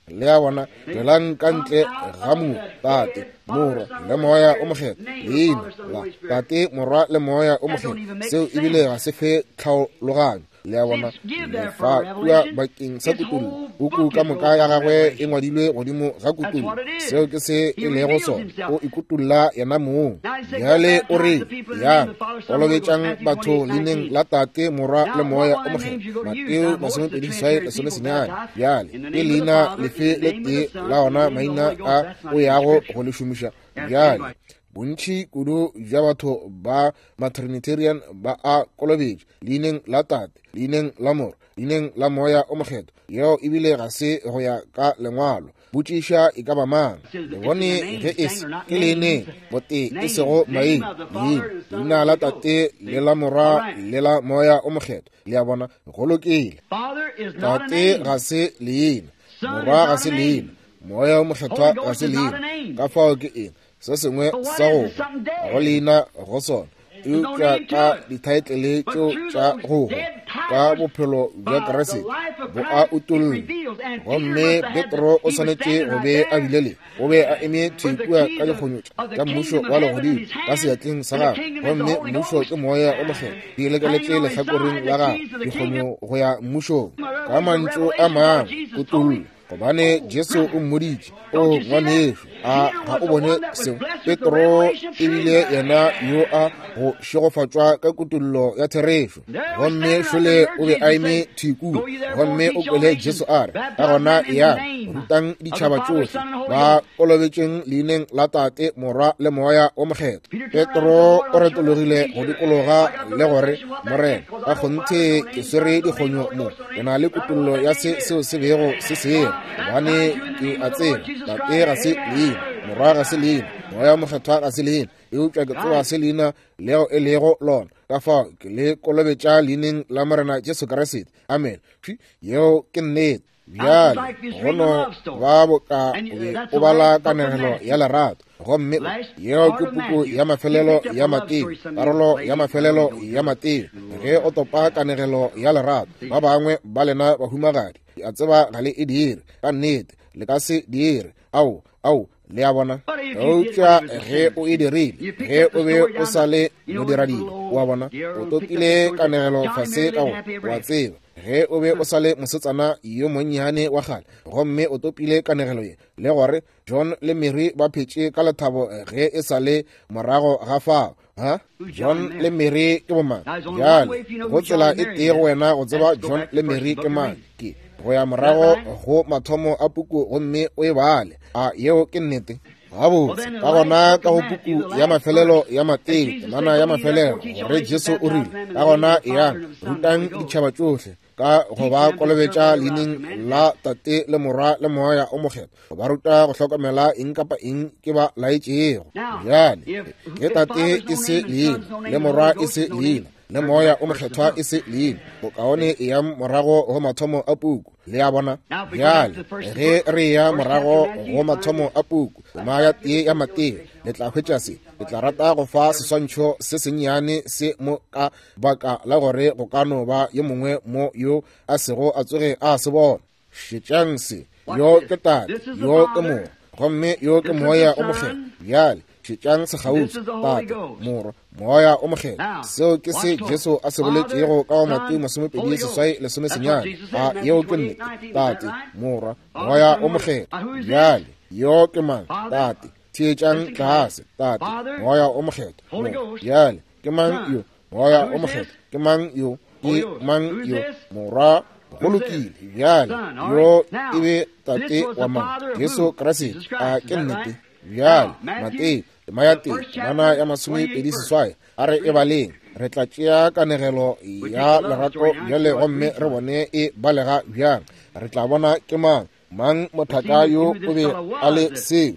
Le a bona, tšwelang ka ntle ga mo Tate, Morwa le Moya o Mokgethwa. Leina la Tate, Morwa le Moya o Mokgethwa, seo ebile ga se fe tlhaologanyo. Le a bona, lefa kua bakeng sa kutollo. Puku ka moka ya gagwe e ngwadilwe godimo ga kutollo. Seo ke se e lego sona, o ikutolla yena mong. Bjale o re, yang kolobetšang batho leineng la Tate, Morwa le Moya o Mokgethwa, Mateo masomepedi seswai lesome senyane. Bjale ke leina lefe le tee la ona maina a o yago go le šomiša? Bjale bontši kudu bja batho ba ma-Trinitarian ba a kolobetšwa leineng la Tate, leineng la Morwa, leineng la Moya o Mokgethwa. Yeo ebile ga se go ya ka lengwalo. Botšiša e ka ba mang, le bone ge e se ke leineng botee, e sego maina, leina, leina la Tate le la Morwa le la Moya o Mokgethwa. Le a bona, go lokile. Tate ga se leina, Morwa ga se leina, Moya o Mokgethwa ga se leina. Ka fao ke eng se sengwe sa go go leina go sona, eupša ka dithaetlele tšeo tša go hwa ka bophelo bja Kriste bo a utollwa. Gomme Petro o swanetše go be a bile le, o be a eme thwi kua ka dikgonyo tša mmušo wa legodimo ka seatleng sa gagwe, gomme mmušo ke Moya o Mokgethwa, di lekeletše lehlakoreng la gagwe, dikgonyo go ya mmušong. Ka mantšu a mangwe, kutollo, gobane Jesu o mmoditše, o ngwanešo, a ga o bone seo? Petro ebile yena yo a go šegofatšwa ka kutollo ya therešo, gomme šole o be a eme thwi kua, gomme o kwele Jesu a re, ka gona ya rutang ditšhaba tšohle, ba kolobetšeng leineng la Tate, Morwa le Moya o Mokgethwa. Petro o retologile go dikologa le gore, Morena, ka kgonthe ke swere dikgonyo mo, ke na le kutollo ya se seo se bego se seo, gobane ke a tseba Tate ga se leina, Morwa ga se leina, Moya Mokgethwa ga se leina, eupša ke tseba se leina leo e lego lona. Ka fao ke le kolobetša leineng la Morena Jesu Kriste. Amen. Yeo ke nnete. Bjale go no ba boka o be o bala kanegelo ya lerato, gomme yeo ke puku ya mafelelo ya Mateo, karolo ya mafelelo ya Mateo. Ge o topa kanegelo ya lerato, ba bangwe ba lena bahumagadi, a tseba ga le e dire, ka nnete le ka se dire. Ao, ao, le a bona. Eupša ge o e dirile, ge o be o sa le modiradibe, o a bona, o topile kanegelo fase ka go, wa tseba, ge o be o sa le mosetsana yo monnyane wa kgale, gomme o topile kanegelo ye, le gore John le Mary ba phetše ka lethabo ge e sa le morago ga fao. Ha? John le Mary ke bomang? Bjale, go tsela e tee go wena go tseba John le Mary ke mang, ke go ya morago go mathomo a puku gomme o e bale. A yeo ke nnete? Gabotse, ka gona ka go puku ya mafelelo ya Mateo, temana ya mafelelo, gore Jesu o rile, ka gona eyang, rutang ditšhaba tšohle ka go ba kolobetša leineng la Tate le Morwa le Moya o Mokgethwa, ba ruta go hlokomela eng kapa eng ke ba laetšego. Bjale, ge Tate e se leina, le Morwa e se leina, le Moya o Mokgethwa e se leina, bokaone e ya morago go mathomo a puku. Le a bona? Bjale, ge re ya morago go mathomo a puku, tema ya tee ya Mateo, le tla hwetša se. Le tla rata go fa seswantšho se sennyane se mo ka baka la gore go ka no ba yo mongwe mo yo a sego a tsoge a se bona. Šetšang se. Yo ke Tate, yo ke Morwa, gomme yo ke Moya o Mokgethwa. Bjale, šetšang sekgauswi, Tate, Morwa, Moya o Mokgethwa. Seo ke se Jesu a se boletšego ka go Mateo masomepedi seswai lesome senyane. A yeo ke nnete? Tate, Morwa, Moya o Mokgethwa. Bjale, yo ke mang? Tate. Theetšang tlase, Tate, Moya o Mokgethwa. Bjale, ke mang yo? Moya o Mokgethwa. Ke mang yo? Ke mang yo? Morwa. Go lokile. Bjale, yo e be Tate wa mang? Jesu Kriste. A ke nnete? Bjale, Mateo, tema ya tee, temana ya masomepedi seswai, a re e baleng. Re tla tšea kanegelo ya lerato bjale gomme re bone e balega bjang. Re tla bona ke mang mang mothaka yo o be a le seo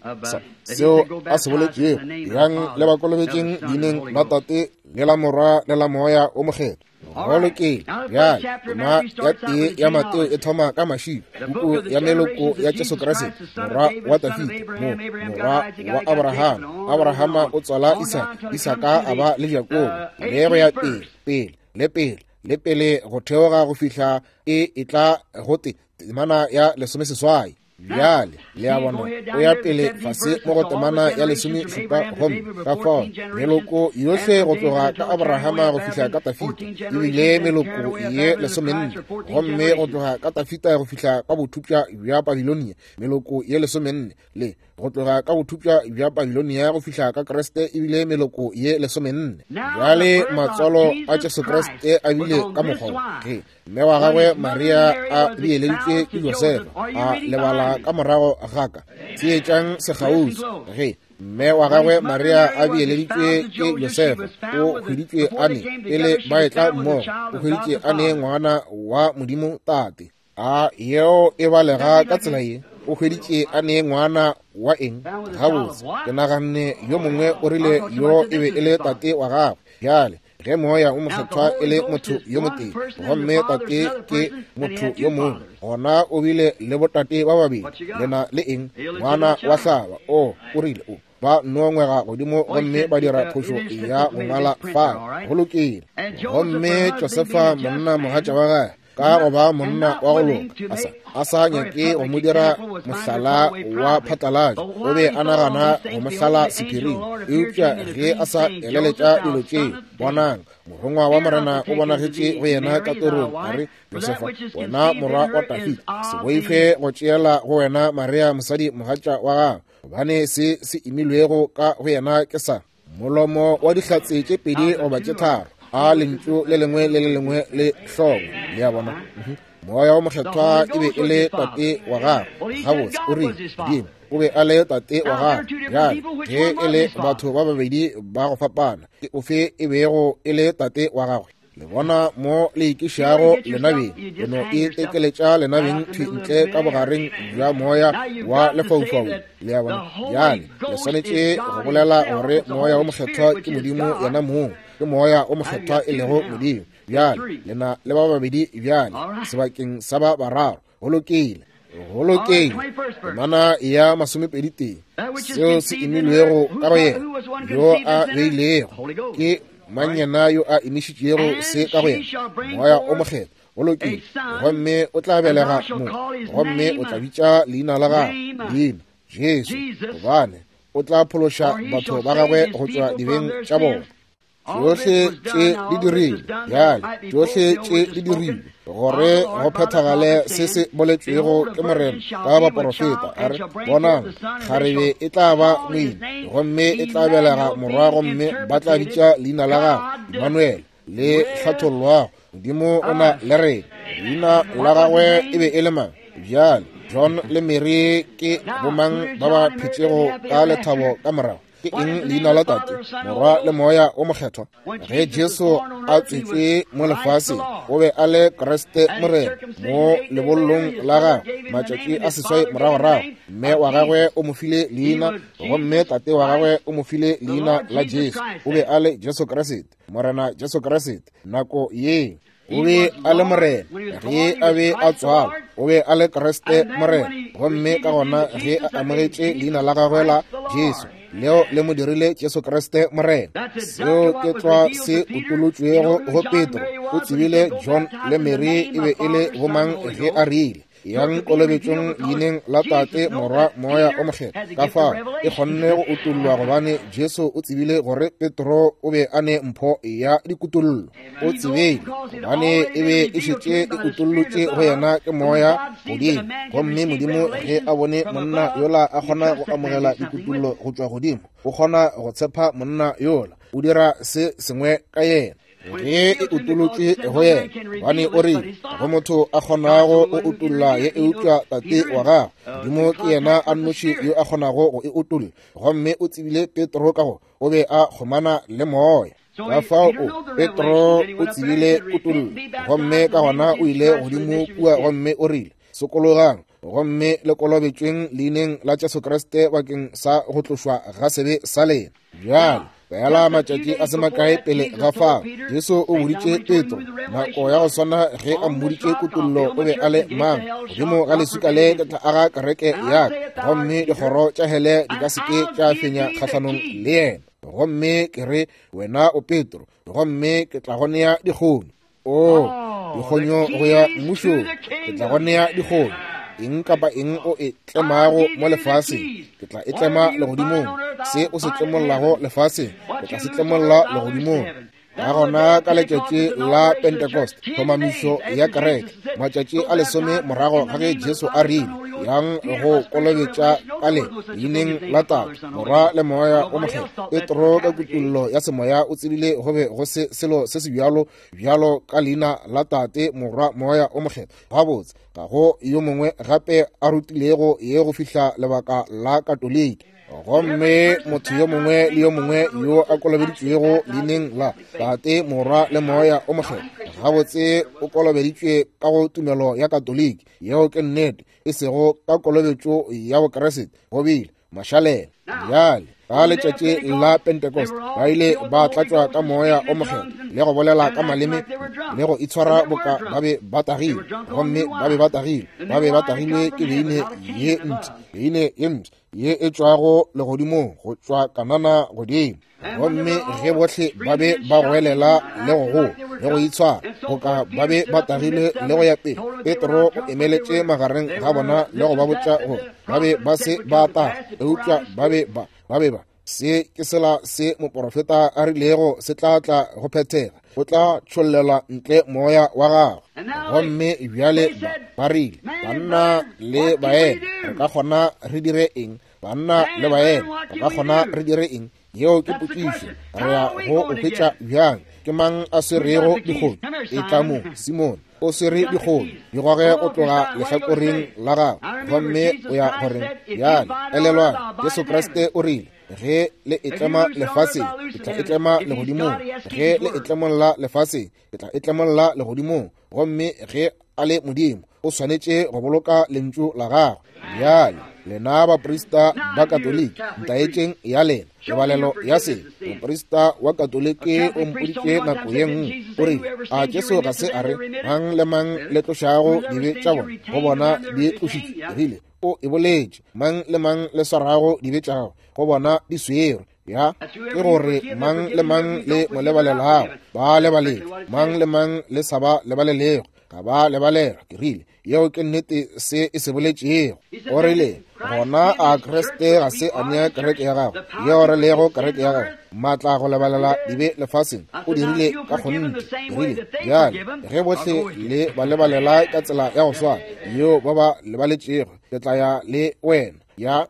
seo a se boletšego, yang le ba kolobetšeng leineng la Tate le la Morwa le la Moya o Mokgethwa. Go lokile. Bjale, tema ya tee ya Mateo e thoma ka mašilo, puku ya meloko ya Jesu Kriste, morwa wa Dafida, mo morwa wa Abrahama. Abrahama o tswala Isaka, Isaka a ba le Jakobo, le go ya pele, pele, le pele, le pele go theoga go fihla e etla go te temana ya lesomeseswai. Bjale, le a bona, o ya pele fase mo go temana ya lesomešupa, gomme ka fao meloko yohle go tloga ka Abrahama go fihla ka Dafida ebile meloko ye lesomenne, gomme go tloga ka Dafida go fihla ka bothupša bja Babilonia meloko ye lesomenne, le go tloga ka bothupša bja Babilonia go fihla ka Kriste ebile meloko ye lesomenne. Bjale matswalo a Jesu Kriste a bile ka mokgwa ge mme wa gagwe Maria a beeleditšwe ke Josefa, a lebala ka morago ga ka. Theetšang sekgauswi. Ge mme wa gagwe Maria a beeleditšwe ke Josefa, o hweditšwe a ne pele ba etla mmogo, o hweditše a ne ngwana wa Modimo Tate. A yeo e balega ka tsela ye? O hweditše a ne ngwana wa eng? Gabotse, ke naganne yo mongwe o rile yo e be e le tate wa gagwe. Bjale, ge Moya o Mokgethwa e le motho yo motee, gomme Tate ke motho yo mongwe, gona o bile le botate ba babedi. Lena le eng? Ngwana wa hlaba. O, o rile o ba nongwega godimo gomme ba dira phošo ya go ngwala fa. Go lokile. Gomme Josefa monna mogatša wa gagwe, ka go ba monna wa go loka, a sa a sa nyake go mo dira mohlala wa phatlalatšo, o be a nagana go mo hlala sephiring. Eupša ge a sa eleletša dilo tše, bonang, morongwa wa Morena o bonagetše go yena ka torong, a re, Josefa, wena morwa wa Dafida, se boife go tšeela go wena Maria mosadi mogatša wa gago, gobane se se imilwego ka go yena ke sa molomo wa dihlatse tše pedi goba tše tharo, a lentšu le lengwe le le lengwe le hlongwe. Le a bona? Moya o Mokgethwa e be e le tate wa gagwe. Gabotse, o rile Modimo o be a le tate wa gagwe. Bjale, ge e le batho ba babedi ba go fapana, ke ofe e bego e le tate wa gagwe? Le bona mo le ikišago lenabeng, le no e tekeletša lenabeng thwi ntle ka bogareng bja moya wa lefaufau. Le a bona? Bjale, le swanetše go bolela gore Moya o Mokgethwa ke Modimo yena mong, ke Moya o Mokgethwa e lego Modimo. Bjale, lena le ba babedi bjale sebakeng sa ba bararo. Go lokile, go lokile. Temana ya masomepedi tee, seo se imilwego ka go yena, yo a beilego ke mang yena yo a imišitšego se ka go yena? Moya o Mokgethwa. Go lokile. Gomme o tla belega mo, gomme o tla bitša leina la gagwe leina Jesu, gobane o tla phološa batho ba gagwe go tšwa dibeng tša bona. Tšohle tše di dirilwe bjale, tšohle tše di dirilwe gore go phethagale se se boletšwego ke Morena ka baporofeta, a re, bonang, kgarebe e tla ba moima, gomme e tla belega morwa, gomme ba tla bitša leina la gagwe Emmanuel, le hlathollwago Modimo o na le rena. Leina la gagwe e be e le mang? Bjale John le Mary ke bomang ba ba phetšego ka lethabo ka morago? Ke eng leina la Tate, Morwa le Moya o Mokgethwa? Ge Jesu a tswetšwe mo lefaseng, o be a le Kriste Morena mo lebollong la gagwe matšatši a seswai moragorago. Mme wa gagwe o mo file leina, gomme tate wa gagwe o mo file leina la Jesu. O be a le Jesu Kriste, Morena Jesu Kriste. Nako ye o be a le Morena ge a be a tswalwa, o be a le Kriste Morena, gomme ka gona ge a amogetše leina la gagwe la Jesu, leo le mo dirile Jesu Kriste Morena. Seo ke tlwa se utolotšwego go Petro. O tsebile John le Mary e be e le bomang ge a rile, yang kolobetšong leineng la Tate, Morwa, Moya o Mokgethwa. Ka fao e kgonne go utollwa, gobane Jesu o tsebile gore Petro o be a ne mpho ya dikutollo. O tsebile gobane e be e šetše e utollotše go yena ke Moya godimo, gomme Modimo ge a bone monna yola a kgona go amogela dikutollo go tšwa godimo, o kgona go tshepa monna yola, o dira se sengwe ka yena. Ge e utolotšwe go yena, gobane o rile, go motho a kgonago go utolla ye eupša Tate wa gagwe Modimo ke yena a nnoši yo a kgonago go e utolla. Gomme o tsebile Petro ka go o be a kgomana le Moya. Ka fao o Petro o tsebile kutollo, gomme ka gona o ile godimo kua gomme o rile, sokologang gomme le kolobetšweng leineng la Jesu Kriste bakeng sa go tlošwa ga sebe sa lena. Bjale fela matšatši a se makae pele ga fao, Jesu o boditše Petro nako ya go swana ge a mmoditše kutollo o be a le mang, godimo ga leswika le ke tla aga kereke ya ka, gomme dikgoro tša hele di ka se ke tša fenya kgahlanong le yena. Gomme ke re wena o Petro, gomme ke tla go nea dikgonyo. O dikgonyo go ya mmušong, ke tla go nea dikgonyo. Eng kapa eng o e tlemago mo lefaseng, ke tla e tlema legodimong. Se o se tlemollago lefaseng, ke tla se tlemolla legodimong. Ka gona ka letšatši la Pentecost, tlhomamišo ya kereke, matšatši a lesome morago ga ge Jesu a rile, yang go kolobetša ka le leineng la Tate, Morwa le Moya o Mokgethwa, Petro ka kutollo ya semoya o tsebile go be go se selo se se bjalo bjalo ka leina la Tate, Morwa, Moya o Mokgethwa. Gabotse ga go yo mongwe gape a rutilego ye go fihla lebaka la Katoliki. Gomme motho yo mongwe le yo mongwe yo a kolobeditšwego leineng la Tate, Morwa le Moya o Mokgethwa, gabotse o kolobeditšwe ka go tumelo ya Katoliki. Yeo ke nnete, e sego ka kolobetšo ya Bokriste. Go bile mašalela. Bjale ka letšatši la Pentecost ba ile ba tlatšwa ka Moya o Mokgethwa le go bolela ka maleme le go itshwara boka ba be ba tagile, gomme ba be ba tagile, ba be ba tagilwe ke beine ye mpsha, beine ye mpsha ye e tšwago legodimong, go tšwa Kanana godimo. Gomme ge bohle ba be ba goelela le go goa le go itshwara boka ba be ba tagile le go ya pele, Petro o emeletše magareng ga bona le go ba botša gore ba be ba se ba taga, eupša ba be ba ba be ba se ke sela se moporofeta a rilego se tla tla go phethega, o tla tšhollela ntle moya wa gagwe. Gomme bjale ba ba rile, banna le baena, re ka kgona re dire eng? Banna le baena, re ka kgona re dire eng? Yeo ke potšišo. Re ya go o hwetša bjang? Ke mang a swerego dikgonyo? E tla mo, Simone o swere dikgonyo, di goge go tloga lehlakoreng la gagwe, gomme o ya goreng? Bjale elelwang, Jesu Kriste o rile, ge le e tlema lefaseng, ke tla e tlema legodimong. Ge le e tlemolla lefaseng, ke tla e tlemolla legodimong. Gomme ge a le Modimo, o swanetše go boloka lentšu la gagwe. Bjale lena baprista ba Katoliki, ntaetšeng ya lena. Tebalelo ya sebe. Moprista wa Katoliki o mpoditše nako ye nngwe, o rile, a Jesu ga se a re mang le mang le tlošago dibe tša bona go bona di tlošitšwe? Rile o e boletše, mang le mang le swarago dibe tša gagwe go bona di swerwe. Ya ke gore mang le mang le mo lebalelago ba lebaletšwe, mang le mang le sa ba lebalelego ga ba lebalelwa. Ke rile, yeo ke nnete se e se boletšego. O rile, gona a Kriste ga se a nea kereke ya gagwe, yeo re lego kereke ya gagwe, maatla go lebalela dibe lefaseng? O dirile ka kgonthe. Ke rile, bjale ge bohle le ba lebalela ka tsela ya go swana yeo ba ba lebaletšego, ke tla ya le wena. Ya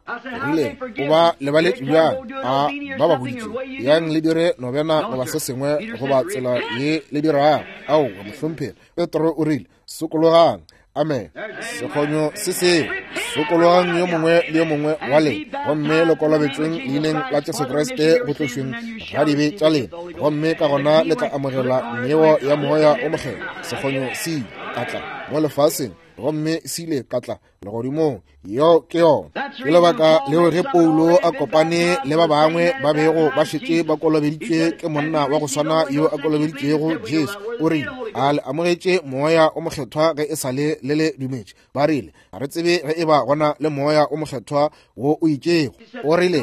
rile, o ba lebaletše bjang? A ba ba boditše yang le dire nobena goba se sengwe goba tsela ye le dirago? Aowa, mohlomphegi. Petro o rile, sokologang. Amen. Sekgonyo se seo. Sokologang yo mongwe le yo mongwe wa lena, gomme le kolobetšweng leineng la Jesu Kriste go tlošweng ga dibe tša lena, gomme ka gona le tla amogela neo ya Moya o Mokgethwa. Sekgonyo se ile ka tla mo lefaseng, gomme se ile ka tla legodimong. Yeo ke yona. Ke lebaka leo ge Paulo a kopane le ba bangwe ba bego ba šetše ba kolobeditšwe ke monna wa go swana yo a kolobeditšego Jesu, o rile, a le amogetše Moya o Mokgethwa ge e sa le le le dumetše? Ba rile, ga re tsebe ge e ba gona le Moya o Mokgethwa wo o itšego. O rile,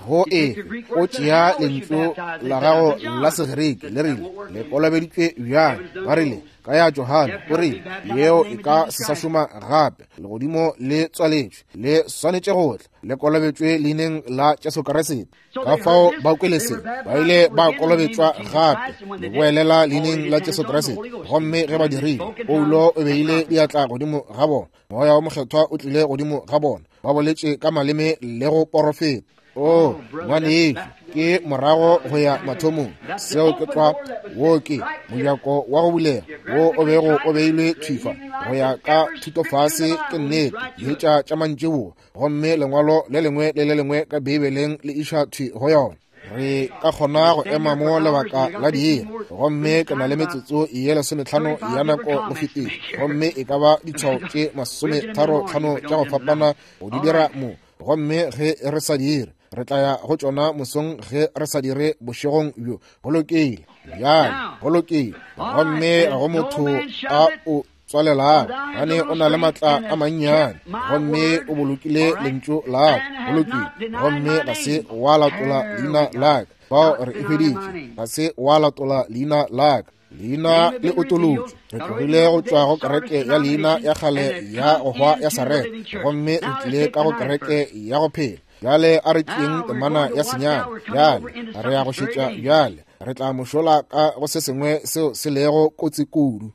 go efe? O tšea lentšu la gago la Segerike le rile, le kolobeditšwe bjang? Ba rile, ka ya Johane. O rile, yeo e ka se sa šoma gape. Legodimo le tswaletšwe, le swanetše go tla, le kolobetšwe leineng la Jesu Kriste. Ka fao ba kwele se, ba ile ba kolobetšwa gape le boelela leineng la Jesu Kriste. Gomme ge ba dirile, Paulo o beile diatla godimo ga bona, Moya o Mokgethwa o tlile godimo ga bona, ba boletše ka maleme le go porofeta. O ngwanešu, ke morago go ya mathomong. Seo ke tlwa. Wo ke mojako wa go bulega wo o bego o beilwe thwifa go ya ka thutofase. Ke nnete, dietša tša mantšiboa, gomme lengwalo le lengwe le le lengwe ka Beibeleng le iša thwi go yona. Re ka kgona go ema mo lebaka la diiri, gomme ke na le metsotso ye lesometlhano ya nako go fetile, gomme e ka ba ditshwao tše masometharo-tlhano tša go fapana go di dira mo. Gomme ge re sa dire, re tla ya go tšona mosong, ge re sa dire bošegong bjo. Go lokile bjale, go lokile. Gomme ga go motho a o tswalelang, gane o na le maatla a mannyane, gomme o bolokile lentšu la ka. Go lokile. Gomme ga se wa latola leina la ka. Fao re e hweditše. Ga se wa latola leina la ka. Leina le otolotšwe. Re tlogile go tšwa go kereke ya leina ya kgale ya go hwa ya Sareta, gomme re tlile ka go kereke ya go phela. Bjale a re tšeeng temana ya senyane. Bjale re ya go šetša. Bjale re tla mošola ka go se sengwe seo se lego kotsi kudu.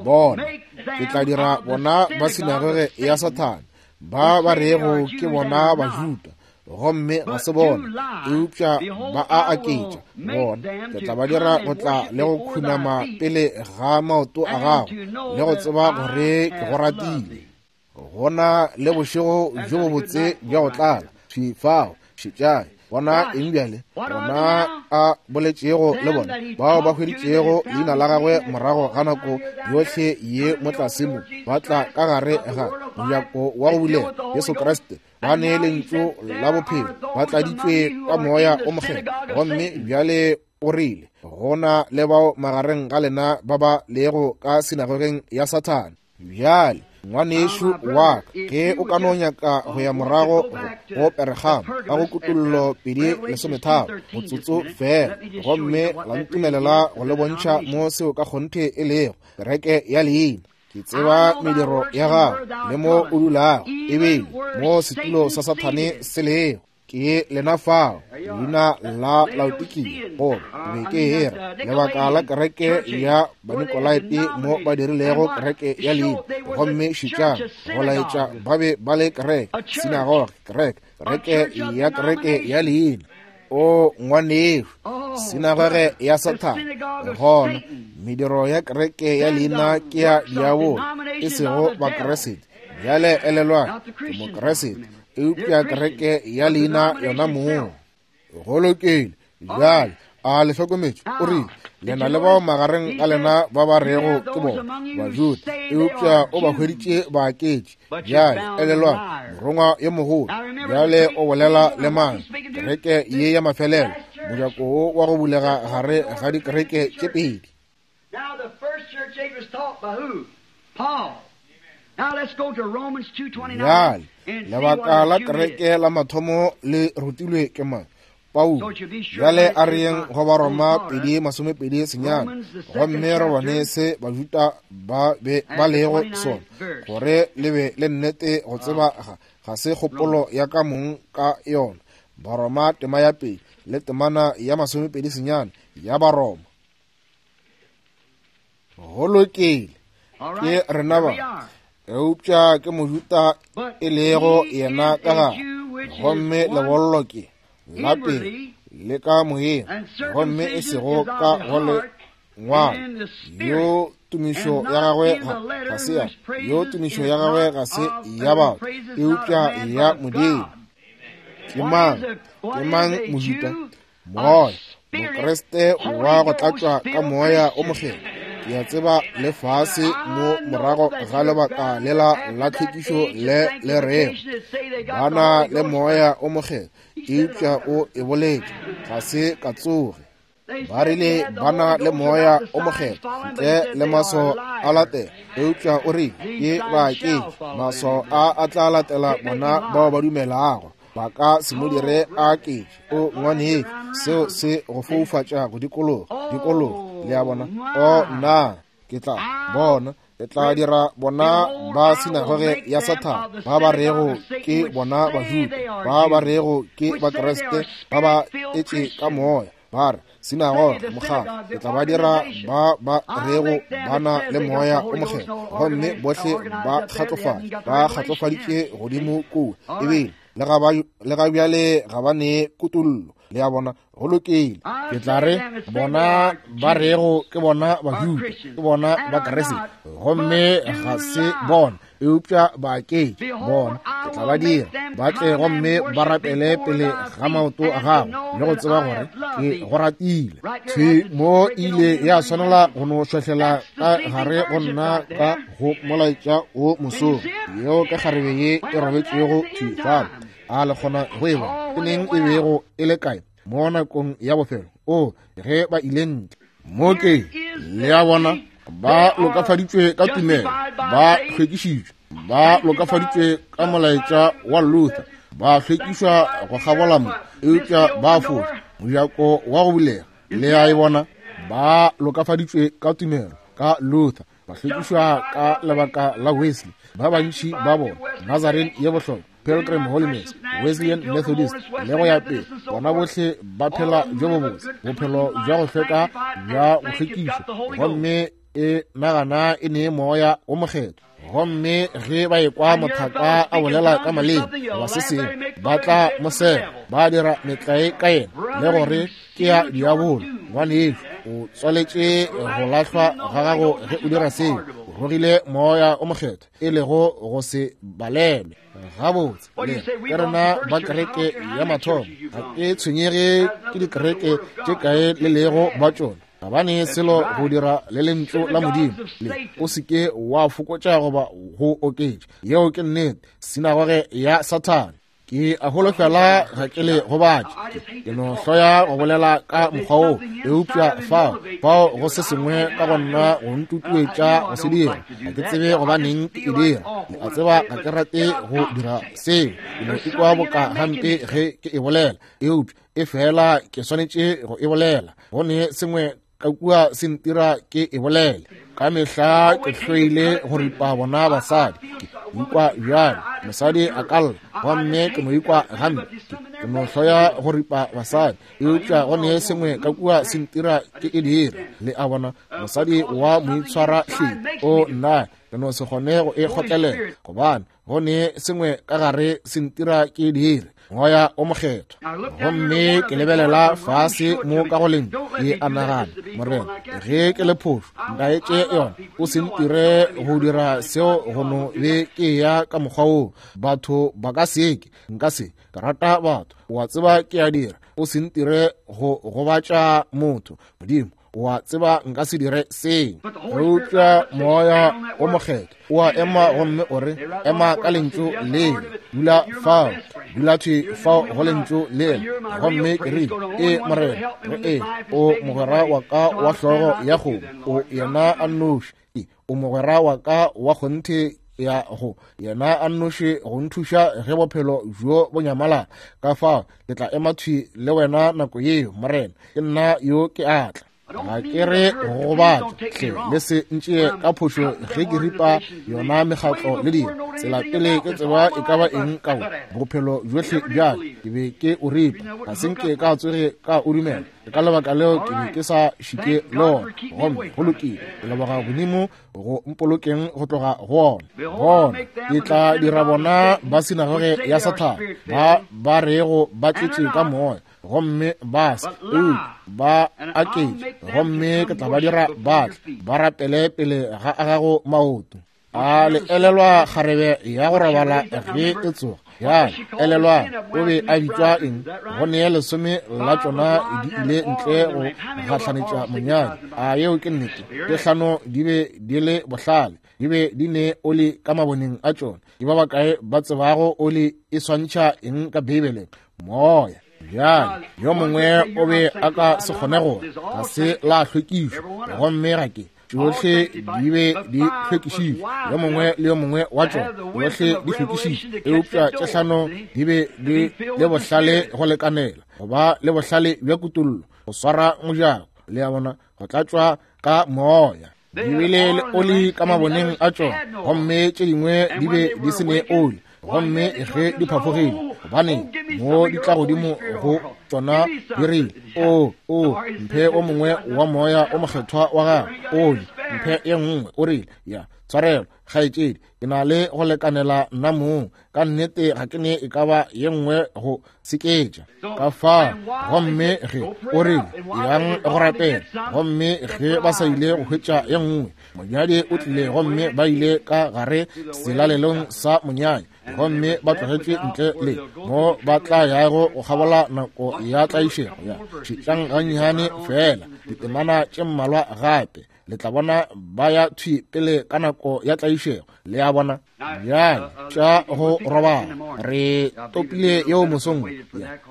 Bona, ke tla dira bona ba sinagoge ya Sathane, ba ba rego ke bona Bajuda, gomme ga se bona, eupša ba a aketša. Bona, ke tla ba dira go tla le go khunama pele ga maoto a gago, le go tseba gore ke go ratile. Gona le bošego bjo bobotse bja go tlala. Thwi fao, šetšang. Bona eng bjale? Bona a boletšego le bona bao ba hweditšego leina la gagwe morago ga nako yohle ye mo tlase mo, ba tla ka gare ga mojako wa go bulega Jesu Kriste, ba ne lentšu la bophelo, ba tladitšwe ka Moya o Mokgethwa. Gomme bjale o rile, gona le bao magareng ga lena ba ba lego ka sinagogeng ya Sathane. Bjale ngwanešu wa ka, ge o ka no nyaka go ya morago go Peregamo ka go Kutollo pedi lesometharo motsotso fela, gomme la ntumelela go le bontšha mo seo ka kgonthe e lego kereke ya leina. Ke tseba mediro ya gago le mo o dulago, ebile mo setulo sa Sathane se lego. Ke lena fao, leina la Laodikia, goba be ke era lebaka la kereke ya Banikolaite mo ba dirilego kereke ya leina. Gomme šetšang, go laetša ba be ba le kereke, sinagoge, kereke, kereke ya kereke ya leina. O ngwanešu, sinagoge ya Sathane. Gona mediro ya kereke ya leina ke ya diabolo, e sego Bakeresete. Bjale elelwang, ke Mokeresete, eupša kereke ya leina yona mong. Go lokile. Bjale A le hlokometše? O rile, le na le bao magareng a lena ba ba rego ke bona Bajuda, eupša o ba hweditše baaketši. Bjale elelwang, morongwa yo mogolo bjale o bolela le mang? Kereke ye ya mafelelo, mojako wo wa go bulega gare ga dikereke tše pedi. Bjale lebaka la kereke la mathomo le rutilwe ke mang? Paulo. Bjale a re yeng go Baroma pedi masomepedi senyane, gomme re bone se Bajuda ba be ba lego sona, gore le be le nnete go tseba ga, ga se kgopolo ya ka mong ka yona. Baroma tema ya pedi le temana ya masomepedi senyane ya Baroma. Go lokile, ke rena ba, eupša ke Mojuda e lego yena ka gare, gomme lebollo ke la pele le ka moyeng, gomme e sego ka go le ngwalo. Yo tumišo ya gagwe ga se ya, yo tumišo ya gagwe ga se ya batho, eupša ya Modimo. Ke mang? Ke mang Mojuda? Moya, Mokriste wa go tlatšwa ka Moya o Mokgethwa. Ke a tseba lefase mo morago ga lebaka lela la tlhwekišo le le rego ba na le Moya o Mokgethwa, eupša o e boletše, ga se ka tsoge. Ba rile ba na le Moya o Mokgethwa ntle le maswao a latela, eupša o rile ke baaketši, maswao a a tla latela bona bao ba dumelago. Ba ka se mo dire a aketše. O ngwanetše, seo se go foufatša go dikologa, dikologa. Le a bona? O nna ke tla bona, ke tla dira bona ba sinagoge ya Sathane, ba ba rego ke bona Bajuda, ba ba rego ke Bakriste, ba ba etše ka moya, ba re sinagoge mokgatlo, ke tla ba dira ba ba rego ba na le Moya o Mokgethwa, gomme bohle ba kgatlofatše, ba kgatlofaditše godimo kua, ebile le ga ba le ga bjale ga ba ne kutollo. Le a bona? Go lokile. Ke tla re bona ba rego ke bona Bajuda, ke bona Bakriste, gomme ga se bona, eupša baaketši bona. Ke tla ba dira ba tle gomme ba rapele pele ga maoto a gago, le go tseba gore ke go ratile. Thwi mo ile ya swanela go no šwahlela ka gare go nna ka go molaetša wo mosong, yeo ka kgarebe ye e robetšego thwi fale. A le kgona go e bona? Ke neng e bego e le kae? Mo nakong ya bofelo, o ge ba ile ntle mo ke, le a bona, ba lokafaditšwe ka tumelo, ba hlwekišitšwe, ba lokafaditšwe ka molaetša wa Luther, ba hlwekišwa go kgabola mo, eupša ba foša mojako wa go bulega. Le a e bona? Ba lokafaditšwe ka tumelo ka Luther, ba hlwekišwa ka lebaka la Wesley, ba bantši ba bona Nazarene ye bohlokwa, Pilgrim Holiness, Wesleyan Methodist, le go ya pele. Bona bohle ba phela bjo bobotse, bophelo bja go hlweka, bja go hlwekišwa, gomme e nagana e ne Moya o Mokgethwa. Gomme ge ba ekwa mothaka a bolela ka maleme goba se sengwe, ba tla mo sega, ba dira metlae ka yena, le gore ke ya diabolo. Ngwanešu, o tswaletše go lahlwa ga gago ge o dira seo. O rogile Moya o Mokgethwa, e lego go se balelwe. Gabotse, le ke rena ba kereke ya mathomo. Ga ke tshwenyege ke dikereke tše kae le lego ba tšona, ga ba ne selo go dira le lentšu la Modimo. Le o se ke wa fokotša goba go oketša. Yeo ke nnete, sinagoge ya Sathane. Ke a holofela ga ke le gobatše, ke no hloya go bolela ka mokgwa wo, eupša fao fao go se sengwe ka go nna go ntutuetša go se dira. Ga ke tsebe gobaneng ke e dira. Le a tseba ga ke rate go dira seo, ke no ikwa boka gampe ge ke e bolela, eupša e fela ke swanetše go e bolela. Go ne sengwe ka kua se ntira ke e bolele. Ka mehla ke hloile go ripa bona basadi. Ke ikwa bjalo, mosadi a ka lla, gomme ke no ikwa gampe. Ke no hloya go ripa basadi, eupša go ne sengwe ka kua se ntira ke e dira. Le a bona, mosadi wa moitshwara hleng, o nna ke no se kgone go e kgotlelela, gobane go ne sengwe ka gare se ntira ke e dire. Moya o Mokgethwa. Gomme ke lebelela fase mo ka go lentšu, ke a nagana, Morena, ge ke le phošo, ntaetše yona, o se ntire go dira seo go no be ke ya ka mokgwa woo. Batho ba ka se ke, nka se, ke rata batho, o a tseba ke a dira. o se ntire go gobatša motho. Modimo o a tseba nka se dire seo. Eupša Moya o Mokgethwa o a ema gomme o re, ema ka lentšu leo, dula fao, dula thwi fao go lentšu leo. Gomme ke rile, ee Morena, re ee, o mogwera wa ka wa hlogo ya kgomo, o yena a nnoši, o mogwera wa ka wa kgonthe ya go yena a nnoši go nthuša ge bophelo bjo bo nyamalala. Ka fao ke tla ema thwi le wena nako yeo, Morena, ke nna yo ke atla. Ga ke re go gobatša, hle le se ntšee ka phošo ge ke ripa yona mekgatlo le dilo. Tsela pele ke tseba e ka ba eng ka bo bophelo bjohle bjale ke be ke o ripa, ga se nke ka tsoge ka o dumela. Ka lebaka leo ke be ke sa šike le ona. Gomme go lokile, ke leboga Modimo go mpolokeng go tloga go ona. Bona ke tla dira bona ba sinagoge ya Sathane, ba ba rego ba tletše ka moya, gomme ba se eupša ba aketše, gomme ke tla ba dira ba tle ba rapele pele ga a gago maoto. A le elelwa kgarebe ya go robala ge e tsoga? Ya elelwa o be a bitšwa eng? Go nea lesome la tšona di ile ntle go gahlanetša monyadi. A yeo ke nnete? Tše hlano di be di le bohlale, di be di ne oli ka maboneng a tšona. Ke ba bakae ba tsebago oli e swantšha eng ka Beibeleng? Moya. Bjale yo mongwe o be a ka se kgone gore ga se la hlwekišwa, gomme ga ke tšohle di be di hlwekišitšwe, yo mongwe le yo mongwe wa tšona tšohle di hlwekišitšwe, eupša tše hlano di be di le bohlale go lekanela go ba le bohlale bja kutollo go swara mojako, le a bona, go tlatšwa ka moya. Di bile le oli ka maboneng a tšona, gomme tše dingwe di be di se ne oli. Gomme ge di phafogile, gobane mo di tla godimo go tšona di rile, o o mphe o mongwe wa moya o mokgethwa wa gago, oli mphe ye nngwe. O rile, ya tshwarelo kgaetšedi, ke na le go lekanela nna mong, ka nnete ga ke ne e ka ba ye nngwe go seketša. Ka fao gomme ge o rile, yang go rapela, gomme ge ba sa ile go hwetša ye nngwe, monyadi o tlile, gomme ba ile ka gare selalelong sa monyadi, gomme ba tlogetšwe ntle le mo ba tla yago go kgabola nako ya tlaišego. Ya šetšang gannyane fela ditemana tše mmalwa gape, le tla bona ba ya thwi pele ka nako ya tlaišego. Le a bona? Bjale tša go robala re topile yeo mosong.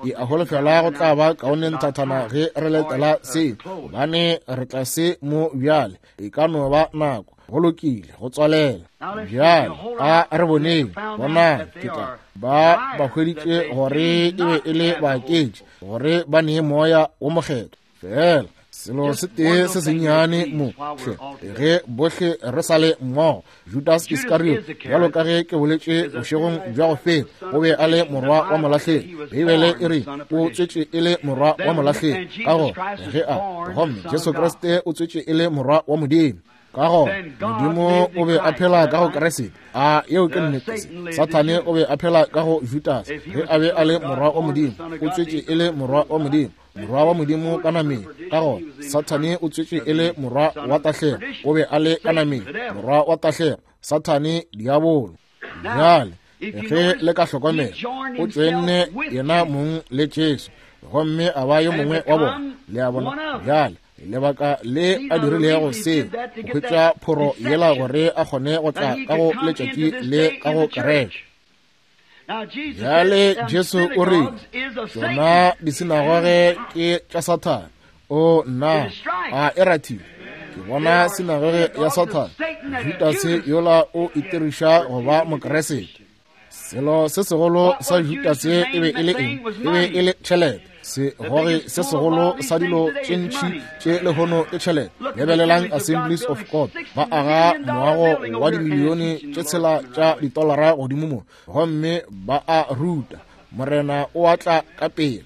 Ke a holofela go tla ba kaone nthathana ge re letela se, gobane re tla se mo bjale, e ka no ba nako. Go lokile, go tswalela. Bjale a re boneng, bonang ke tla ba ba hweditše gore e be e le baaketši, gore ba nee moya wo mokgethwa. Fela selo se tee se sennyane mo, hle, ge bohle re sa le mmogo. Judas Iskariot, bjalo ka ge ke boletše bošegong bja go feta, o be a le morwa wa molahlegi. Beibele e re o tswetše e le morwa wa molahlegi, ka gona ge a gomme Jesu Kriste o tswetše e le morwa wa Modimo. Ka gona Modimo o be a phela ka go Kriste. A yeo ke nnete? Sathane o be a phela ka go Judas ge a be a le morwa wa Modimo. O tswetše e le morwa wa Modimo, morwa wa Modimo ka nameng. Ka gona Sathane o tswetše e le morwa wa tahlego, o be a le ka nameng, morwa wa tahlego, Sathane diabolo. Bjale ge le ka hlokomela, o tšwenne yena mong le Jesu, gomme a ba yo mongwe wa bona. Le a bona? Bjale lebaka le a dirilego se, go hwetša phoro yela gore a kgone go tla ka go letšatši le ka go kereke. Bjale Jesu o rile, tšona disinagoge ke tša Sathane. O nna, a e rathile. Ke bona sinagoge ya Sathane. Judase yola o itiriša go ba Mokeresete. Selo se segolo sa Judase e be e le eng? E be e le tšhelete. Segogi se segolo sa dilo tše ntši tše lehono ke tšhelete. Lebelelang Assemblies of God, ba aga moago wa dimilione tše tshela tša ditolara godimo mo, gomme ba a ruta, Morena o atla ka pele.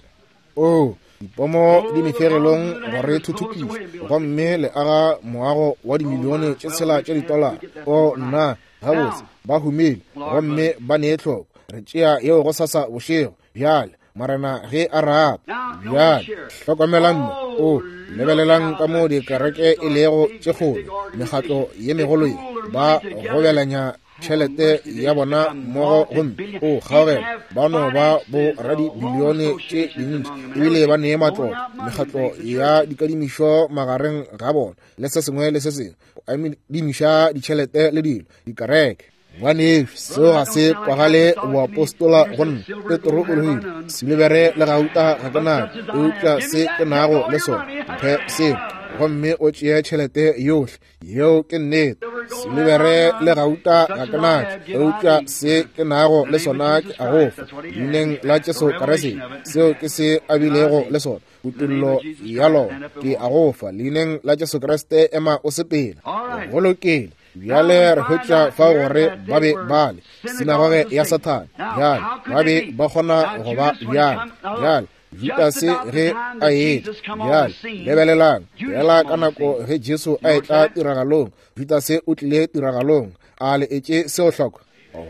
O dipomo di meferelong gore thuthupiše, gomme le aga moago wa dimilione tše tshela tša ditolara. O nna, gabotse ba humile gomme ba nee tlhoko. Re tšea yeo go sasa bošego bjale, Morena ge a rata. Bjale hlokomelang mo, o lebelelang ka mo dikereke e lego tše kgolo, mekgatlo ye megolo ye, ba gobelanya tšhelete ya bona mmogo gomme o kgaogela ba no ba bo radibilione tše dintši ebile ba nee matlotlo mekgatlo ya dikadimišo magareng ga bona le se sengwe le se sengwe go adimiša ditšhelete le dilo dikereke. Ngwanešu, seo ga se kwagale boapostola go nna. Petro o rile, silibere le gauta ga ke nayo, eupša se ke nago le sona mphe seo, gomme o tšee tšhelete yohle. Yeo ke nnete. Silibere le gauta ga ke nayo, eupša se ke nago le sona ke a go fa leineng la Jesu Kriste. Seo ke se a bilego le sona, kutollo ya lona. Ke a go fa leineng la Jesu Kriste, ema o sepela. Go lokile. Bjale re hwetša fa gore ba be ba le sinagoge ya Sathane. Bjale ba be ba kgona go ba bjale. Bjale Judase ge a etla, bjale lebelelang fela ka nako ge Jesu a etla tiragalong, Judase o tlile tiragalong. A le etše seo hloko?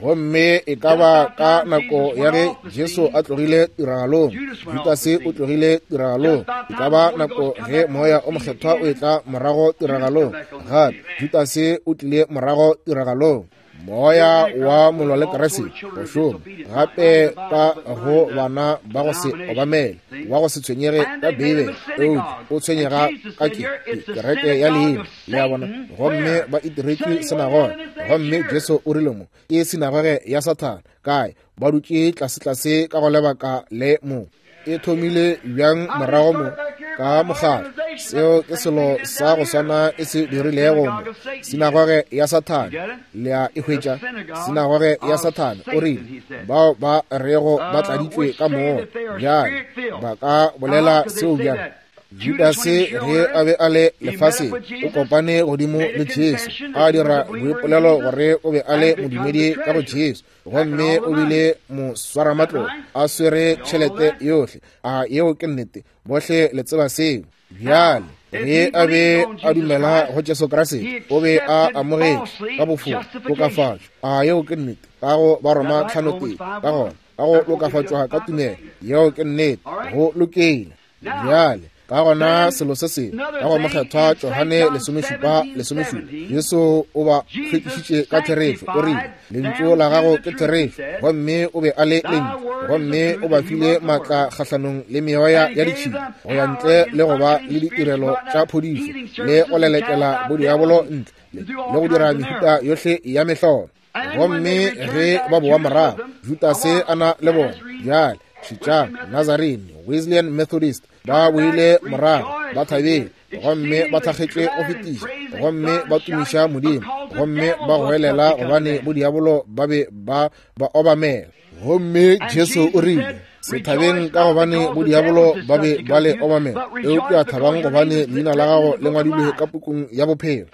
Gomme e ka ba ka nako ya ge Jesu a tlogile tiragalong, Judase o tlogile tiragalong. E ka ba nako ge Moya o Mokgethwa o etla morago tiragalong, gape Judase o tlile morago tiragalong. Moya wa molwa le Kriste go šoma gape ka go bana ba go se obamele, wa go se tshwenyege ka Beibele, eupša o tshwenyega ka ke kereke ya leina, le a bona. Gomme ba itiretše sinagoge, gomme Jesu o rile mo ke sinagoge ya Sathane. Kae? Ba dutše tlasetlase ka go lebaka le mo. E thomile bjang morago mo ka mokgatlo? Seo ke selo sa go swana e se dirilego mo, sinagoge ya Sathane. Le a e hwetša? Sinagoge ya Sathane. O rile bao ba rego ba tladitšwe ka moya, bjale ba ka bolela seo bjang? Judase ge a be a le lefaseng o kopane godimo le Jesu, a dira boipolelo gore o be a le modumedi ka go Jesu, gomme o bile moswaramatlotlo a swere tšhelete yohle. A yeo ke nnete? Bohle le tseba seo. Bjale ge a be a dumela go Jesu Kriste, o be a amogetše ka bofora tokafatšo. A yeo ke nnete? Ka go Baroma tlhano tee, ka gona ka go lokafatšwa ka tumelo. Yeo ke nnete. Go lokile. Bjale ka gona selo se sengwe ka go Mokgethwa Johane lesomešupa lesomešupa, Jesu o ba hlwekišitše ka therešo. O rile, lentšu la gago ke therešo, gomme o be a le lentšu, gomme o ba file maatla kgahlanong le meoya ya ditšhila go ya ntle le go ba le ditirelo tša phodišo le go lelekela bodiabolo ntle le go dira mehuta yohle ya mehlolo. Gomme ge ba boa morago, Judase a na le bona. Bjale šetšang, Nazarene, Wesleyan Methodist ba boile morago ba thabile, gomme ba thakgetšwe go fetiša, gomme ba tumiša Modimo, gomme ba goelela gobane bodiabolo ba be ba ba obamela. Gomme Jesu o rile, se thabeng ka gobane bodiabolo ba be ba le obamela, eupša thabang gobane leina la gago le ngwadilwe ka pukung ya bophelo.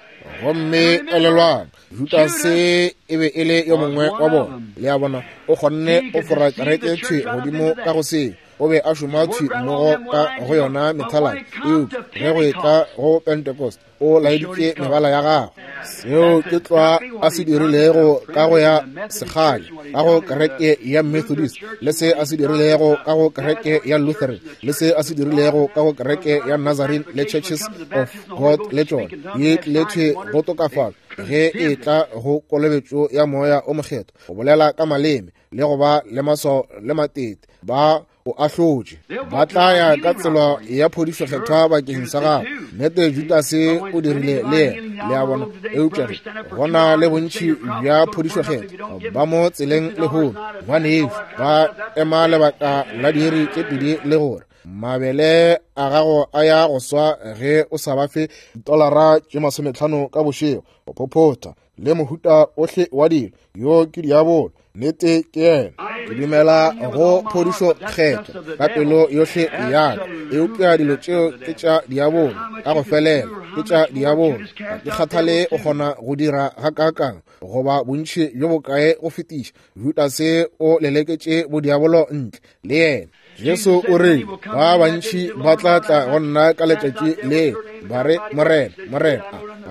Gomme elelwang, Judase e be e le yo mongwe wa bona. Le a bona, o kgonne o fora kereke thwi godimo ka go seo. O be a šoma thwi mmogo ka go yona methaladi, eupša ge go etla go Pentecost o laeditše mebala ya gagwe. Seo ke tlwa a se dirilego ka go ya sekgale ka go kereke ya Methodist, le se a se dirilego ka go kereke ya Lutheran, le se a se dirilego ka go kereke ya Nazarene le Churches of God le tšona. Ye tlile thwi go tokafatšwa ge e tla go kolobetšo ya Moya o Mokgethwa, go bolela ka maleme le go ba le maswao le matete. Ba o ahlotše, ba tla ya ka tsela ya phodišo kgethwa bakeng sa gago. Nnete Judase o dirile le yena, le a bona. Eupša ge gona le bontši bja phodišo kgethwa ba mo tseleng lehono, ngwanešu, ba ema lebaka la diiri tše pedi le gore mabele a gago a ya go swa ge o sa ba fe dolara tše masometlhano ka bošego, go phophotha le mohuta ohle wa dilo. Yo ke diabolo, nnete ke yena. Ke dumela go phodišo kgethwa ka pelo yohle ya ka, eupša dilo tšeo ke tša diabolo ka go felela, ke tša diabolo. Ga ke kgathale o kgona go dira gakaakang goba bontši bjo bokae go fetiša, Judase o leleketše bodiabolo ntle le yena. Jesu o rile, ba bantši ba tla tla go nna ka letšatši le ba re, Morena, Morena,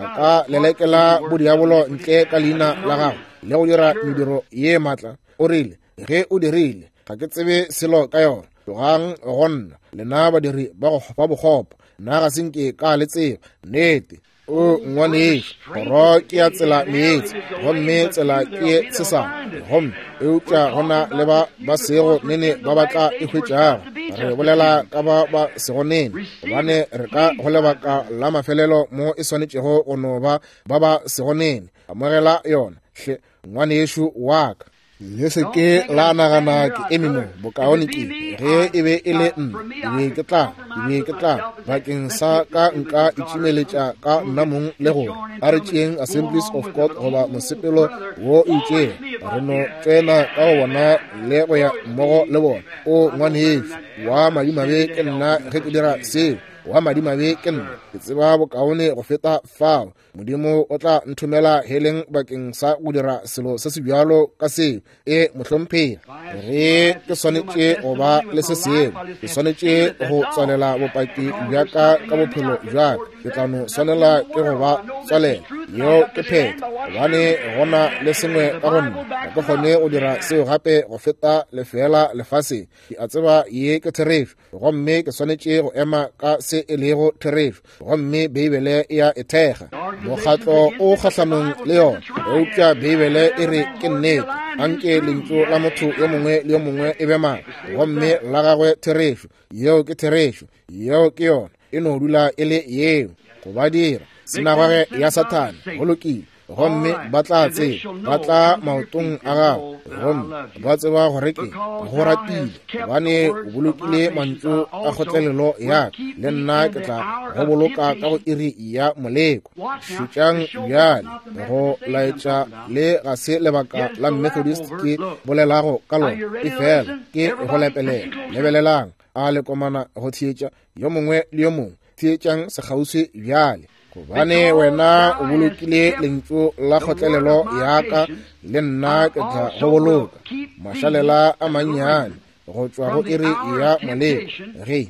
a ka lelekela bodiabolo ntle ka leina la gago le go dira mediro ye maatla? O rile, ge o dirile, ga ke tsebe selo ka yona. Tlogang go nna, lena badiri ba bokgopo, nna ga se nke ka le tseba. Nnete. O ngwanešu, kgoro ke ya tsela meetse, gomme tsela ke ye tshesane, gomme eupša go na le ba ba sego nene ba ba tla e hwetšago. Re bolela ka ba ba sego nene, gobane re ka go lebaka la mafelelo mo e swanetšego go no ba ba ba sego nene. Amogela yona, hle ngwanešu wa ka. Le se ke la nagana ke eme mo, bokaone ke ge e be e le nna, ke be ke tla, ke be ke tla bakeng sa ka nka itšimeletša ka nna mong le gore a re tšeeng Assemblies of God goba mosepelo wo itšeng, re no tsena ka go bona le go ya mmogo le bona. O ngwanešu, wa madimabe ke nna ge ke dira seo, wa madimabe ke nna, ke tseba bokaone go feta fao. Modimo o tla nthomela heleng bakeng sa go dira selo se se bjalo ka seo. E mohlomphegi, ge ke swanetše go ba le se sengwe, ke swanetše go tswalela bopaki bja ka ka bophelo bja ka, ke tla no swanela ke go ba tswalela. Yeo ke phetho, gobane go na le sengwe ka go nna, ga ke kgone go dira seo gape go feta lefeela lefaseng. Ke a tseba ye ke therešo, gomme ke swanetše go ema ka se e lego therešo, gomme Beibele e a e thekga. Mokgatlo o kgahlanong le yona, eupša Beibele e re ke nnete. Anke lentšu la motho yo mongwe le yo mongwe e be maaka, gomme la gagwe therešo. Yeo ke therešo, yeo ke yona, e no dula e le yeo. Go ba dira sinagoge ya Sathane, go lokile, gomme ba tla tseba, ba tla maotong a gago, gomme ba tseba gore ke go ratile, gobane o bolokile mantšu a kgotlelelo ya ka, le nna ke tla go boloka ka go iri ya moleko. Šetšang bjale, go laetša le ga se lebaka la Methodist ke bolelago ka lona, efela ke go lepelela. Lebelelang, a le komana go theetša yo mongwe le yo mongwe, theetšang sekgauswi bjale. Gobane wena o bolokile lentšu la kgotlelelo ya ka, le nna ke tla go boloka mašalela a mannyane go tšwa go iri ya moleko. Ge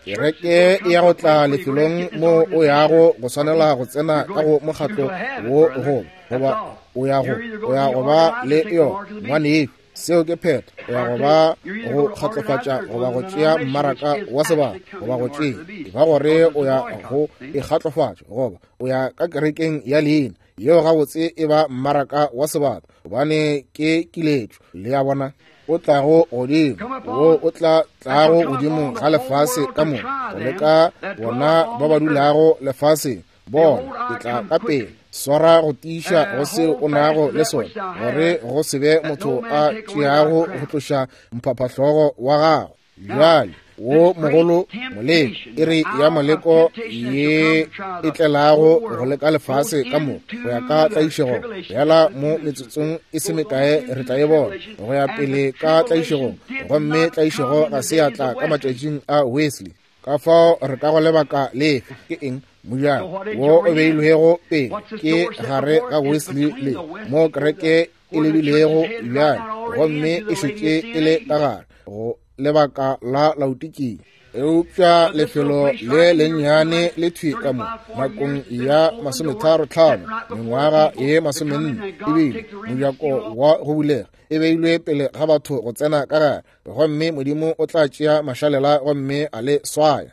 kereke e ya go tla lefelong mo o yago go swanela go tsena ka go mokgatlo wo goba goba o ya go o ya go ba le yona, ngwanešu, seo ke phetho. O ya go ba go kgatlofatša goba go tšea mmaraka wa sebaka goba go tšea, e ba gore o ya go ikgatlofatša goba o ya ka kerekeng ya leina, yeo gabotse e ba mmaraka wa sebaka, gobane ke kiletšo. Le a bona, o tlago godimo, wo o tla tlago godimo ga lefase ka moka, go leka bona ba ba dulago lefaseng. Bona, ke tla ka pele, swara go tiiša go seo o nago le sona, gore go se be motho a tšeago go tloša mphaphahlogo wa gago. Bjale wo mogolo moleko, iri ya moleko ye e tlelago go leka lefase ka moka go ya ka tlaišego. Bjala mo metsotsong e se mekae re tla e bona go ya pele ka tlaišegong, gomme tlaišego ga se ya tla ka matšatšing a Wesley. Ka fao re ka go lebaka lefe? Ke eng? Mojako wo o beilwego pele ke gare ga Wesley le mo kereke e lebilego bjale, gomme e šetše e le ka gare go lebaka la Laodikia. Eupša lefelo le lennyane le thwi ka mo nakong ya masometharo tlhano mengwaga ye masomenne ebile mojako wa go bulega e beilwe pele ga batho go tsena ka gare, gomme Modimo o tla tšea mašalela gomme a le swaya,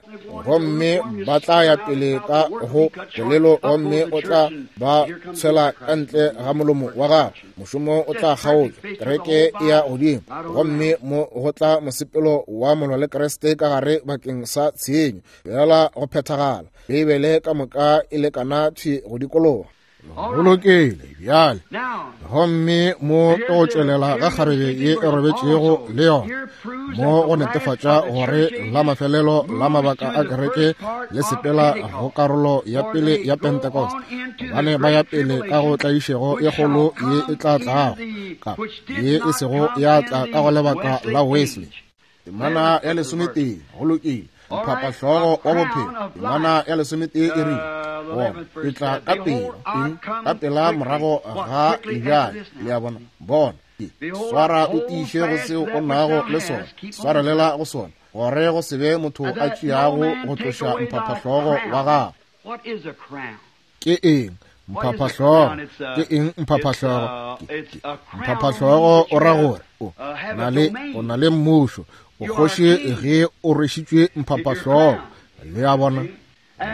gomme ba tla ya pele ka go bolelo, gomme o tla ba tshwela ka ntle ga molomo wa gagwe. Mošomo o tla kgaotšwa, kereke e ya godimo, gomme mo go tla mosepelo wa molwa le Kriste ka gare bakeng sa tshenyo, bjala go phethagala. Beibele ka moka e lekana thwi go dikologa. Go lokile bjale, gomme mo ke go tšwelela ga kgarebe ye e robetšego le yona, mo go netefatša gore la mafelelo la mabaka a kereke le sepela go karolo ya pele ya Pentecost, gobane ba ya pele ka go tlaišego e kgolo ye e tla tlago, ka ye e sego ya tla ka go lebaka la Wesley. Temana ya lesometee, go lokile, mphapahlogo wa bophelo. Temana ya lesometee e rile, bona, ke tla ka pela, eng, ka pela morago ga lebjale. Le a bona, bona, swara o tiiše go seo o nago le sona, swarelela go sona, gore go se be motho a tšeago go tloša mphaphahlogo wa gago. Ke eng mphaphahlogo? Ke eng mphaphahlogo? Mphaphahlogo o ra gore o na le o na le mmušo, o kgoši ge o rwešitšwe mphaphahlogo. Le a bona?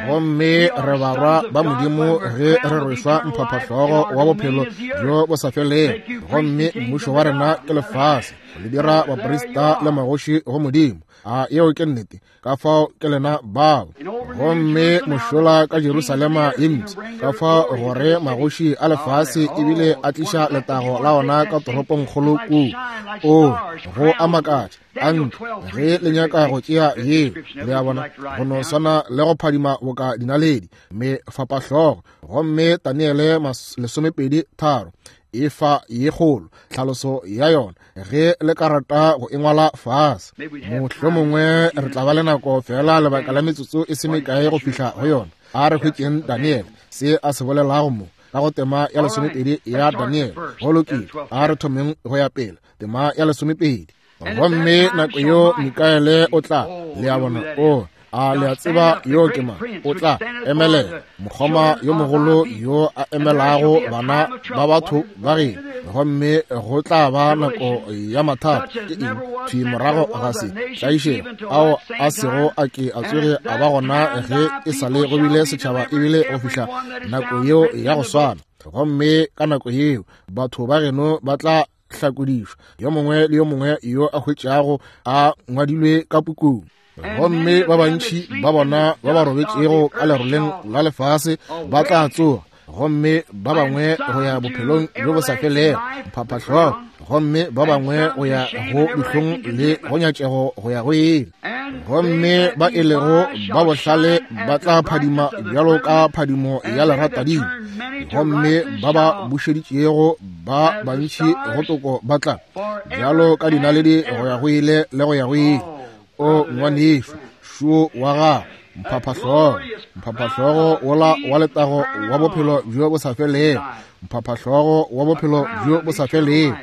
Gomme re barwa ba Modimo ge re rwešwa mphaphahlogo wa bophelo bjo bo sa felego, gomme mmušo wa rena ke lefase, le dira baprista le magoši go Modimo. A yeo ke nnete, ka fao ke lena bao. Gomme mošola ka Jerusalema ye mpsha, ka fao gore magoši a lefase ebile a tliša letago la ona ka toropongkgolo kua. O go a makatša a ntlo ge le nyaka go tšea yeo, le a bona, go no swana le go phadima boka dinaledi mefapahlogo. Gomme Daniele lesomepedi tharo e fa ye kgolo tlhaloso ya yona ge le ka rata go e ngwala fase. Mohlomongwe re tla ba le nako fela lebaka la metsotso e se mekae go fihla go yona. A re hwetšeng Daniel se a se bolelago mo ka go tema ya lesomepedi ya Daniel. Go lokile, a re thomeng go ya pele, tema ya lesomepedi. Gomme nako yo Mikaele o tla, le a bona, o a le a tseba yo ke mang, o tla emelela mokgoma yo mogolo yo a emelago bana ba batho ba geno. Gomme go tla ba nako ya mathata. Ke eng? Thwi morago ga se tlaišego ao a sego a ke a tsoge a ba gona ge e sa le go bile setšhaba ebile go fihla nako yeo ya go swana. Gomme ka nako yeo batho ba geno ba tla hlakodišwa, yo mongwe le yo mongwe yo a hwetšago a ngwadilwe ka pukung. Gomme ba bantši ba bona ba ba robetšego ka leroleng la lefase ba tla tsoga, gomme ba bangwe go ya bophelong bjo bo sa felego mphaphahlogo, gomme ba bangwe go ya go dihlong le go nyatšego go ya go ile. Gomme ba e lego ba bohlale ba tla phadima bjalo ka phadimo ya leratadima, gomme ba ba bušeditšego ba bantši go toko ba tla bjalo ka dinaledi go ya go ile le go ya go ile. O ngwanešu, šo wa gago mphaphahlogo, mphaphahlogo wola wa letago wa bophelo bjo bo sa felego, mphaphahlogo wa bophelo bjo bo sa felego.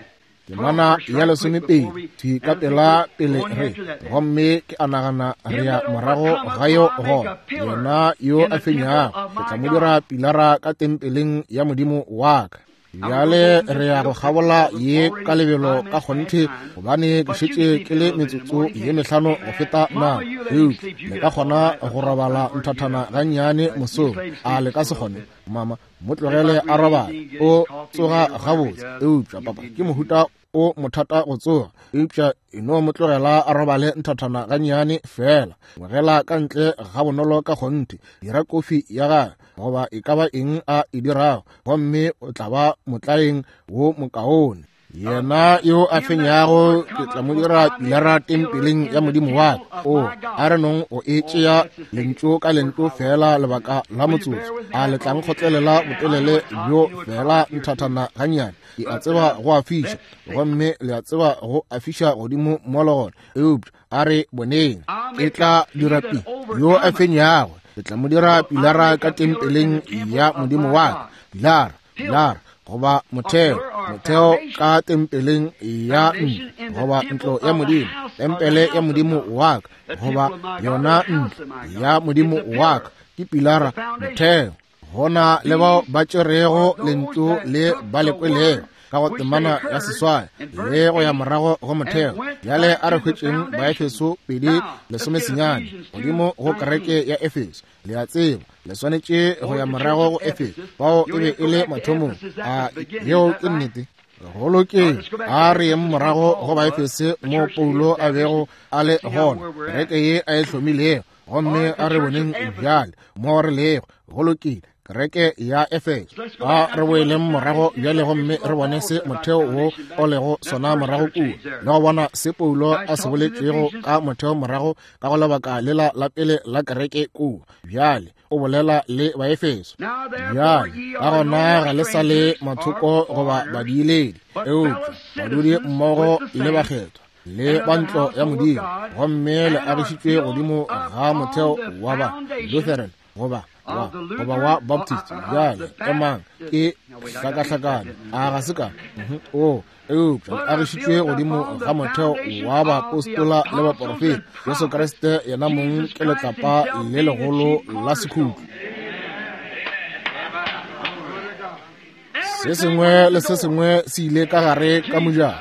Temana ya lesomepedi thwi ka pela pele re, gomme ke a nagana re ya morago ga yo gona. Yena yo a fenyago ke tla mo dira pilara ka tempeleng ya Modimo wa ka. Bjale re ya go kgabola ye ka lebelo ka kgonthe, gobane ke šetše ke le metsotso ye mehlano go feta nako. Eupša le ka kgona go robala nthathana gannyane mosong, a le ka se kgone? Mama, mo tlogele a robale, o tsoga gabotse. Eupša papa ke mohuta o mothata go tsoga, eupša e no mo tlogela a robale nthathana gannyane fela. Ngwegela ka ntle ga bonolo ka kgonthe, dira kofi ya gagwe goba e ka ba eng a e dirago, gomme o tla ba motlaeng wo mokaone. Yena yo a fenyago ke tla mo dira pilara tempeleng ya Modimo wa ka. O a re nong o e tšea lentšu ka lentšu fela lebaka la motsotso. A le tlang kgotlelela botelele bjo fela nthathana gannyane. Ke a tseba go a fiša, gomme le a tseba go a fiša godimo mo le gona. Eupša a re boneng, e tla dira pi yo a fenyago ke tla mo dira pilara ka tempeleng ya Modimo wa ka. Pilara, pilara goba motheo, motheo ka tempeleng ya ntlo goba ntlo ya Modimo, tempele ya Modimo wa ka goba yona ntlo ya Modimo wa ka ke pilara, motheo. Gona le bao ba tšerego lentšu le ba le kwelego ka go temana ya seswai le go ya morago go motheo. Bjale a re hwetšeng Baefeso pedi lesomesenyane godimo go kereke ya Efeso. Le a tseba le swanetše go ya morago go Efeso, bao e be e le mathomong. A yeo ke nnete? Go lokile, a re yeng morago go Baefese mo Paulo a bego a le gona, kereke ye a e hlomilego, gomme a re boneng bjale mo re lego. Go lokile, kereke ya Efeso. A re boeleng morago bjale gomme re bone se motheo wo o lego sona morago kua, le go bona se Paulo a se boletšego ka motheo morago ka go lebaka lela la pele la kereke kua. Bjale o bolela le Baefeso. Bjale ka gona ga le sa le mathoko goba badiiledi, eupša badudi mmogo le bakgethwa le ba ntlo ya Modimo, gomme le agišitšwe godimo ga motheo wa ba Lutheran goba wa goba wa Baptist. Bjale emang, ke hlakahlakane a ga se ka o eupša le agišitšwe godimo ga motheo wa baapostola le baporofeta. Jesu Kriste yena mong ke letlapa le legolo la sekhutlo. Se sengwe le se sengwe se ile ka gare ka mojako,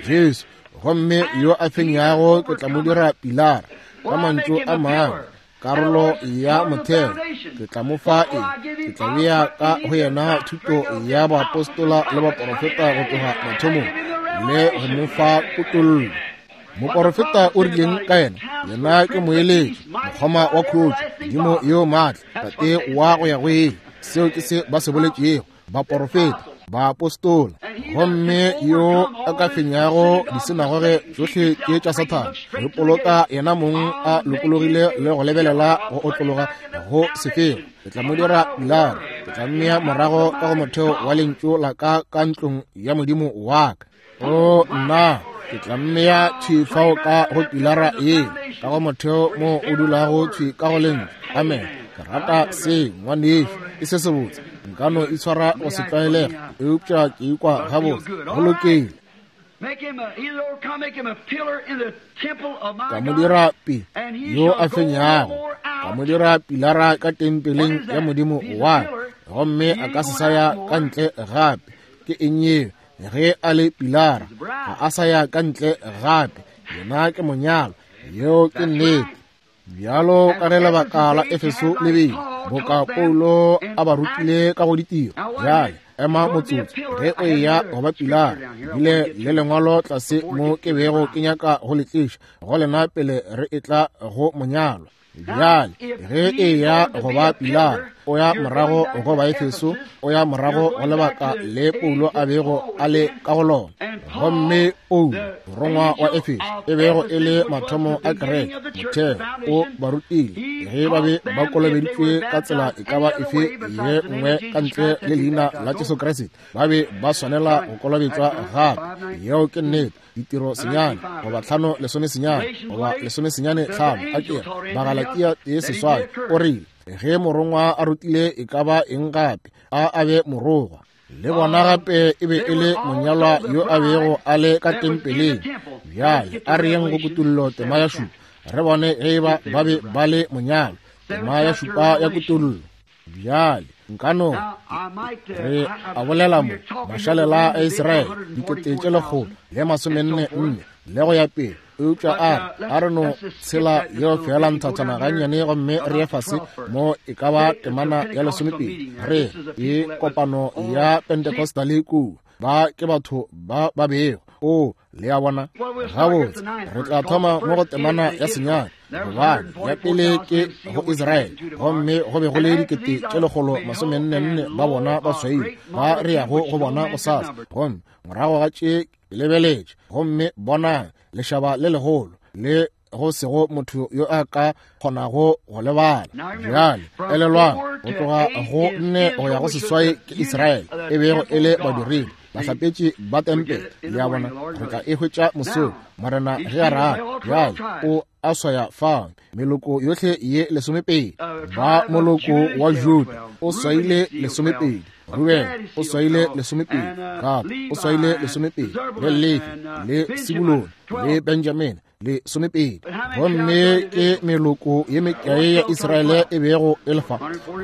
Jesu. Gomme yo a fenyago ke tla mo dira pilara, ka mantšu a mangwe, Karolo ya motheo, ke tla mo fa eng? Ke tla bea ka go yena thuto ya baapostola le baporofeta go tloga mathomong, le go mo fa kutollo. Moporofeta o rileng ka yena? Yena ke moeletši, mokgoma wa khutšo, Modimo yo maatla, Tate wa go ya go ile. Seo ke se ba se boletšego baporofeta, baapostola. Gomme yo a ka fenyago disinagoge tšohle tše tša Sathane, re poloka yena mong a lokologile le go lebelela go otlologa go sefego. Ke tla mo dira pilara, ke tla mmea morago ka go motheo wa lentšu la ka ka ntlong ya Modimo wa ka. O nna, ke tla mmea thwi fao ka go pilara ye, ka go motheo mo o dulago thwi ka go lentšu. Amen. Ke rata se, ngwanešu, ke se sebotse. Nka no itshwara go se tlwaelega, eupša ke ikwa gabotse. Go lokile. Ka mo dira pi yo a fenyago, ka mo dira pilara ka tempeleng ya Modimo wa ka, gomme a ka se sa ya ka ntle gape. Ke eng yeo? Ge a le pilara, ga a sa ya ka ntle gape. Yena ke monyalo. Yeo ke nnete. Bjalo ka ge lebaka la Efeso le bile, boka Paulo a ba rutile ka go ditiro. Bjale ema motsotso, ge o eya go ba pilara, bile le lengwalo tlase mo ke bego ke nyaka go le tliša go lena pele re etla go monyalo. Bjale ge eya go ba pilara, o ya morago go ba Efeso, o ya morago go lebaka le Paulo a bego a le ka go lona. Gomme Paulo, morongwa wa Efeso, e bego e le mathomo a kereke, motheo, o ba rutile ge ba be ba kolobeditšwe ka tsela e ka ba efe ye nngwe ka ntle le leina la Jesu Kriste, ba be ba swanela go kolobetšwa gape. Yeo ke nnete. Ditiro senyane goba tlhano lesome senyane goba lesome senyane tlhano, a ke Bagalatia tee seswai, o rile ge morongwa a rutile e ka ba eng gape, a a be morogwa. Le bona gape e be e le monyalwa yo a bego a le ka tempeleng. Bjale a re yeng go kutollo tema ya šupa, re bone ge ba ba be ba le monyalwa. Tema ya šupa ya kutollo. Bjale nkano re a bolela mo mašalela a Israele dikete tše lekgolo le masomenne nne le go ya pele, eupša a re a re no tshela yeo fela nthathana gannyane gomme re ye fase mo e ka ba temana ya lesomepedi. Re e kopano ya Pentecostal kua, ba ke batho ba ba bego. O le a bona? Gabotse, re tla thoma mo go temana ya senyane, gobane ya pele ke go Israele, gomme go be go le dikete tše lekgolo masomenne nne ba bona ba swaile, ba re yago go bona bosasa. Gomme morago ga tše ke lebeletše, gomme bonang lešaba le legolo le go sego motho yo a ka kgonago go lebala. Bjale elelwang, go tloga go nne go ya go seswai ke Israele, e bego e le badiredi, bahlapetši ba tempele. Le a bona? Re tla e hwetša mosong, Morena ge a rata. Bjale o a swaya fao meloko yohle ye lesomepedi. Ba moloko wa Juda o swaile lesomepedi, Ruben o swaile lesomepedi, Gad o swaile lesomepedi, le Lefi le Sebulone le Benjamin le somepedi. Gomme ke meloko ye mekae ya Israele e bego e le fa?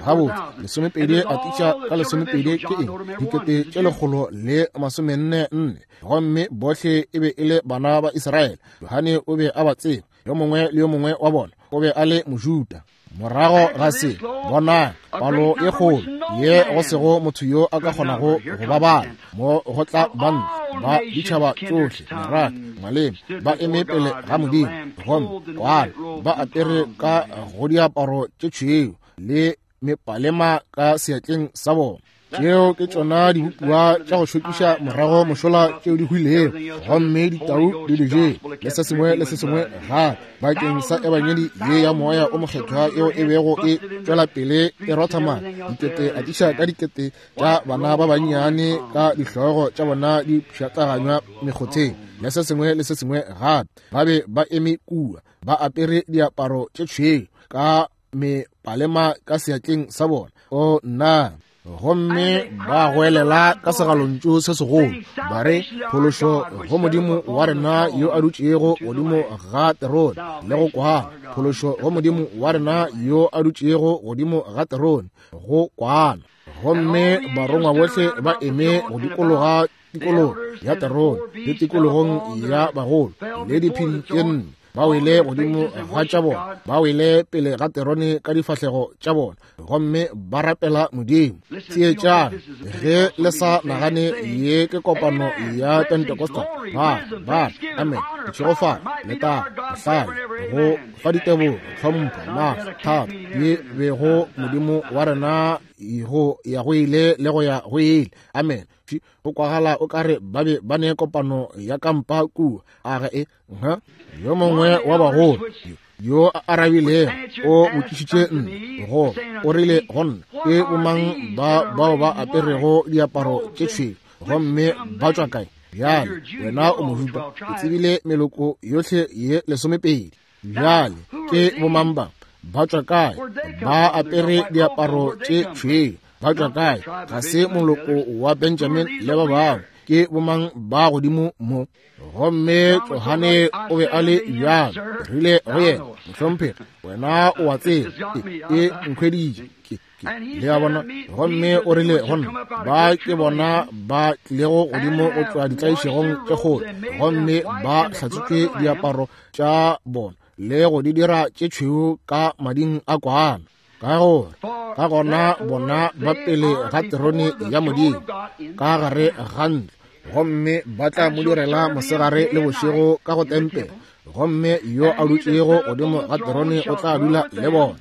Gabotse, lesomepedi a tiša ka lesomepedi ke eng? Dikete tše lekgolo le masomenne nne. Gomme bohle e be e le bana ba Israele. Johane o be a ba tseba, yo mongwe le yo mongwe wa bona o be a le Mojuda. Morago ga se, bonang palo e kgolo ye go sego motho yo a ka kgonago go ba bala, mo go tla banna ba ditšhaba tšohle, merafe, maleme, ba eme pele ga Modimo, gomme kwana ba apere ka go diaparo tše tšhweu le mepalema ka seatleng sa bona. Tšeo ke tšona dibopiwa tša go šokiša morago mošola tšeo di hwilego, gomme ditau di di jele, le se sengwe le se sengwe gape, bakeng sa ebangedi ye ya moya o mokgethwa yeo e bego e tšwela pele e rotha madi, dikete atiša ka dikete tša bana ba bannyane ka dihlogo tša bona di pšhatlaganywa mekgotheng, le se sengwe le se sengwe gape. Ba be ba eme kua ba apere diaparo tše tšhweu ka mepalema ka seatleng sa bona. O nna! Gomme ba goelela ka segalontšu se segolo, ba re, phološo go Modimo wa rena yo a dutšego godimo ga terone, le go kwana. Phološo go Modimo wa rena yo a dutšego godimo ga terone, go kwana. Gomme barongwa bohle ba eme go dikologa tikologo ya terone le tikologong ya bagolo le diphedi tše nne, Ba wele godimo ga tša bona, ba wele pele ga terone ka difahlego tša bona, gomme ba rapela Modimo. Theetšang, ge le sa nagane ye ke kopano ya Pentecostal, ba ba amen, ditšhegofalo, letago, bohlale, go fa ditebogo, tlhompho, maatla, thato, di bego Modimo wa rena go ya go ile le go ya go ile. Amen. Go kwagala o kare ba be ba ne kopano ya kampa kua. A ga e nha yo mongwe wa bagolo yo a arabilego o botšišitše nna, go o rile go nna, ke bomang ba bao ba aperego diaparo tše tšhweu gomme ba tšwa kae? Bjale wena o Mojuda, o tsebile meloko yohle ye lesomepedi. Bjale ke bomang ba ba tšwa kae? Ba apere diaparo tše tšhweu, ba tšwa kae? Ga se moloko wa Benjamin le ba bangwe. Ke bomang ba godimo mo? Gomme Johane o be a le bjalo. Rile go yena, mohlomphegi, wena o a tseba, ke nkhweditše. Le a bona? Gomme o rile go nna, ba ke bona ba tlilego godimo go tšwa ditlaišegong tše kgolo, gomme ba hlatswitše diaparo tša bona le go di dira tše tšhweu ka mading a kwana. Ka gore ka gona bona ba pele ga terone ya Modimo ka gare ga ntlo, gomme ba tla mo direla mosegare le bošego ka go tempele, gomme yo a dutšego godimo ga terone o tla dula le bona.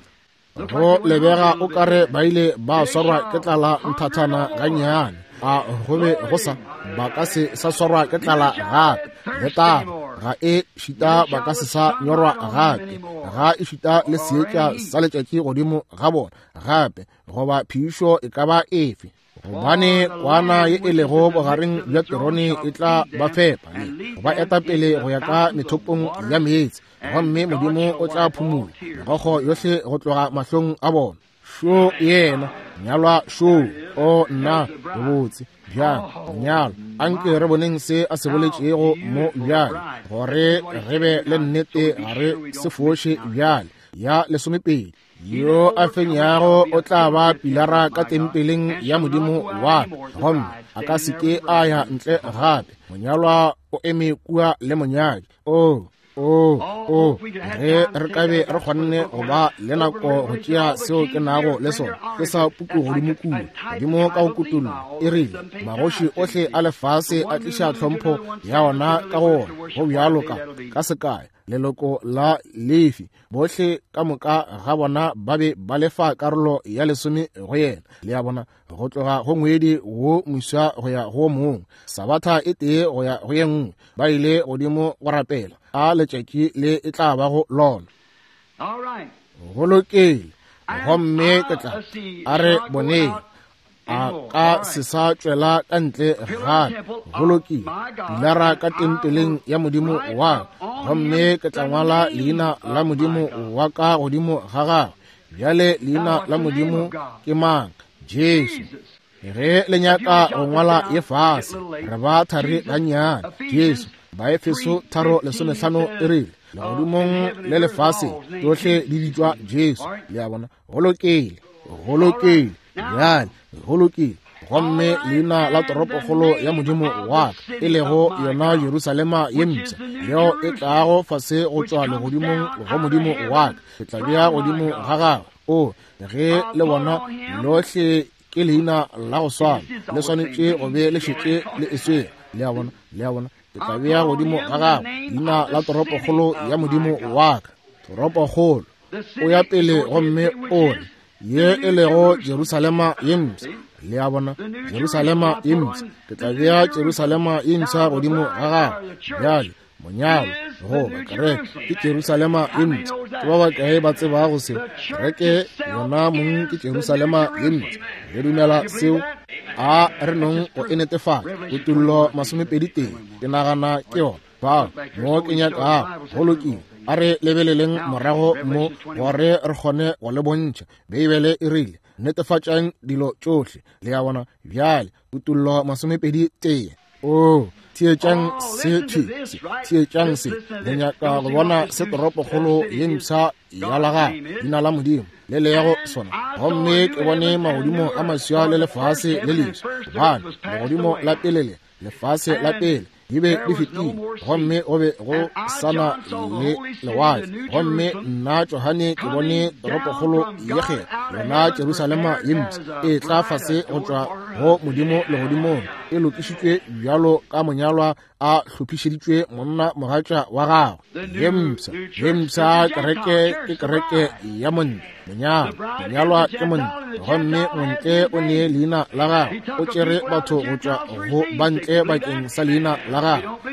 Go lebega o kare ba ile ba swarwa ke tlala nthathana gannyane, a go be go sa ba ka se sa swarwa ke tlala gape, le taba ga e šita ba ka se sa nyorwa gape, ga e šita le seetša sa letšatši godimo ga bona gape, goba phišo e ka ba efe. Gobane kwana ye e lego bogareng bja terone e tla ba fepa le go ba eta pele go ya ka methopong ya meetse, gomme Modimo o tla phumola megokgo yohle go tloga mahlong a bona. Šo yena nyalwa, šo o nna bobotse bjang monyalwa. Anke re boneng se a se boletšego mo bjale, gore re be le nnete ga re se foše bjale. Ya lesomepedi, yo a fenyago o tla ba pilara ka tempeleng ya Modimo wa ka, gomme a ka se ke a ya ntle gape. Monyalwa o eme kua le monyadi. O o o ge re ka be re kgonne go ba le nako go tšea seo ke nago le sona, ke sa puku godimo kua godimo ka go kutullo, e rile magoši ohle a lefase a tliša tlhompho ya ona ka go ona, go bjalo ka ka sekae leloko la Lefi, bohle ka moka ga bona ba be ba lefa karolo ya lesome go yena. Le a bona, go tloga go ngwedi wo moswa go ya go mongwe, sabatha e tee go ya go ye nngwe, ba ile godimo go rapela a letšatši le e tla bago lona. Go lokile, gomme ke tla a re boneng a ka se sa tšwela ka ntle gape. Go lokile, pilara ka tempeleng ya Modimo wa ka, gomme ke tla ngwala leina la Modimo wa ka godimo ga gagwe. Bjale leina la Modimo ke mang? Jesu. Ge le nyaka go ngwala ye fase, re ba thari gannyane. Jesu, Baefeso tharo lesomehlano e rile, legodimong le lefase tsohle di bitšwa Jesu. Le a bona? Go lokile, go lokile, bjale go lokile. Gomme leina la toropokgolo ya Modimo wa ka, e lego yona Jerusalema ye mpsha, yeo e tlago fase go tšwa legodimong go Modimo wa ka, ke tla bea godimo ga gagwe. O ge le bona lohle ke leina la go swana, le swanetše go be le šetše le e swere. Le a bona? Le a bona? Ke tla bea godimo ga gagwe leina la toropokgolo ya Modimo wa ka. Toropokgolo o ya pele gomme o re ye e lego Jerusalema ye mpsha. Le a bona? Jerusalema ye mpsha, ke tla bea Jerusalema ye mpsha godimo ga gagwe. Bjale monyalo goba kereke ke Jerusalema ye mpsha. Ke ba bakae ba tsebago se? Kereke yona mong ke Jerusalema ye mpsha. Le dumela seo? A re nong go e netefatša. Kutullo masomepedi tee, ke nagana ke yona. Bao mo ke nyakago. Go lokile, a re lebeleleng morago mo gore re kgone go le bontšha. Beibele e rile netefatšang dilo tšohle. Le a bona? Bjale kutullo masomepedi tee. O theetšang se thwi, theetšang se. Le nyaka go bona se toropokgolo ye mpsha ya la gagwe, leina la Modimo le lego sona. Gomme ke bone magodimo a maswa le lefase le leswa, gobane legodimo la pele le lefase la pele Di be di fetile, gomme go be go sana le lewatle. Gomme nna Johane ke bone toropokgolo ye kgethwa, yona Jerusalema ye mpsha, e tla fase go tšwa go Modimo legodimong, e lokišitšwe bjalo ka monyalwa a hlophišeditšwe monna mogatša wa gagwe. Ye mpsha, ye mpsha kereke ke kereke ya montle, monyalwa, monyalwa ke montle, gomme montle o ne leina la gagwe, o tšere batho go tšwa go bantle bakeng sa leina la gagwe.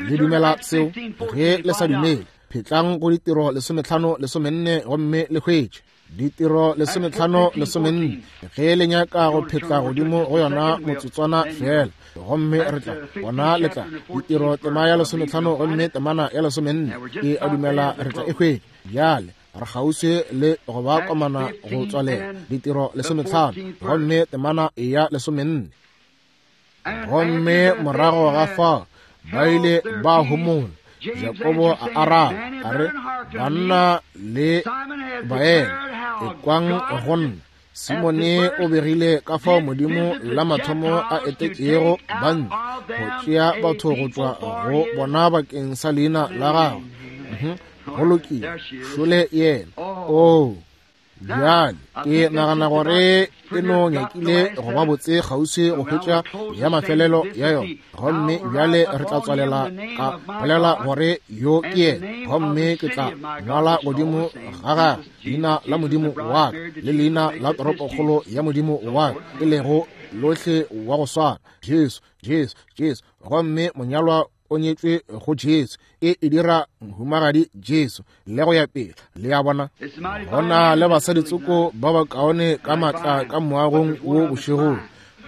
Le dumela seo? Ge le sa dumele, phetlang go ditiro lesometlhano lesomenne gomme le hwetše. Ditiro lesometlhano lesomenne, ge le nyaka go phetla godimo go yona motsotswana fela, gomme re tla bona le tla. Ditiro tema ya lesometlhano gomme temana ya lesomenne, ke a dumela re tla e hwetša. Bjale re kgauswi le go ba komana go tswalela. Ditiro lesometlhano gomme temana ya lesomenne. Gomme morago ga fao ba ile ba homola. Jakobo a araba a re, banna le baena, ekwang go nna. Simone o begile ka fao Modimo la mathomo a etetšego bantle go tšea batho go tšwa go bona bakeng sa leina la gagwe. Go lokile, šole yena. Oo, bjale ke nagana gore e no nyakile go ba botse kgauswi go hwetša ya mafelelo ya yona. Gomme bjale re tla tswalela ka bolela gore yo ke yena, gomme ke tla ngwala godimo ga gagwe leina la Modimo wa ka le leina la toropokgolo ya Modimo wa ka, e lego lohle wa go swana, Jesu, Jesu, Jesu. Gomme monyalwa o nyetšwe go Jesu, e e dira mohumagadi Jesu, le go ya pele. Le a bona, gona le basadi tsoko ba bakaone ka matla ka moagong wo bošegong,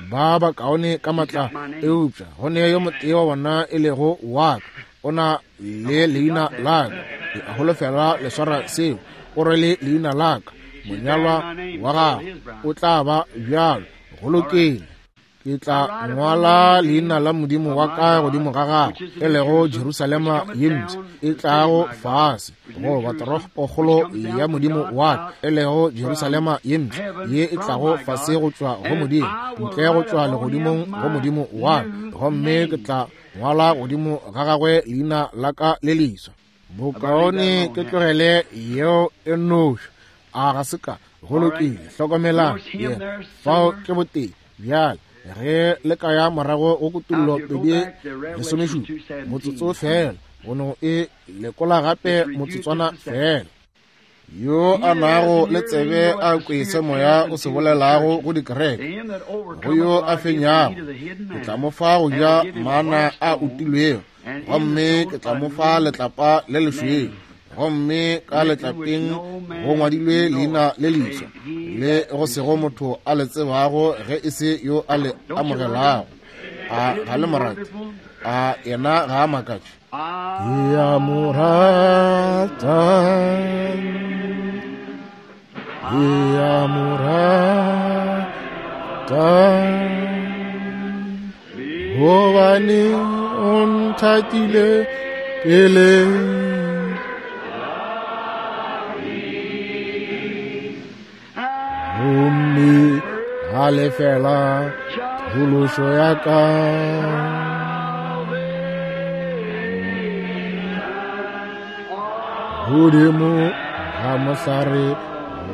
ba bakaone ka matla, eupša go ne yo motee wa bona e lego wa ka, o na le leina la ka. Ke a holofela le swara seo, o rwele leina la ka, monyalwa wa gagwe o tla ba bjalo. Go lokile. Ke tla ngwala leina la Modimo wa ka godimo ga gagwe, e lego Jerusalema ye mpsha e tlago fase, goba toropokgolo ya Modimo wa ka, e lego Jerusalema ye mpsha ye e tlago fase go tšwa go Modimo, ntle go tšwa legodimong go Modimo wa ka. Gomme ke tla ngwala godimo ga gagwe leina la ka le leswa. Bokaone ke tlogele yeo e nnoši. A ga se ka? Go lokile. Hlokomelang yena fao ke botee. Bjale ge le ka ya morago go Kutullo pedi lesomešupa, motsotso fela, go no e lekola gape motsotswana fela. Yo a nago le tsebe a kwe se moya o se bolelago go dikereke, go yo a fenyago ke tla mo fa go ja mana a utilwego, gomme ke tla mo fa letlapa le lešweu, gomme ka letlapeng go ngwadilwe leina le leswa le go sego motho a le tsebago ge e se yo a le amogelago. A ga le morate? A yena ga a makatše? Ke a mo rata, ke a mo rata, gobane o nthatile pele. Gomme a lefela phološo ya ka. Godimo ga mohlare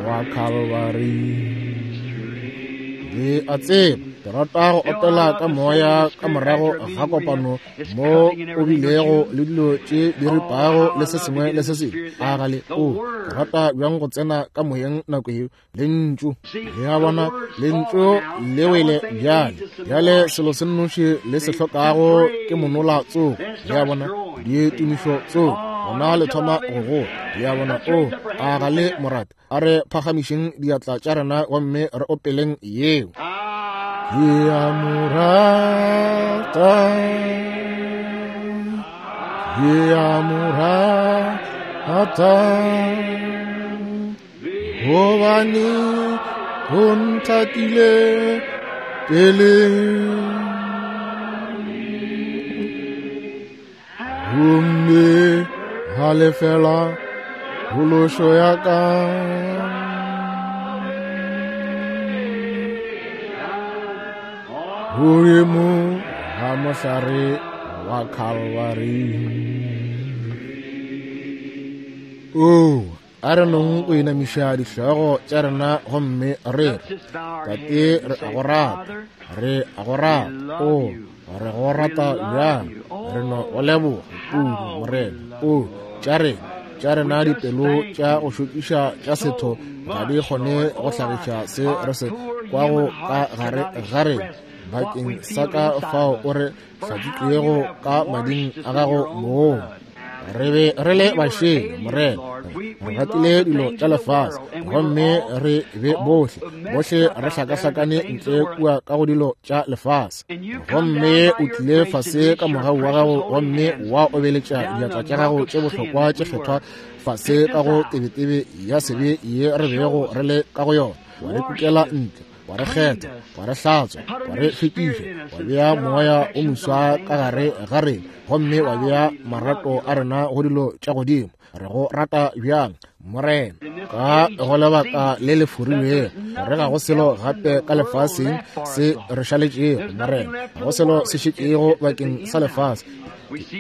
wa Calvary. Le a tseba, ke rata go opela ka moya ka morago ga kopano mo o bilego le dilo tše di ripago le se sengwe le se sengwe. A ga le o, ke rata bjang go tsena ka moyeng nako yeo. Lentšu, le a bona, lentšu le wele bjale. Bjale selo se nnoši le se hlokago ke monola tsogo. Le a bona, ditumišo tsogo, gona le thoma go gola. Le a bona, o, a ga le morate? A re phagamišeng diatla tša rena gomme re opeleng yeo. Ke a mo rata, ke a mo rata, gobane o nthatile pele. Gomme a lefela phološo ya ka. Godimo ga mohlare wa Calvary. Oo, a re nong o inamiša dihlogo tša rena gomme re re, Tate, re a go rata, re a go rata, o re go rata bjang, re no go leboga kudu, Morena. O tša rena, tša rena dipelo tša go šokiša tša setho ga di kgone go hlagiša se re se kwago ka gare ga rena bakeng sa ka fao o re hlatswitšwego ka mading a gago mong. Re be re le bašele, Morena, re ratile dilo tša lefase, gomme re be bohle bohle re hlakahlakane ntle kua ka go dilo tša lefase. Gomme o tlile fase ka mogau wa gago gomme wa obeletša diatla tša gago tše bohlokwa tše kgethwa fase ka go tebetebe ya sebe ye re bego re le ka go yona, wa re kukela ntle, wa re kgetha, wa re hlatswa, wa re hlwekiša, wa bea moya o moswa ka gare ga rena, gomme wa bea marato a rena go dilo tša godimo. Re go rata bjang, Morena, ka go lebaka le le forilwego, re ga go selo gape ka lefaseng se re šaletšego, Morena, ga go selo se šetšego bakeng sa lefase.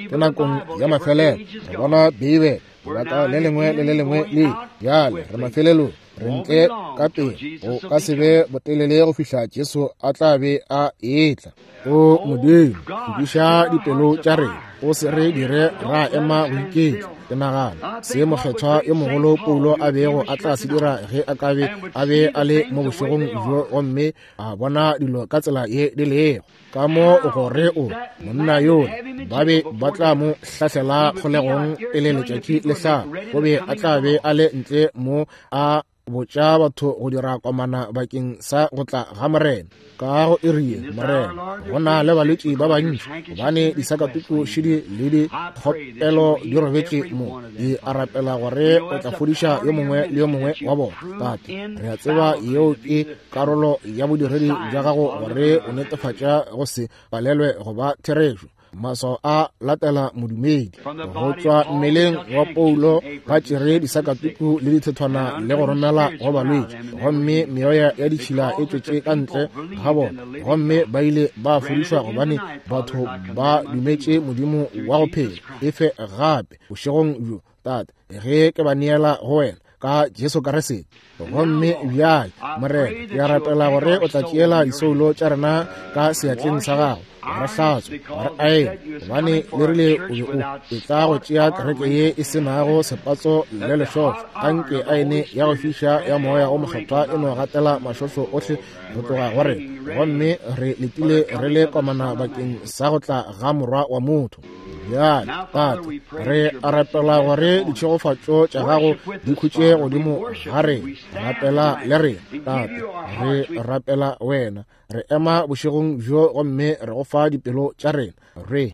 Ke nakong ya mafelelo, re bona Beibele lebaka le lengwe le le lengwe le bjale re mafelelong, re ntle ka pele, go ka se be botelele go fihla Jesu a tla be a etla. O Modimo, hlwekiša dipelo tša rena, o se re dire ra ema go iketla. Ke nagana se mokgethwa yo mogolo Paulo a bego a tla se dira ge a ka be a be a le mo bošegong bjo gomme a bona dilo ka tsela ye di lego. Ka mo gore o monna yola ba be ba tla mo hlahlela kgolegong pele letšatši le hlaba, o be a tla be a le ntle mo a botša batho go dira komana bakeng sa go tla ga Morena. Ka go iri ye, Morena, go na le balwetši ba bantši, gobane disakatuku šidi le dikgopelo di robetše mo. Di a rapela gore o tla fodiša yo mongwe le yo mongwe wa bona. Tate, re a tseba yeo ke karolo ya bodiredi bja gago gore o netefatša go se palelwe go ba therešo. Maswao a latela modumedi. Go tšwa mmeleng wa Paulo ba tšere disakatuku le dithethwana le go romela go balwetši, gomme meoya ya ditšhila e tšwetše ka ntle ga bona, gomme ba ile ba fodišwa gobane batho ba dumetše Modimo wa go phela. Efe gape bošegong bjo, Tate, ge ke ba neela go wena ka Jesu Kriste. Gomme bjale, Morena, ke a rapela gore o tla tšeela disoulo tša rena ka seatleng sa gago, wa re hlatswa, wa re aela, gobane le rile o be o etla go tšea kereke ye e se nago sepatso le lešohlo. Anke aene ya go fiša ya moya o mokgethwa e no gatela mašohlo ohle go tloga go rena, gomme re letile re le komana bakeng sa go tla ga Morwa wa motho. Bjale, Tate, re a rapela gore ditšhegofatšo tša gago di khutše godimo ga rena. Rapela le rena, Tate, re rapela wena. Re ema bošegong bjo gomme re go fa dipelo tša rena. Re